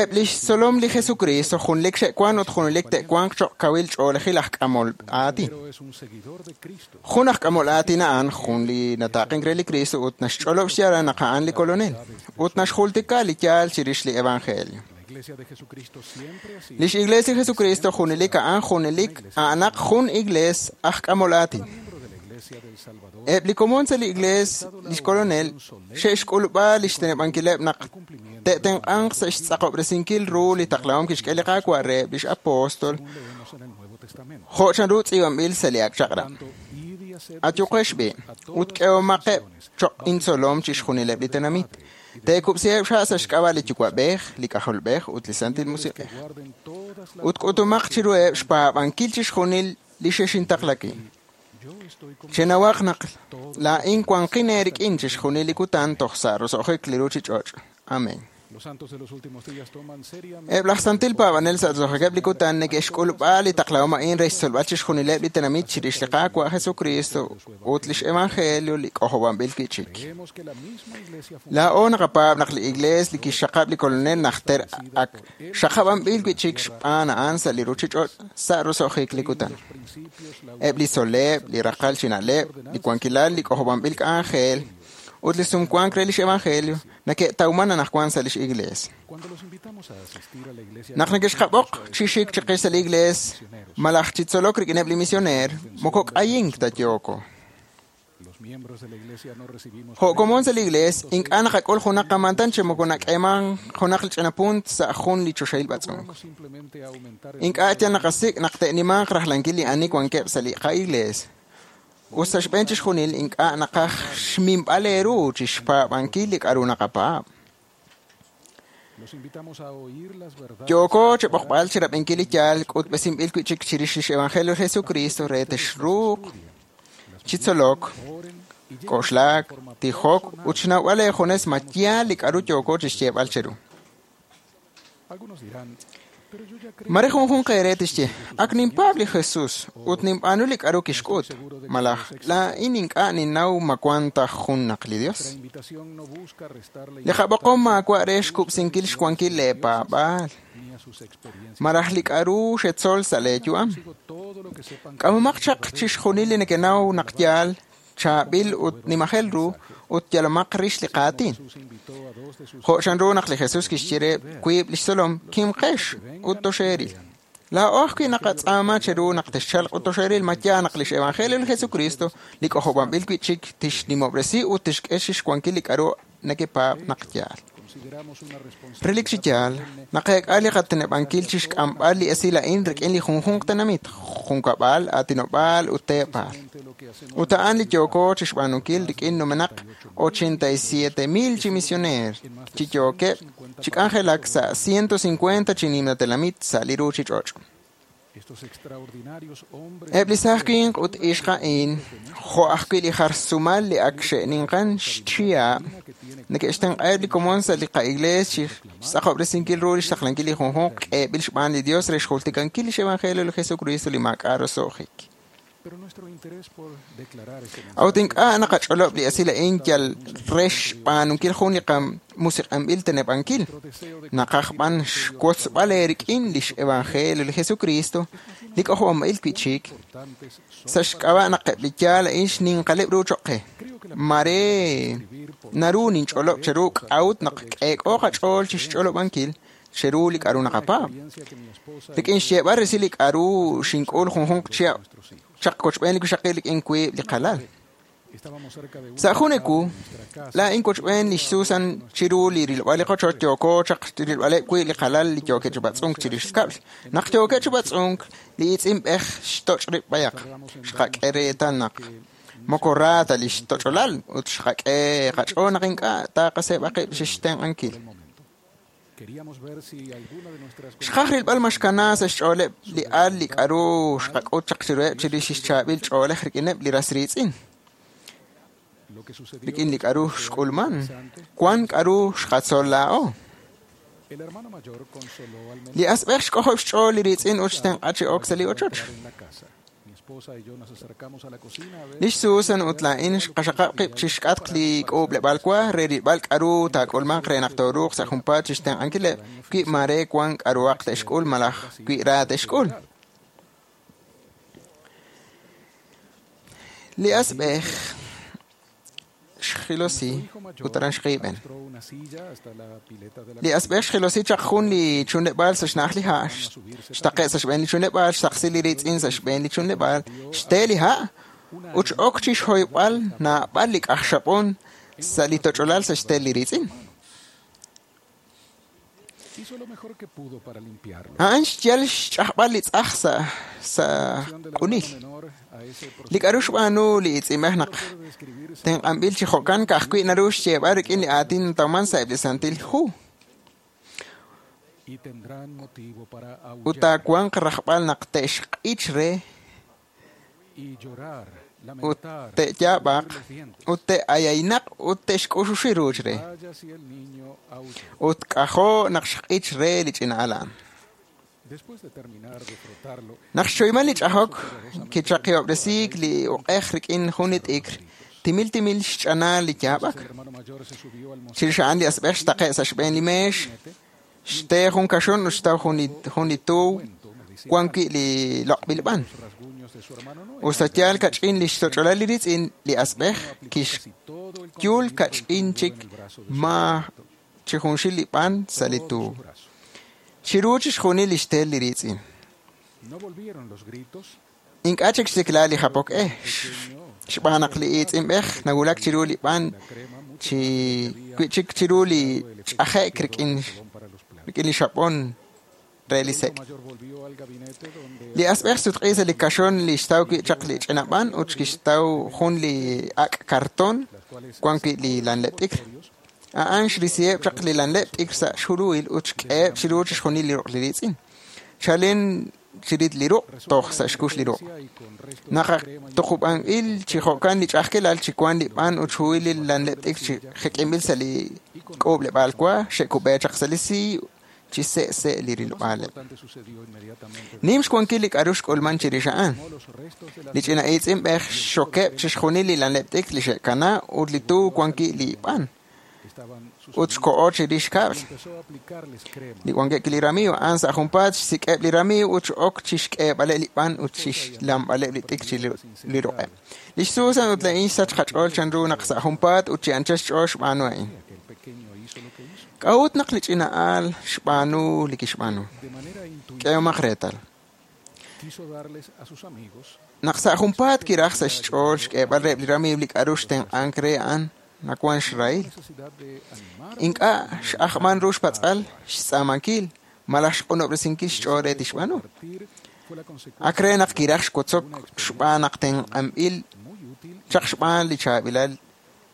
Eb' lix tzolom li Jesucristo junlik xe'wan ut junelik te'wanq choq' kawil ch'oolejil aj k'amol aatin. Jun aj k'amol aatin a'an jun li nataaqink re li Cristo ut naxch'olob' xyaalal naq a'an li Kolonel ut naxjultika li yaal chirix li Evangelio. Lix Iglesia Jesucristo junelik a'an junelik a'anaq jun iglees aj k'amol aatin. Eb' li komon sa' li iglees lix Kolonel xe'xk'ulub'a lix teneb'ankileb' naq te'tenq'anq sa' xtz'aqob'resinkil ru li taqlahom kixk'e li Qaawa' reheb' lix apóstol jo' chanru tz'iib'anb'il sa' li ak' chaq'rab'. Ayuqex b'i' ut k'ehomaqeb' choq' intzolom chixjunileb' li tenamit. Teekub'siheb' xha' sa' xk'ab'a' li Yuwa'b'ej, li K'ajolb'ej ut li Santil Musiq'ej. Ut k'utumaq chiruheb' xpaab'ankil chixjunil li xexintaqlaki. Chenawaq naq laa'in wanqin eerik'in chixjunil li kutan toj sa' roso'jik li ruchich'och'. Amen. Eb' laj Santil Paab'anel sa' roso'jikeb' li kutan neke'xk'ulub'a li taqlahom a'in re xtzolb'al chixjunileb' li tenamit chirix li Qaawa' Jesucristo ut lix Evangelio li k'ojob'anb'il wi'chik. Laa'o naqapaab' naq li Iglees li kixxaqab' li Kolonel najter ak xaqab'anb'il wi'chik xb'aan a'an sa' li ruchich'och' sa' roso'jik li kutan. Eb' li tzol'leb', li raqal chi na'leb', li wankilal li k'ojob'anb'il k'anjel ut li sumwank re lix Evangelio neke'tawman anaqwan sa' lix Iglees. Naq nekexqab'oq chi xik chiqix sa' li Iglees malaj chi tzolok rik'ineb' li misioneer, moko k'ayink ta yooko. Jo' komon sa' li Iglees, ink'a' naqak'ul junaq qamantan chi moko nak'eeman junaq li ch'ina punt sa' jun li choxahil b'atz'unk. Ink'a' yal naqasik' naq te'nimanq rajlankil li ani wankeb' sa' li qa'Iglees. Ut sa' xb'een chixjunil ink'a' naqaj xminb'al eeru chixpaab'ankil li k'aru naqapaab'. Yooko chib'oqb'al chirab'inkil li yaal k'utb'esinb'il wi'chik chirix lix Evangelio Jesucristo re texruuq chi tzolok, k'oxlak, tijok ut xnawb'al eejunes ma yaal li k'aru yooko chixyeeb'al cheru. Mare junjunq eere tixye, ak ninpaab' li Jesus ut ninb'aanu li k'aru kixk'ut, malaj laa'in ink'a' ninnaw ma wan ta jun naq li Dios. Li qab'oqom maawa' re xkub'sinkil xwankil leepaab'aal, malaj li k'aru xetzol sa' leeyu'am. K'amomaq chaq chixjunil li nekenaw naq yaal, chaab'il ut nimajel ru ut yalomaq rix li qaatin. Jo' chanru naq li Jesus kixye re wiib' lix tzolom, kimqex ut toxeeril. Laa'o ajwi' naqatz'aama cheru naq texchalq ut toxeeril ma yaal naq lix Evangelio li Jesucristo li k'ojob'anb'il wi'chik tixnimob'resi ut tixk'e xwankil li k'aru nekepaab' naq yaal. Relik chi yaal, naqeek'a li qateneb'ankil chixk'amb'al li esil a'in rik'in li junjunq tenamit, junkab'al, aatinob'aal ut teepaal. Ut a'an li yooko chixb'aanunkil rik'in numenaq ochenta y siete mil chi misioneer chi yookeb' chi k'anjelak sa' ciento cincuenta chi nimla tenamit sa' li ruchich'och'. Eb' li saaj winq ut ixq a'in, jo' ajwi' li jar sumal li ak xe'ninqan xchihab', neke'xtenq'aheb' li komon sa' li qa'iglees chi xtz'aqob'resinkil ru lix taqlankil li junjunq k'eeb'il xb'aan li Dios re xjultikankil lix evangelio li Jesucristo li maak'a' roso'jik. A'ut ink'a' naqach'olob' li esil a'in yal re xb'aanunkil jun li qamusiq'anb'il teneb'ankil. Naqaj b'an xwotzb'al eerik'in lix evangelio li Jesucristo li k'ojob'anb'il wi'chik sa' xk'ab'a' naq eb' li yaal a'in xninqaleb' ru choq' qe. Mare naru ninch'olob' cheru k'a'ut naq k'eek'o qach'ool chixch'olob'ankil cheru li k'a'ru naqapaab'. Rik'in xyeeb'al resil li k'a'ru xink'ul junjunq chihab' chaq kochb'een li wixaqil rik'in wiib' li qalal. Sa' jun ewu, laa'in kochb'een lix Susan chiru li rilb'al li qochoch yooko chaq rilb'aleb' wiib' li qalal li yookeb' chi b'atz'unk chirix kab'l. Naq yookeb' chi b'atz'unk, li itz'inb'ej xtoch' rib' b'ayaq. Xqak'e reetal naq moko ra ta lix toch'olal ut xqak'e qach'ool naq ink'a' taqaseeb'a qib' chixtenq'ankil. Xqaj rilb'al ma xkana sa' xch'ooleb' li al li k'a'ru xqak'ut chaq chiruheb' chirix xchaab'il ch'oolej rik'ineb' li ras riitz'in. Rik'in li k'a'ru xk'ulman, wan k'a'ru xqatzol laa'o. Li asb'ej xk'ojob' xch'ool li riitz'in ut xtenq'a chi ok sa' li ochoch. Lix Susan ut laa'in xqaxaqab' qib' chixk'atq li k'uub'leb'aal wa re rilb'al k'a'ru taak'ulmanq re naq tooruuq sa' junpaat chixtenq'ankileb' wi mare wan k'a'ruhaq te'xk'ul malaj wi ra te'xk'ul. Li asb'ej xjilosi ut aran xqiib'en. Li asb'ej xjilosi chaq jun li chunleb'aal sa' xna'aj li ha', xtaqe' sa' xb'een li chunleb'aal, xtaqsi li riitz'in sa' xb'een li chunleb'aal, xte li ha' ut x'ok chi xhoyb'al naab'al li k'aj xab'on sa' li toch'olal sa' xtel li riitz'in. A'an xyal xch'ajb'al li tz'aj sa' sa' q'unil. Li k'a'ru xb'aanu li itz'inb'ej naq tenq'anb'il chi jo'kan ka'ajwi' naru xyeeb'al rik'in li aatin natawman sa' eb' li Santil Hu. Ut taawanq rajb'al naq te'xq'ich re ut te'yaab'aq ut te'ayaynaq ut te'xk'uxuxi ruuch re. Ut k'ajo' naq xq'ich re li ch'ina al a'an. Naq xchoyman li ch'ajok, kichaqihob'resiik li uq'ej rik'in jun li t'ikr, timil timil xch'ana li yaab'ak. Chirix a'an li asb'ej xtaqe' sa' xb'een li meex, xte jun kaxon ut xtaw jun li tuuw wan wi' li loq'b'il b'an. Ut sa' yaal kach'in li xtoch'olal li riitz'in li asb'ej kixyul kach'in chik ma chi junxil li b'an sa' li tuuw. Chiru chixjunil li xtel li riitz'in. Ink'a' chik xtikla li japok e, xb'aan naq li itz'inb'ej nawulak chiru li b'an chi wi'chik chiru li ch'aje'k rik'in rik'in li xab'on re li sek'. Li asb'ej sutq'i sa' li kaxon li xtaw wi' chaq li ch'ina b'an ut kixtaw jun li ak' karton wan wi' li lanleb' t'ikr. A'an xrisiheb' chaq li lanleb' t'ikr sa' xjuluhil ut xk'eheb' chiru chixjunil li ruq' li riitz'in. Chalen chirit li ruq' toj sa' xkux li ruq'. Naq tuqub'anb'il chi jo'kan li ch'a'ajkilal chi wan li b'an ut xhuhil li lanleb' t'ikr chi jek'inb'il sa' li k'uub'leb'aal wa xe'kub'e chaq sa' li siiy chi se'se' li rilb'aaleb'. Nim xwankil li k'a'ru xk'ulman chirix a'an. Li ch'ina itz'inb'ej xxokeb' chixjunil li lanleb' t'ikr li xe'kana ut li tuuw wan wi' li b'an. Ut xko'o chirix kab'l. Li wankeb' li ramiiw a'an sa' junpaat xsik'eb' li ramiiw ut x'ok chixk'eeb'aleb' li b'an ut chixlamb'aleb' li t'ikr chi li ruq'eb'. Lix Susan ut laa'in xsach qach'ool chanru naq sa' junpaat ut chi anchal xch'ool xb'aanu a'in. K'a'ut naq li ch'ina al xb'aanu li kixb'aanu? K'ehomaq reetal. Naq sa' junpaat kiraj sa' xch'ool xk'eeb'al reheb' li ramiiw li k'a'ru xtenq'ank re a'an nawan xrahil. Ink'a' x'ajman ru xpatz'al, xtz'aamankil, malaj xq'unob'resinkil xch'ool re tixb'aanu. Ak re naq kiraj xwotzok xb'aan naq tenq'anb'il chaq xb'aan li chaab'ilal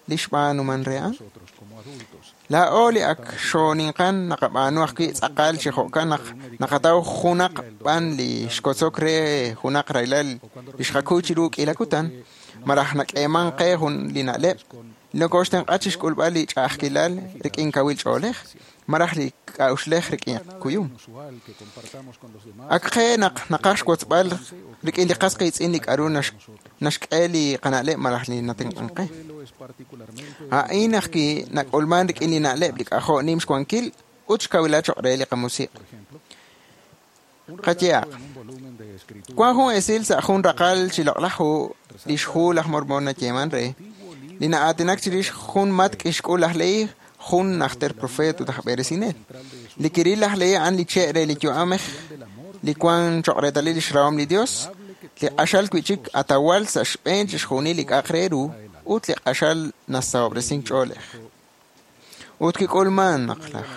li xb'aanuman re a'an. Laa'o li ak xooninqan naqab'aanu ajwi' tz'aqal chi jo'kan naq naqataw junaq b'an li xkotzok re junaq rahilal li xqakuy chiru k'iila kutan, malaj nak'eeman qe jun li na'leb' nokoxtenq'a chixk'ulb'al li ch'a'ajkilal rik'in kawil ch'oolej, malaj li k'a'uxlej rik'in kuyum. Ak qe naq naqaj xwotzb'al rik'in li qas qiitz'in li k'a'ru naxk'e li qana'leb' malaj li natenq'an qe. A'in ajwi' nak'ulman rik'in li na'leb' li k'ajo' nim xwankil ut xkawilal choq' re li qamusiq'. Qayehaq, wan jun esil sa' jun raqal chi loq'laj hu li xhu laj Mormon nayeeman re, li na'aatinak chirix jun matk' xk'ul laj Lehi, jun najter profeet ut aj b'eresinel. Li kiril laj Lehi a'an li che' re li yu'amej li wan choq' reetalil lix rahom li Dios, li q'axal wi'chik atawal sa' xb'een chixjunil li k'a'aq re ru ut li q'axal nasahob'resink ch'oolej. Ut kik'ulman naq laj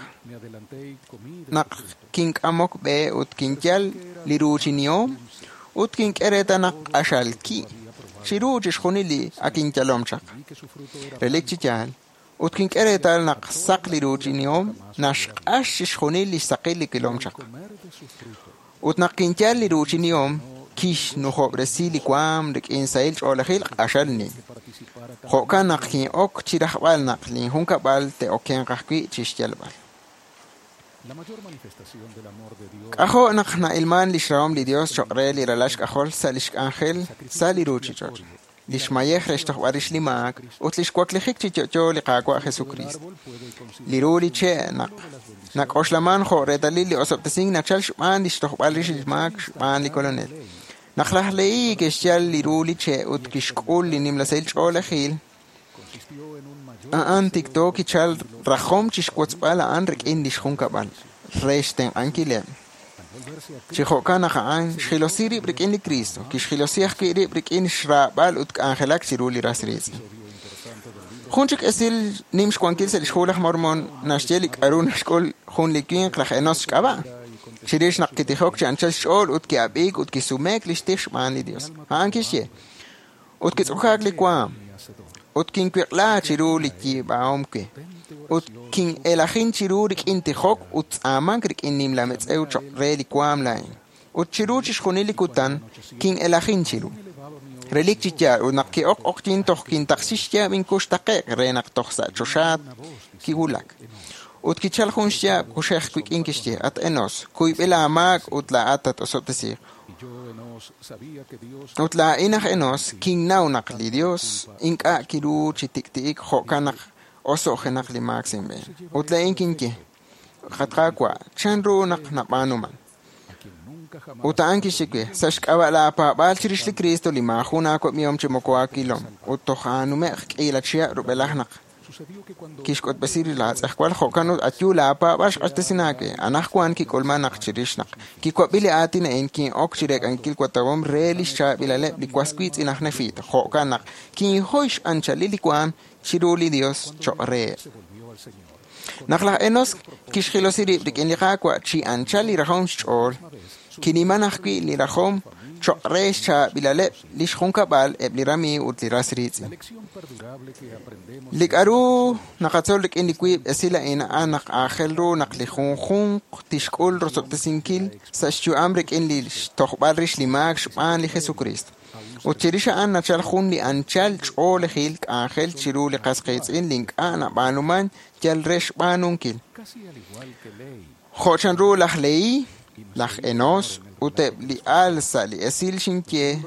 naq kink'amok b'e ut kinyal li ruuchinihom ut kink'e reetal naq q'axal ki' chiru chixjunil li ak inyalom chaq. Relik chi yaal, ut kink'e reetal naq saq li ruuchinihom naxq'ax chixjunil li xsaqil li kilom chaq. Ut naq kinyal li ruuchinihom kixnujob'resi li waam rik'in sahil ch'oolejil q'axal nim. Jo'kan naq kin'ok chi rajb'al naq linjunkab'al te'okenq ajwi' chixyalb'al. K'ajo' naq na'ilman lix rahom li Dios choq' re li ralal xk'ajol sa' lix k'anjel sa' li ruuchich'och', lix mayej re xtojb'al rix li maak ut lix waklijik chi yo'yo li Qaawa' Jesucristo. Li ru li che' naq nak'oxlaman jo' reetalil li osob'tesink nachal xb'aan lix tojb'al rix li maak xb'aan li Kolonel. Naq laj Lehi kixyal li ru li che' ut kixk'ul li nimla sahil ch'oolejil, a'an tikto kichal rajom chixwotzb'al a'an rik'in lix junkab'al re xtenq'ankileb'. Chi jo'kan naq a'an xjilosi rib' rik'in li Cristo, kixjilosi ajwi' rib' rik'in xraab'al ut k'anjelak chiru li ras riitz'in. Jun chik esil nim xwankil sa' lix hu laj Mormon naxye li k'a'ru naxk'ul jun li winq laj Enos xk'ab'a'. Chirix naq kitijok chi anchal xch'ool ut ki'ab'iik ut kisumeek lix tij xb'aan li Dios. A'an kixye, ut kitz'ukaak li waam, ut kinwiq'la chiru li yiib'ahom we, ut kin'elajin chiru rik'in tijok ut tz'aamank rik'in nimla metz'ew choq' re li waam laa'in. Ut chiru chixjunil li kutan kin'elajin chiru. Relik chi yaal ut naq ki'ok oqyin toj kintaqsi xyaab' inkux taqe'q re naq toj sa' choxaat kiwulak. Ut kichal jun xyaab' kuxej wik'in kixye, at Enos, kuyb'il aamaak ut laa'at tat-osob'tesiiq. Ut laa'in aj Enos kinnaw naq li Dios ink'a' kiru chi tik'ti'ik jo'kan naq oso'jenaq li maak sa' inb'een. Ut laa'in kinye, at Qaawa', chan ru naq nab'aanuman? Ut a'an kixye we, sa' xk'ab'a' laapaab'aal chirix li Cristo li maajun aawab'ihom chi moko aawilom, ut toj aanume'q k'iila chihab' rub'elaj naq kixk'utb'esi laatz'ejwal jo'kan ut ayu laapaab'aal xq'axtesin aawe. Anajwan kik'ulman naq chirix naq kiwab'i li aatin a'in kin'ok chireek'ankil watawom re lix chaab'ilaleb' li was wiitz'in aj Nefita, jo'kan naq kinhoy x'anchalil li waam chiru li Dios choq' reheb'. Naq laj Enos kixjilosi rib' rik'in li Qaawa' chi anchal li rajom xch'ool, kiniman ajwi' li rajom choq' re xchaab'ilaleb' lix junkab'al eb' li ramiiw ut li ras riitz'in. Li k'a'ru naqatzol rik'in li wiib' esil a'in a'an naq aajel ru naq li junjunq tixk'ul rosob'tesinkil sa' xyu'am rik'in li xtojb'al rix li maak xb'aan li Jesucristo. Ut chirix a'an nachal jun li anchal ch'oolejil k'anjel chiru li qas qiitz'in li ink'a' nab'aanuman yal re xb'aanunkil. Jo' chanru laj Lehi, laj Enos ut eb' li al sa' li esil xinye,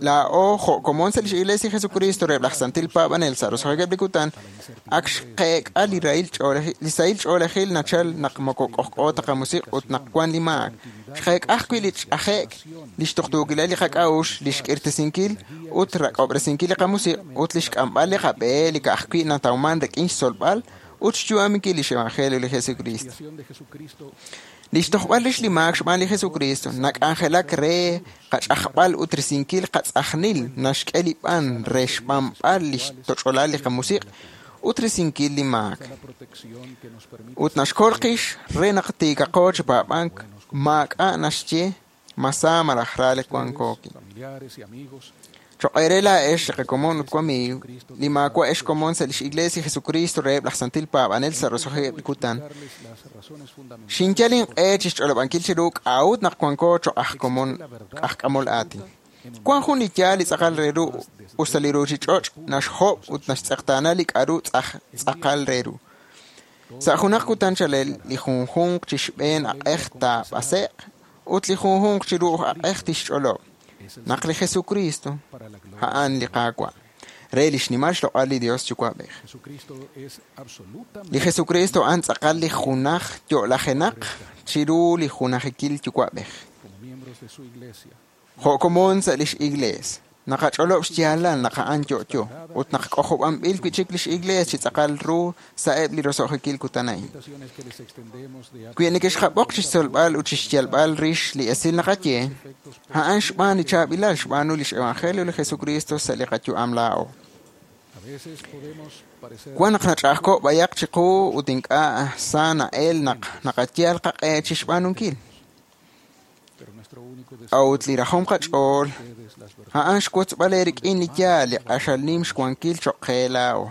laa'o jo' komon sa' lix Iglesia Jesucristo reheb' laj Santil Paab'anel sa' roso'jikeb' li kutan, ak xqeek'a li rahil ch'oolejil, li sahil ch'oolejil nachal naq moko k'ojk'o ta qamusiq' ut naq wan li maak. Xqeek'a ajwi' li ch'aje'k, li xtuqtuukilal li qak'a'uxl, li xk'irtesinkil ut rak'ob'resinkil li qamusiq' ut li xk'amb'al li qab'e li ka'ajwi' natawman rik'in xtzolb'al ut xyu'aminkil lix Evangelio li Jesucristo. Lix tojb'al rix li maak xb'aan li Jesucristo nak'anjelak re qach'ajb'al ut risinkil qatz'ajnil naxk'e li b'an re xb'anb'al lix toch'olal li qamusiq' ut risinkil li maak. Ut naxkol qix re naq tiikaqo chi paab'ank maak'a' naxye masa malaj ra li wankookin. Choq' eere laa'ex li qakomon ut wamiiw, li maawa' ex komon sa' lix Iglesia Jesucristo reheb' laj Santil Paab'anel sa' roso'jikeb' li kutan. Xinyal inq'e chixch'olob'ankil chiru k'a'ut naq wanko choq' aj komon aj k'amol aatin. Wan jun li yaal li tz'aqal re ru us ta li ruchich'och' naxjob' ut naxtz'eqtaana li k'a'ru tz'aqal re ru. Sa' junaq kutan chalel, li junjunq chi xb'een aq'ej taab'ase'q ut li junjunq chi ru'uj aq'ej tixch'olob' naq li Jesucristo a'an li Qaawa' re li xnimal xloq'al li Dios Yuwa'b'ej. Li Jesucristo a'an tz'aqal li junaj yo'lajenaq chiru li junajikil Yuwa'b'ej. Jo' komon sa' lix Iglees, naqach'olob' xyaalal naq a'an yo'yo ut naq k'ojob'anb'il wi'chik lix Iglees chi tz'aqal ru sa'eb' li roso'jikil kutan a'in. Wi nekexqab'oq chixtzolb'al ut chixyalb'al rix li esil naqaye, a'an xb'aan li chaab'ilal xb'aanu lix Evangelio li Jesucristo sa' li qayu'am laa'o. Wan naq nach'a'ajko' b'ayaq chiqu ut ink'a' sa na'el naq naqayal qaq'e chixb'aanunkil. A'ut li rajom qach'ool, a'an xwotzb'al eerik'in li yaal li q'axal nim xwankil choq' qe laa'o.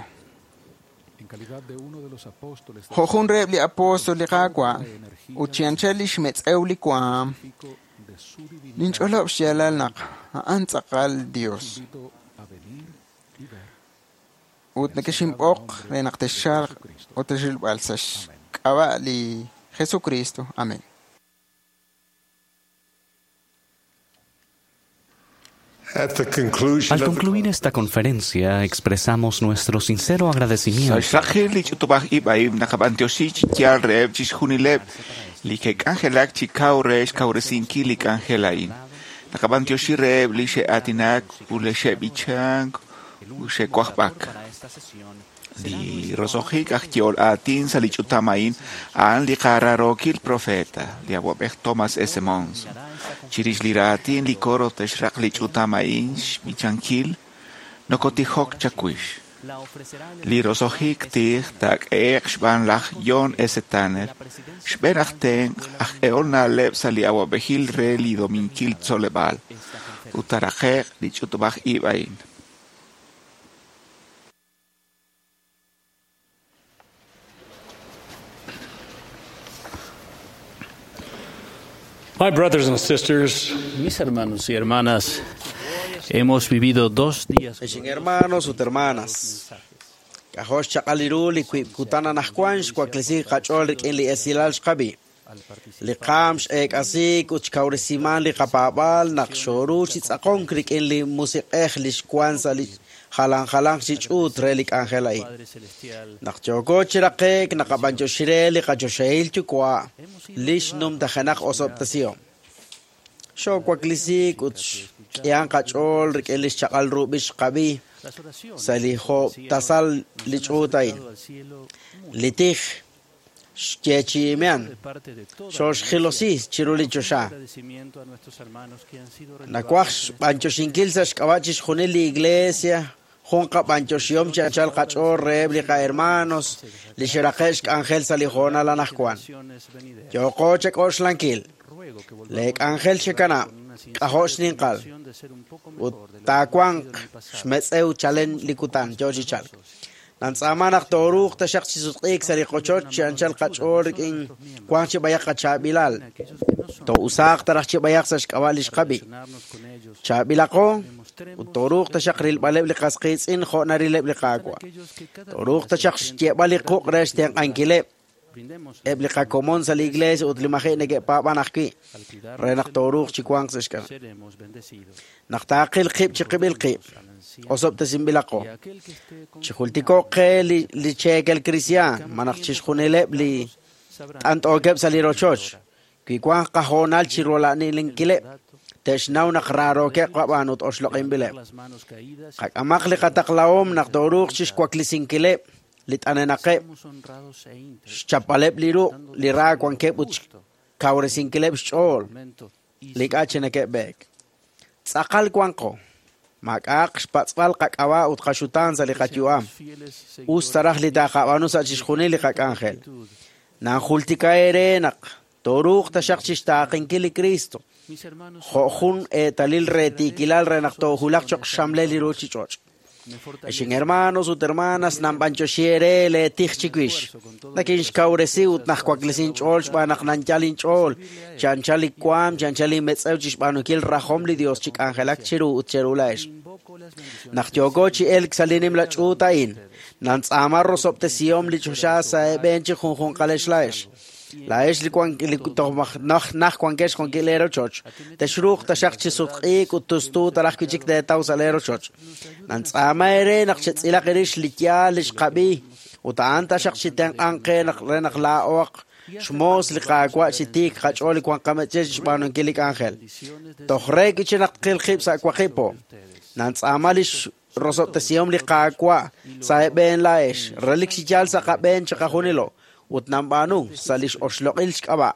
Jo' jun reheb' li apóstol li Qaawa' ut chi anchal lix metz'ew li waam, ninch'olob' xyaalal naq a'an tz'aqal Dios. Ut nekexinb'oq re naq texchalq ut texrilb'al sa' xk'ab'a' li Jesucristo. Amén. Al concluir esta conferencia, expresamos nuestro sincero agradecimiento. Sa' li ch'utub'aj ib' a'in naqab'antioxi chi yaal reheb' chixjunileb' li ke'k'anjelak chi kaw re xkawresinkil li k'anjel a'in. Naqab'antioxi reheb' li xe'aatinak ut li xe'b'ichank ut xe'wajb'ak. Li roso'jik aj yehol aatin sa' li ch'utam a'in a'an li qaraarookil profeta, li awab'ej Thomas S. Monson. Chirix li raatin li coro texraq li ch'utam a'in xb'ichankil, nokotijok chawix. Li roso'jik tij taak'ehe'q xb'aan laj John S. Tanner, xb'een aj tenq' aj k'ehol na'leb' sa' li awab'ejil re li Dominkil Tzoleb'aal, ut taaraqe'q li ch'utub'aj ib' a'in. My brothers and sisters, mis hermanos y hermanas, hemos vivido dos días. Hermanos ut hermanas, k'ajo' xchaq'al ru li wiib' kutan anaqwan xwaklesi qach'ool rik'in li esilal xqab'i. Li qaam x'eek'asiik ut xkawresiman li qapaab'aal naq xooru chi tz'aqonk rik'in li musiq'ej li xwan sa' li jalan jalanq chi ch'uut re li k'anjel a'in. Naq yooko chi raqe'k naqab'antioxi re li qachoxahil yuwa' li xnumtajenaq osob'tesihom. Xoowaklisiik ut xk'ihan qach'ool rik'in li xchaq'al ru b'ich xqab'i sa' li jo'b' tasal li ch'uut a'in. Li tij xyeechi'imean xooxjilosi chiru li choxa. Nawaj xb'antioxinkil sa' xk'ab'a' chixjunil li iglesia jun qab'antioxihom chi anchal qach'ool reheb' li qahermanos li xeraqe' xk'anjel sa' li hoonal anaqwan. Yooko chak'oxlankil le k'anjel xekanab' k'ajo' xninqal ut taawanq xmetz'ew chalen li kutan yoo chi chalk. Nantz'aama naq tooruuq taxaq chi sutq'iik sa' li qochoch chi anchal qach'ool rik'in wanq chi b'ayaq qachaab'ilal. Too'usaaq taraj chi b'ayaq sa' xk'ab'a' li xqab'i. Chaab'ilaqo ut tooruuq taxaq rilb'aleb' li qas qiitz'in jo' narileb' li Qaawa'. Tooruuq taxaq xye'b'al li quq' re xtenq'ankileb' eb' li qakomon sa' li iglesia ut li maji' neke'paab'an ajwi' re naq tooruuq chi wanq sa' xk'ab'a'. Naq taaqil qib' chi qib'il qib', osob'tesinb'ilaqo. Chijultiko'q qe li, li cheekel kristiaan, ma naq chixjunileb' li t'ant'ookeb' sa' li rochoch, wi wanq qahoonal chi rola'ninkileb', te'xnaw naq raarookeb' qab'aan ut oxloq'inb'ileb'. Qak'amaq li qataqlahom naq tooruuq chixwaklisinkileb' li t'anenaqeb', xchapb'aleb' li ruq' li ra wankeb' ut xkawresinkileb' xch'ool li k'a' chi neke'b'eek. Tz'aqal wanqo. Maak'a'aq xpatz'b'al qak'ab'a' ut qaxutaan sa' li qayu'am. Us taraj li taaqab'aanu sa' chixjunil li qak'anjel. Nanjultika eere naq Tooruuq taxaq chixtaaqenkil li Cristo. Jo' jun eetalil re tiikilal re naq toohulaq choq' xxamlel li ruuchich'och'. Exin hermanos ut hermanas nanb'anchoxi eere leetij chiwix. Nakinxkawresi ut najwaklesin ch'ool xb'aan naq nanyal inch'ool. Chanchal li waam, chanchal inmetz'ew chixb'aanunkil rajom li Dios chi k'anjelak chiru ut cheru la'ex. Naq yooko chi elk sa' li nimla ch'uut a'in, nantz'aama rosob'tesihom li choxa sa' eeb'een chi junjunqalex la'ex. La'ex li wan li toj naj naj wankex junkil leerochoch. Texruuq taxaq chi sutq'iik ut tustu talaj wi' chik teetaw sa' leerochoch. Nantz'aama eere naq chetz'ilaq erix li yaal li xqab'i ut a'an taxaq chi tenq'anq qe naq re naq laa'oq xmoos li Qaawa' chi tiik qach'ool li wan qametz'ej xb'aanunkil li k'anjel. Toj re wi' chi naq tqil qib' sa' waqib' po. Nantz'aama li rosob'tesihom li Qaawa' sa' eeb'een la'ex, relik chi yaal sa' qab'een chiqajunilo ut nanb'aanu sa' li oxloq'il xk'ab'a'.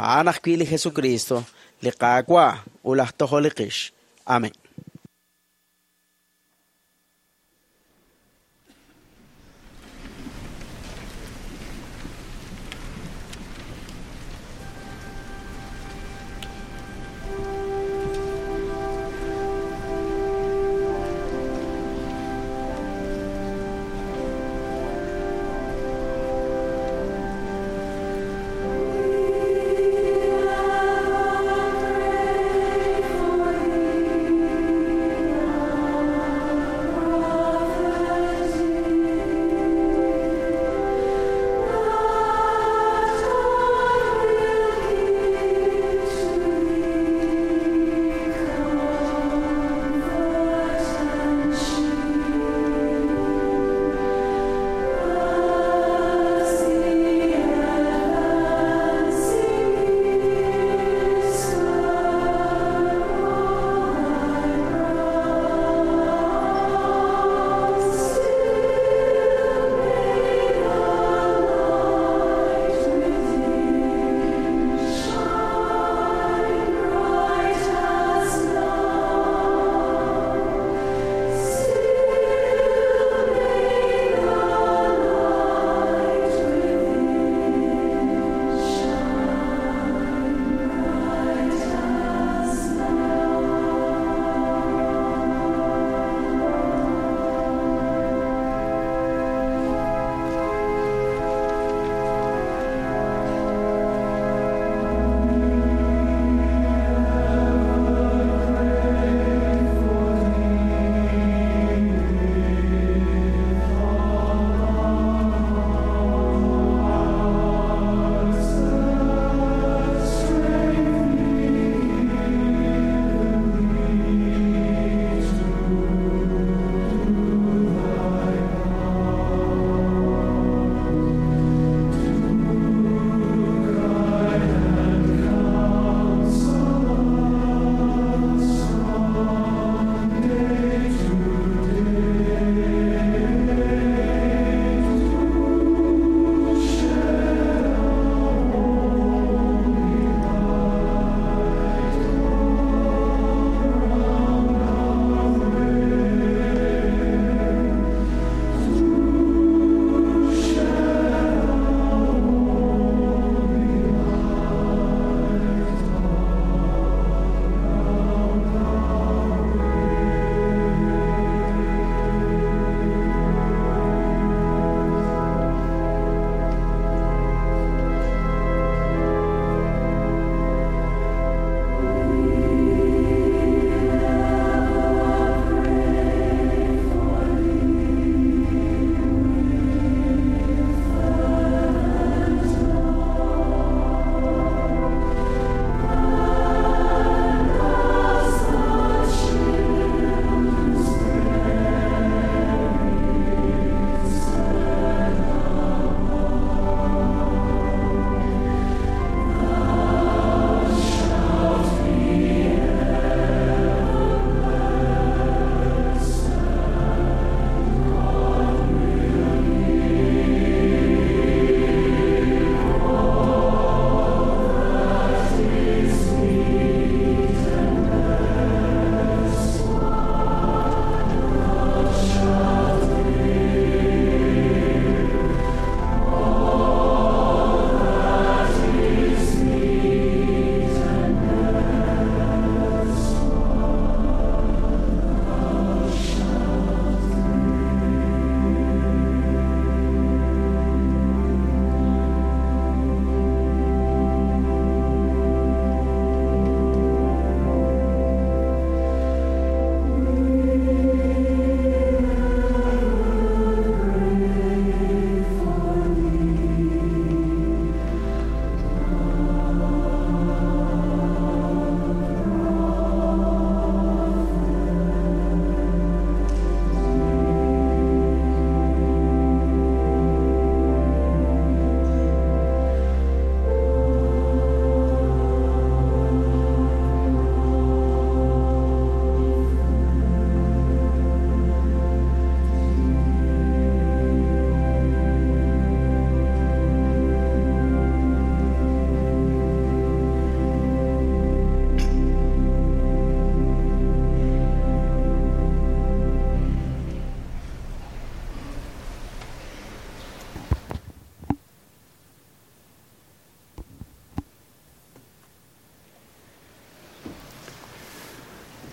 A'an ajwi' li Jesucristo, li Qaawa' ut laj Tojol li qix. Amén. Pray for thee.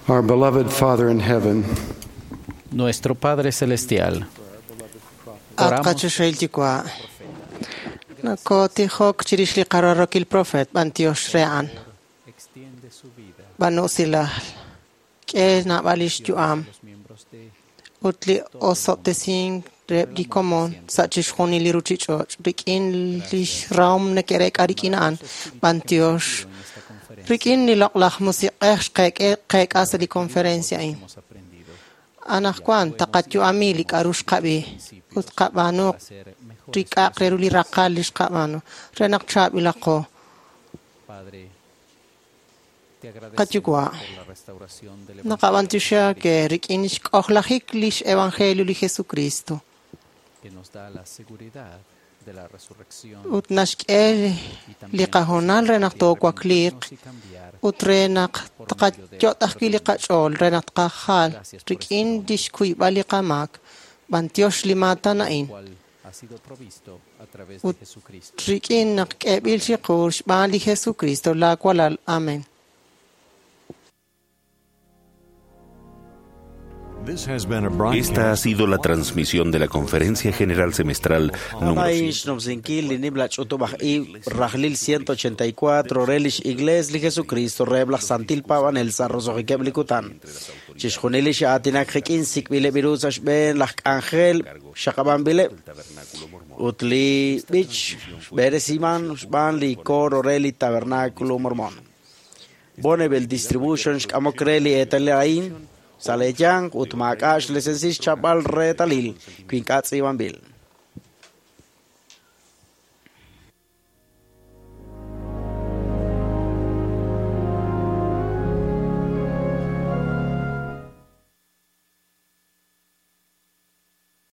Our beloved Father in heaven, Nuestro Padre Celestial, At qachoxahil Yuwa', nakotijok chirix li qararokil profeet b'antiox re a'an. B'anusilal, k'e naab'al lix yu'am ut li osob'tesink reheb' li komon sa' chixjunil li ruchich'och' rik'in lix rahom neke'reek'a rik'in a'an b'antiox rik'in li loq'laj musiq'ej xqeek'e qeek'a sa' li conferencia a'in. Anaqwan taqayu'ami li k'a'ru xqab'i ut qab'aanu rik'aq re ru li raqal li xqab'aanu re naq chaab'ilaqo. Qayuwa', naqab'antioxi ke rik'in xk'ojlajik lix evangelio li Jesucristo ut naxk'e li qahoonal re naq toowakliiq ut re naq tqayot' ajwi' li qach'ool re naq tqajal rik'in lix kuyb'al li qamaak. B'antiox li maatan a'in ut rik'in naq k'eeb'il chiqu xb'aan li Jesucristo laa walal. Amén. Esta ha sido la transmisión de la Conferencia General Semestral número A'in xnumsinkil li nimla ch'utub'aj ib' rajlil ciento ochenta y cuatro re lix Iglees li Jesucristo reheb' laj Santil Paab'anel sa' roso'jikeb' li kutan. Chixjunil li xa'aatinak qik'in sik'b'ileb' ru sa' xb'een laj k'anjel xaqab'anb'ileb' ut li b'ich xb'eresiman xb'aan li coro re li Tabernáculo Mormón. Bonneville Distribution xk'amok re li eetalil a'in sa' leeyanq ut maak'a' xlisensil xchapb'al reetalil wi ink'a' tz'iib'anb'il.